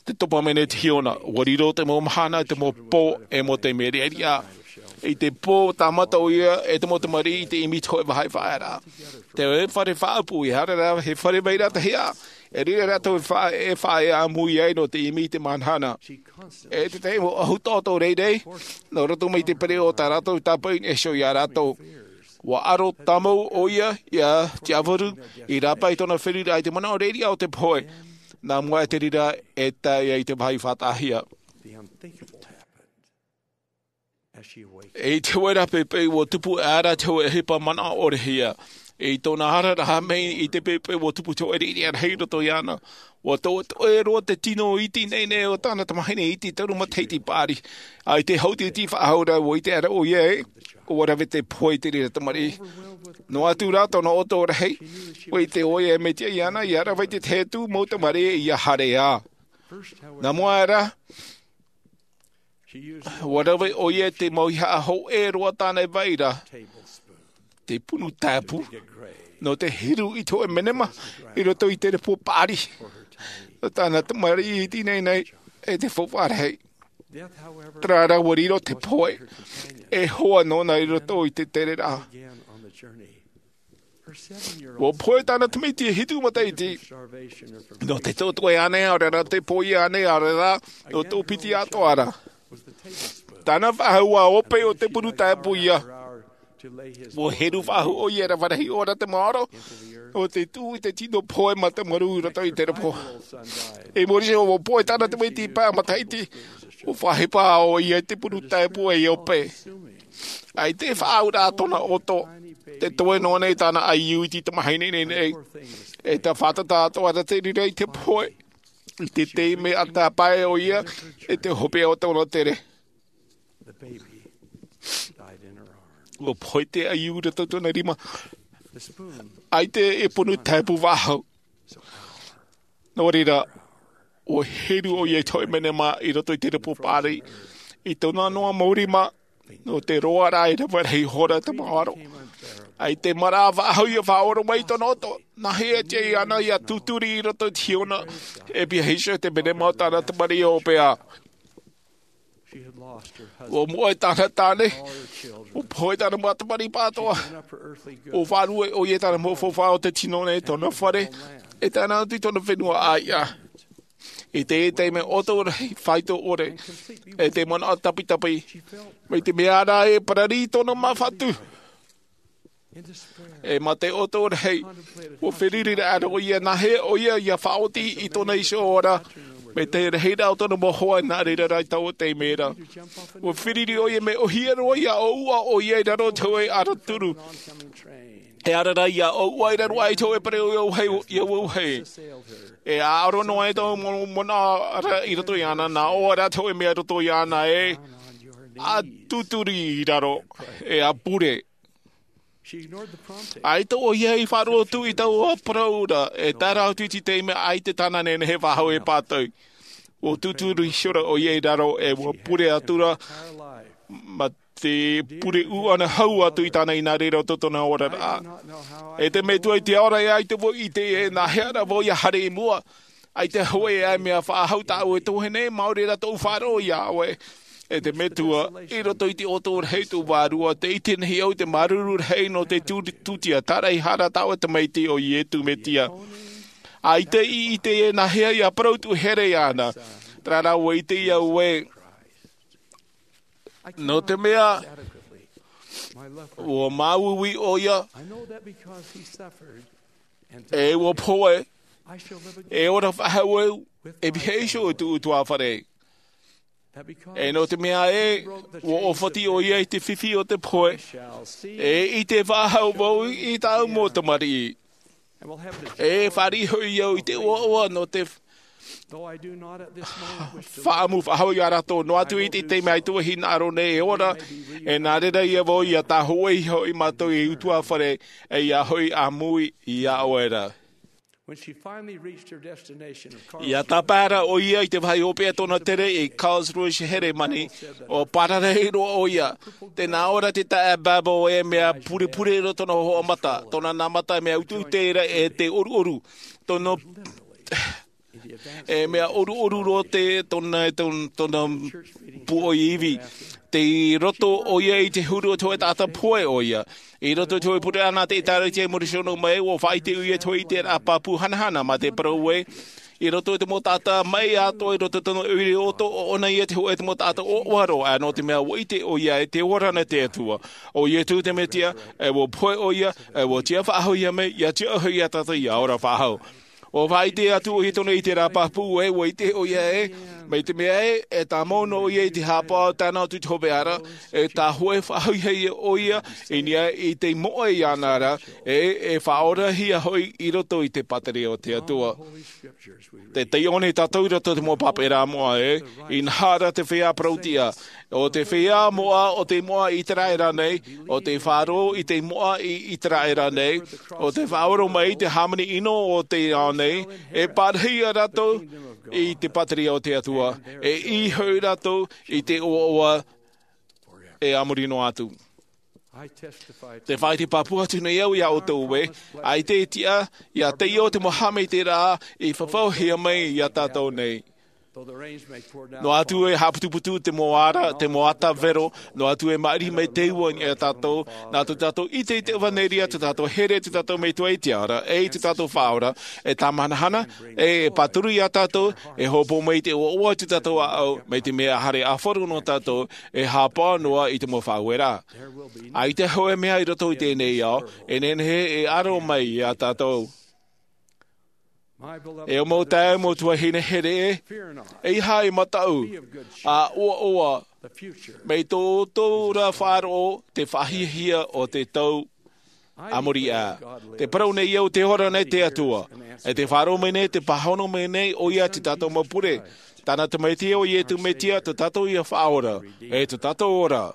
te topa mai nei te hiona. Ua riro te mau mahana, te mau pō, e mau taime riʻariʻa. I te pō tāmata ʻoia e te mau tamariʻi i te ʻimi i te hōʻē vāhi faʻaearaʻa. Te fare faʻaupu e ara rā he fare mai rā tahi ā. E riro rātou e faʻaea ʻāmui ai nō te ʻimi i te mahanahana. E te tahi mau ʻohu taʻoto reirei nō roto mai i te pereʻoʻo tā rātou tāpaʻo i niʻa iho iā rātou. Ua aro tāmau ʻoia iā Tiavaru i rāpae i tōna feruriraʻa i te manaʻo reirei o te pohe. Nā mua e te reira e tae ai te vāhi faʻataʻahia. I te hōʻē rā pēpē ua tupu e ara te hōʻē ʻohipa manaʻo ʻore hia i tōna ara rahi mai i te pēpē ua tupu te hōʻē riʻariʻa rahi i roto iāna. Ua toʻetoʻe roa te tino iti nei nei o tāna tamahine iti toru matahiti paʻari. ʻAita e hauti iti faʻahou rā ua ʻite ara ʻoia ē ua rave te pohe i te reira tamariʻi. Noa atu rā tōna ʻoto rahi ua ʻite ʻoia e mea tiʻa iāna ia rave i te tahi atu mau tamariʻi ia haere ā. Nā mua rā ua rave ʻoia i te mau ihaʻa hōʻē roa tāna e vaira te punu taepu nō te hiru i te hōʻē menema i roto i te repo paʻari nō tāna tamariʻi iti nei nei e te faufaʻa rahi. Terā rā ua riro te pohe e hoa nōna i roto i te tereraʻa. Ua pohe tāna tamaiti e hitu matahiti nō te tōtoʻe ānei ʻaore rā te pohe ānei ʻaore rā nō tō piti atoʻa rā. Tāna faʻahou ua ope o te punu taepu ia. Ua heru faʻahou ʻoia e rave rahi ʻōna te maoro o te tuʻu i te tino pohe matamarū i roto i te repo. I muri iho ua pohe tāna tamaiti pae matahiti ua faʻahepa ʻoia i te punu taepu e ope. ʻAita e faʻaauraʻa tōna ʻoto te toe noa nei tāna ʻaiū iti tamahine nei nei. E te fātata atoʻa rā te reira i te pohe i te taime a tāpae ʻoia e te hopeʻa o tōna tere. Ua pohe te ʻaiū i roto i tōna rima. ʻAita e punu taepu faʻahou. Nō reira ua heru ʻoia i te hōʻē menema i roto i te repo paʻari i tōna noa mau rima nō te roaraʻa e rave rahi hora te maoro. ʻAita e maraʻa faʻahou ia faʻaora mai i tōna ʻoto. Nāhea e tiʻa iāna ia tūturi i roto i te hiona e pihaʻi iho i te menema o tāna tamariʻi ʻo pea. Ua moʻe tāna tāne. Ua pohe tāna mau tamariʻi pātoa. Ua faʻarue ʻoia i tāna mau faufaʻa o te tino nei tōna fare e tae noa atu i tōna fenua ʻāiʻa. I te taime ʻoto rahi faito ʻore e te manaʻo tapitapi mai te mea ra e parari i tōna māfatu. E mā te ʻoto rahi ua feruriraʻa roa ʻoia nāhea ʻoia ia faʻaoti i tōna iho ora mai te rahiraʻa o tōna mau hoa nā reira rā i taua taime ra. Ua feruri ʻoia mea ʻōhie roa ia ʻōuʻa ʻoia i raro i te hōʻē ara turu. E ara rā ia ʻōuʻa i raro aʻe i te hōʻē pereʻoʻo ia vauhē. E ʻaʻaro noa e tō manaʻo ra i roto iāna nā ʻō rā te hōʻē mea i roto iāna e a tūturi i raro e a pure. ʻAita ʻoia i faʻaroʻo atu i taua parau ra e tae ra atu i te taime ʻaita tāna nehenehe faʻahou e pātau. Ua tūturu iho ra ʻoia i raro e ua pure atu ra mā te pure ʻūʻana hau atu i tāna i nā reira o tō tōna oraraʻa. E te metua i te ora e ʻaita vau i ʻite e nāhea rā vau ia haere i mua. ʻAita hōʻē ʻae mea faʻahou tāʻu e tuahine maori rā tōʻu faʻaroʻo iā ʻoe. E te metua i roto i te ʻoto rahi tōʻu vārua te ʻite nei au te māuruuru rahi nō te tūtia tāraʻehara tāʻu e tamaiti ʻo iesu mesia. ʻAita i ʻite e nāhea ia parau tuʻu here iāna. Terā rā ʻua ʻite au ē, nō te mea ʻua māuiui ʻoia, e ʻua pohe, e ora faʻahou au, e pihaʻi iho i tōʻu ʻutuāfare. E nō te mea ē, ʻua ʻōfati ʻoia i te fifi o te pohe, e ʻite faʻahou vau i tāʻu mau tamariʻi. E fāriʻi hoʻi au i te ʻoaʻoa nō te faʻaʻamu faʻahou ia rātou, noa atu i te taime ʻaita e hinaʻaro nei e ora, e nā reira ïa vau ʻia tāhōʻē iho iā mātou ei ʻutuāfare, e ʻia hoʻi ʻāmui iā ʻoe ra. ʻIa tāpae ra ʻoia i te vāhi hopeʻa tōna tere i Karlsruhe, Heremani, ʻua parau roa ʻoia, tē nā ʻō ra te taeaʻe Babel e mea purepure roa tōna hohoʻa mata, tōna nā mata e mea uteute ra e te ʻoruʻoru, tōna, e mea ʻoruʻoru roa te, tōna, tōna, tōna pūʻoi ivi. Tei roto ʻoia i te huru o te hōʻē taʻata pohe ʻoia. I roto i te hōʻē pure ʻana te ʻĒtārētia i muri iho mai, ʻua faʻaʻite ʻoia i te hōʻē ʻiteraʻa pāpū hanahana mā te parau ē, i roto i te mau taʻata maʻi atoʻa, i roto i tōna ʻoire ʻoto, ʻo ʻōna ïa te hōʻē mau taʻata ʻoaʻoa roa, ā, nō te mea ʻua ʻite ʻoia ē tē ora na te Atua. ʻO Ietu te Mesia, e ʻua pohe ʻoia, e ʻua tiʻa faʻahou iā Mē-, ʻia tiʻa hoʻi iā tātou ʻia ora faʻahou. ʻUa faʻaʻite atu ʻoia i tōna ʻiteraʻa pāpū ē, ʻua ʻite ʻoia ē, mai te mea ē, e tāmau noa ʻoia i te haʻapaʻo tae noa atu i te hopeʻa ra, e tāhōʻē faʻahouhia ʻoia i niʻa i te moʻa iāna ra, e, e faʻaorahia hoʻi i roto i te pātireia o te Atua. Tē taiʻo nei tātou i roto i te mau pāpaʻiraʻa moʻa ē, inaha ra te feiā parautiʻa, ʻo te feiā moʻa, ʻo te moʻa ʻĪteraʻera nei, ʻo te faʻaroʻo i te moʻa i ʻĪteraʻera nei, ʻo te faʻaora mai i te hāmani ʻino o te ao nei, e pārahi ia rātou i te pātireia o te Atua, e ʻī hoʻi rātou i te ʻoaʻoa e a muri noa atu. Tē faʻaʻite pāpū atu nei au iā ʻoutou ē, ʻaita e tiʻa, ʻia taiʻo te mau haʻamaitaʻiraʻa i fafauhia mai iā tātou nei. Noa atu e haʻaputuputu te mau ara, te mau ata vero, noa atu e maʻiri mai te ua iā tātou, nā tō tātou ʻite i te ʻevaneria, tō tātou here, tō tātou Metua i te ara, e i tō tātou Faʻaora, e tāmahanahana, e, e pāturu iā tātou, e hopoiʻa mai i te ʻoaʻoa i tō tātou ʻāʻau, mai te mea haere ʻāfaru noa tātou, e haʻapaʻo noa i te mau faʻaueraʻa. ʻAita hōʻē mea i roto i teie nei ao, e nehenehe e aro mai iā tātou. E ʻo mau taeaʻe, mau tuahine here ē, ʻeiaha e mataʻu, ʻa ʻoaʻoa, mai tō ʻoutou ra faʻaroʻo te faʻahiahia o te tau a muri aʻe. Tē parau nei au tē ora na te Atua, e tē faʻaroʻo mai nei, tē pāhono mai nei ʻoia i tā tātou mau pure. Tāna Tamaiti ʻo Ietu Mesia, tō tātou ia Faʻaora, e tō tātou ora.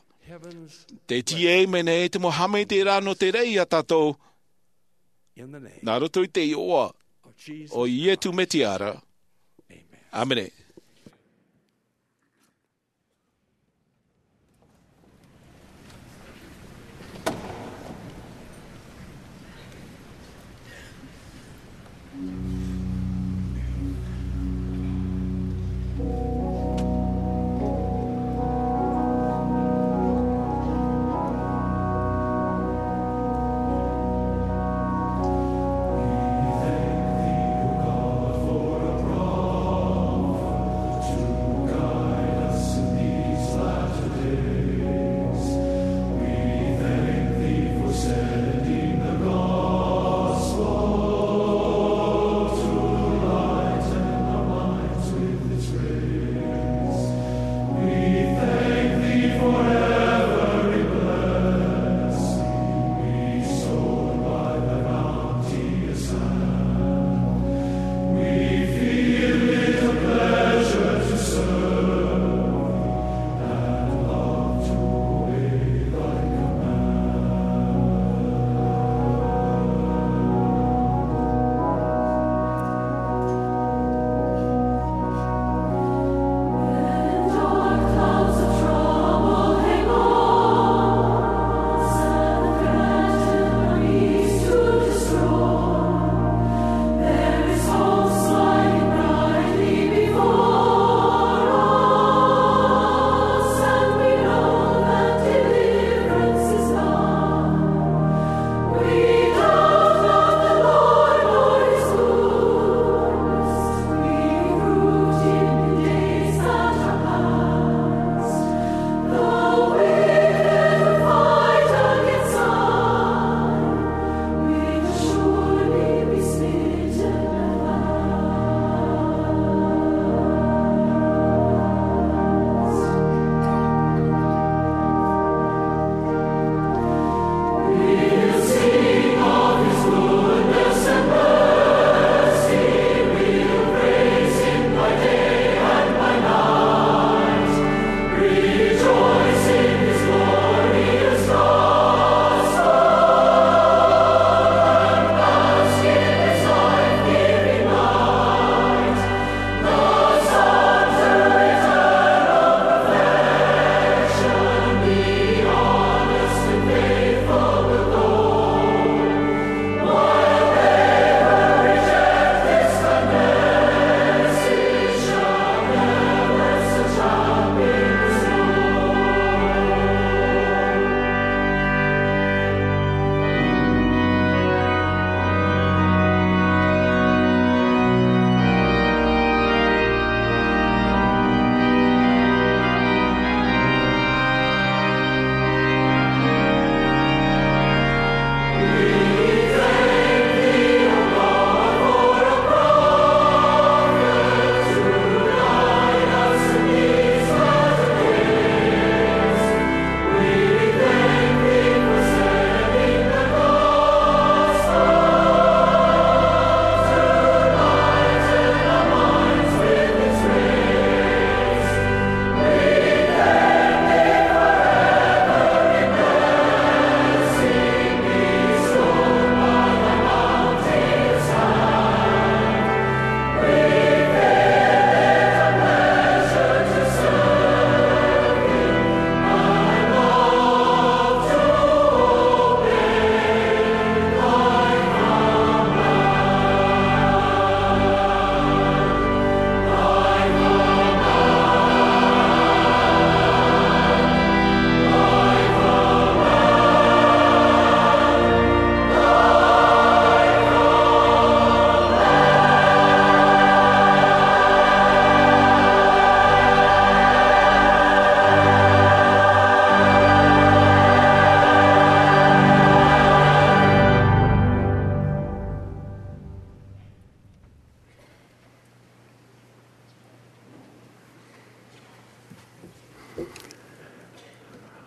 Tē tīaʻi mai nei te mau haʻamaitaʻiraʻa nō te raʻi iā tātou, nā roto i te iʻoa o Ietu Mesia ra. ʻĀmene.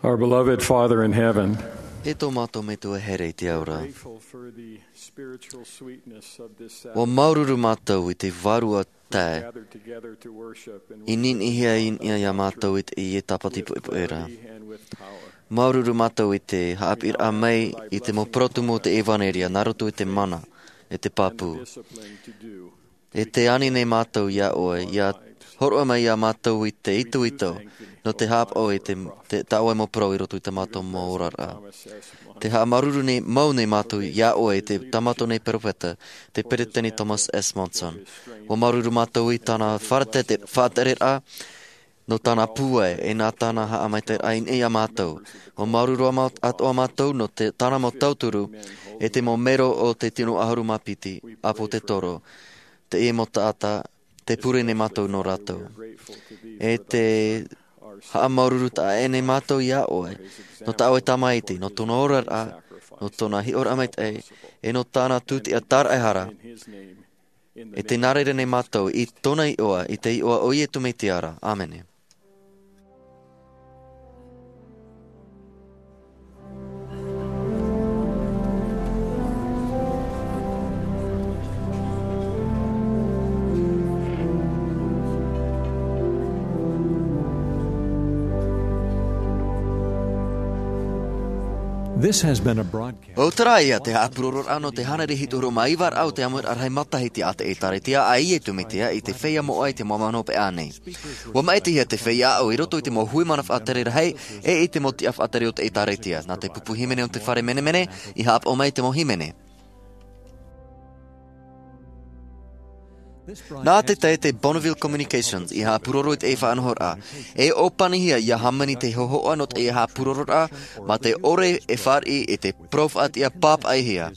Our beloved Father in heaven, E tō mātou Metua e here i te ao ra, grateful for the spiritual sweetness of this Sabbath. Ua māuruuru mātou i te vārua tae Gathered together to worship and i ninihia i niʻa iā mātou i te, i te tāpati poʻipoʻi ra. Authority and with power. Māuruuru mātou i te haʻapiʻiraʻa mai i te mau parau tumu o te ʻevanelia, nā roto i te mana, e te pāpū. And the discipline to do. E te ani nei mātou iā ʻoe, ʻia hōroʻa mai iā mātou i te itoito, nō te haʻapaʻo i te, te, tā ʻoe mau parau i roto i tā mātou mau oraraʻa. Te haʻamāuruuru nei, mau nei mātou iā ʻoe i te, tā mātou nei peropheta, te Peresideni Thomas S. Monson. Ua māuruuru mātou i tāna faʻatere-, faʻatereraʻa, nō tāna pūai, e nā tāna haʻamaitaʻiraʻa i niʻa iā mātou. Ua māuruuru atoʻa mātou nō te, tāna mau tauturu, e te mau mero o te tino ʻahuru mā piti, ʻāpōsetolo, te ʻīmota taʻata, tē pure nei mātou nō rātou. E te haʻamāuruuru taʻa ʻē nei mātou iā ʻoe, nō tā ʻoe Tamaiti, nō tōna oraraʻa, nō tōna hiʻoraʻa maitaʻi, e nō tāna tūtia tāraʻehara, e te nā reira nei mātou i tōna iʻoa, i te iʻoa o Iesu Mesia ra. ʻĀmene. This has been a broadcast. ʻO terā ia te haʻapurororaʻa nō te hānere hitu ʻahuru mā iva ra o te ʻāmuiraʻa rahi matahiti a te ʻĒtārētia a Iesu Mesia i te feiā moʻa i te mau mahana hopeʻa nei. Ua maʻitihia te feiā aʻo i roto i te mau hui mana faʻatere rahi, e i te mau tiʻa faʻatere o te ʻĒtārētia, nā te pupu hīmene o te fare menemene, i haʻapaʻo mai i te mau hīmene. Nā te tahi te Bonneville Communications i haʻapuroro i te faʻanahoraʻa, e ʻōpanihia ʻia hāmani te hōhoʻa nō te haʻapurororaʻa, mā te ʻore e fāriʻi i te parau faʻatiʻa pāpaʻihia.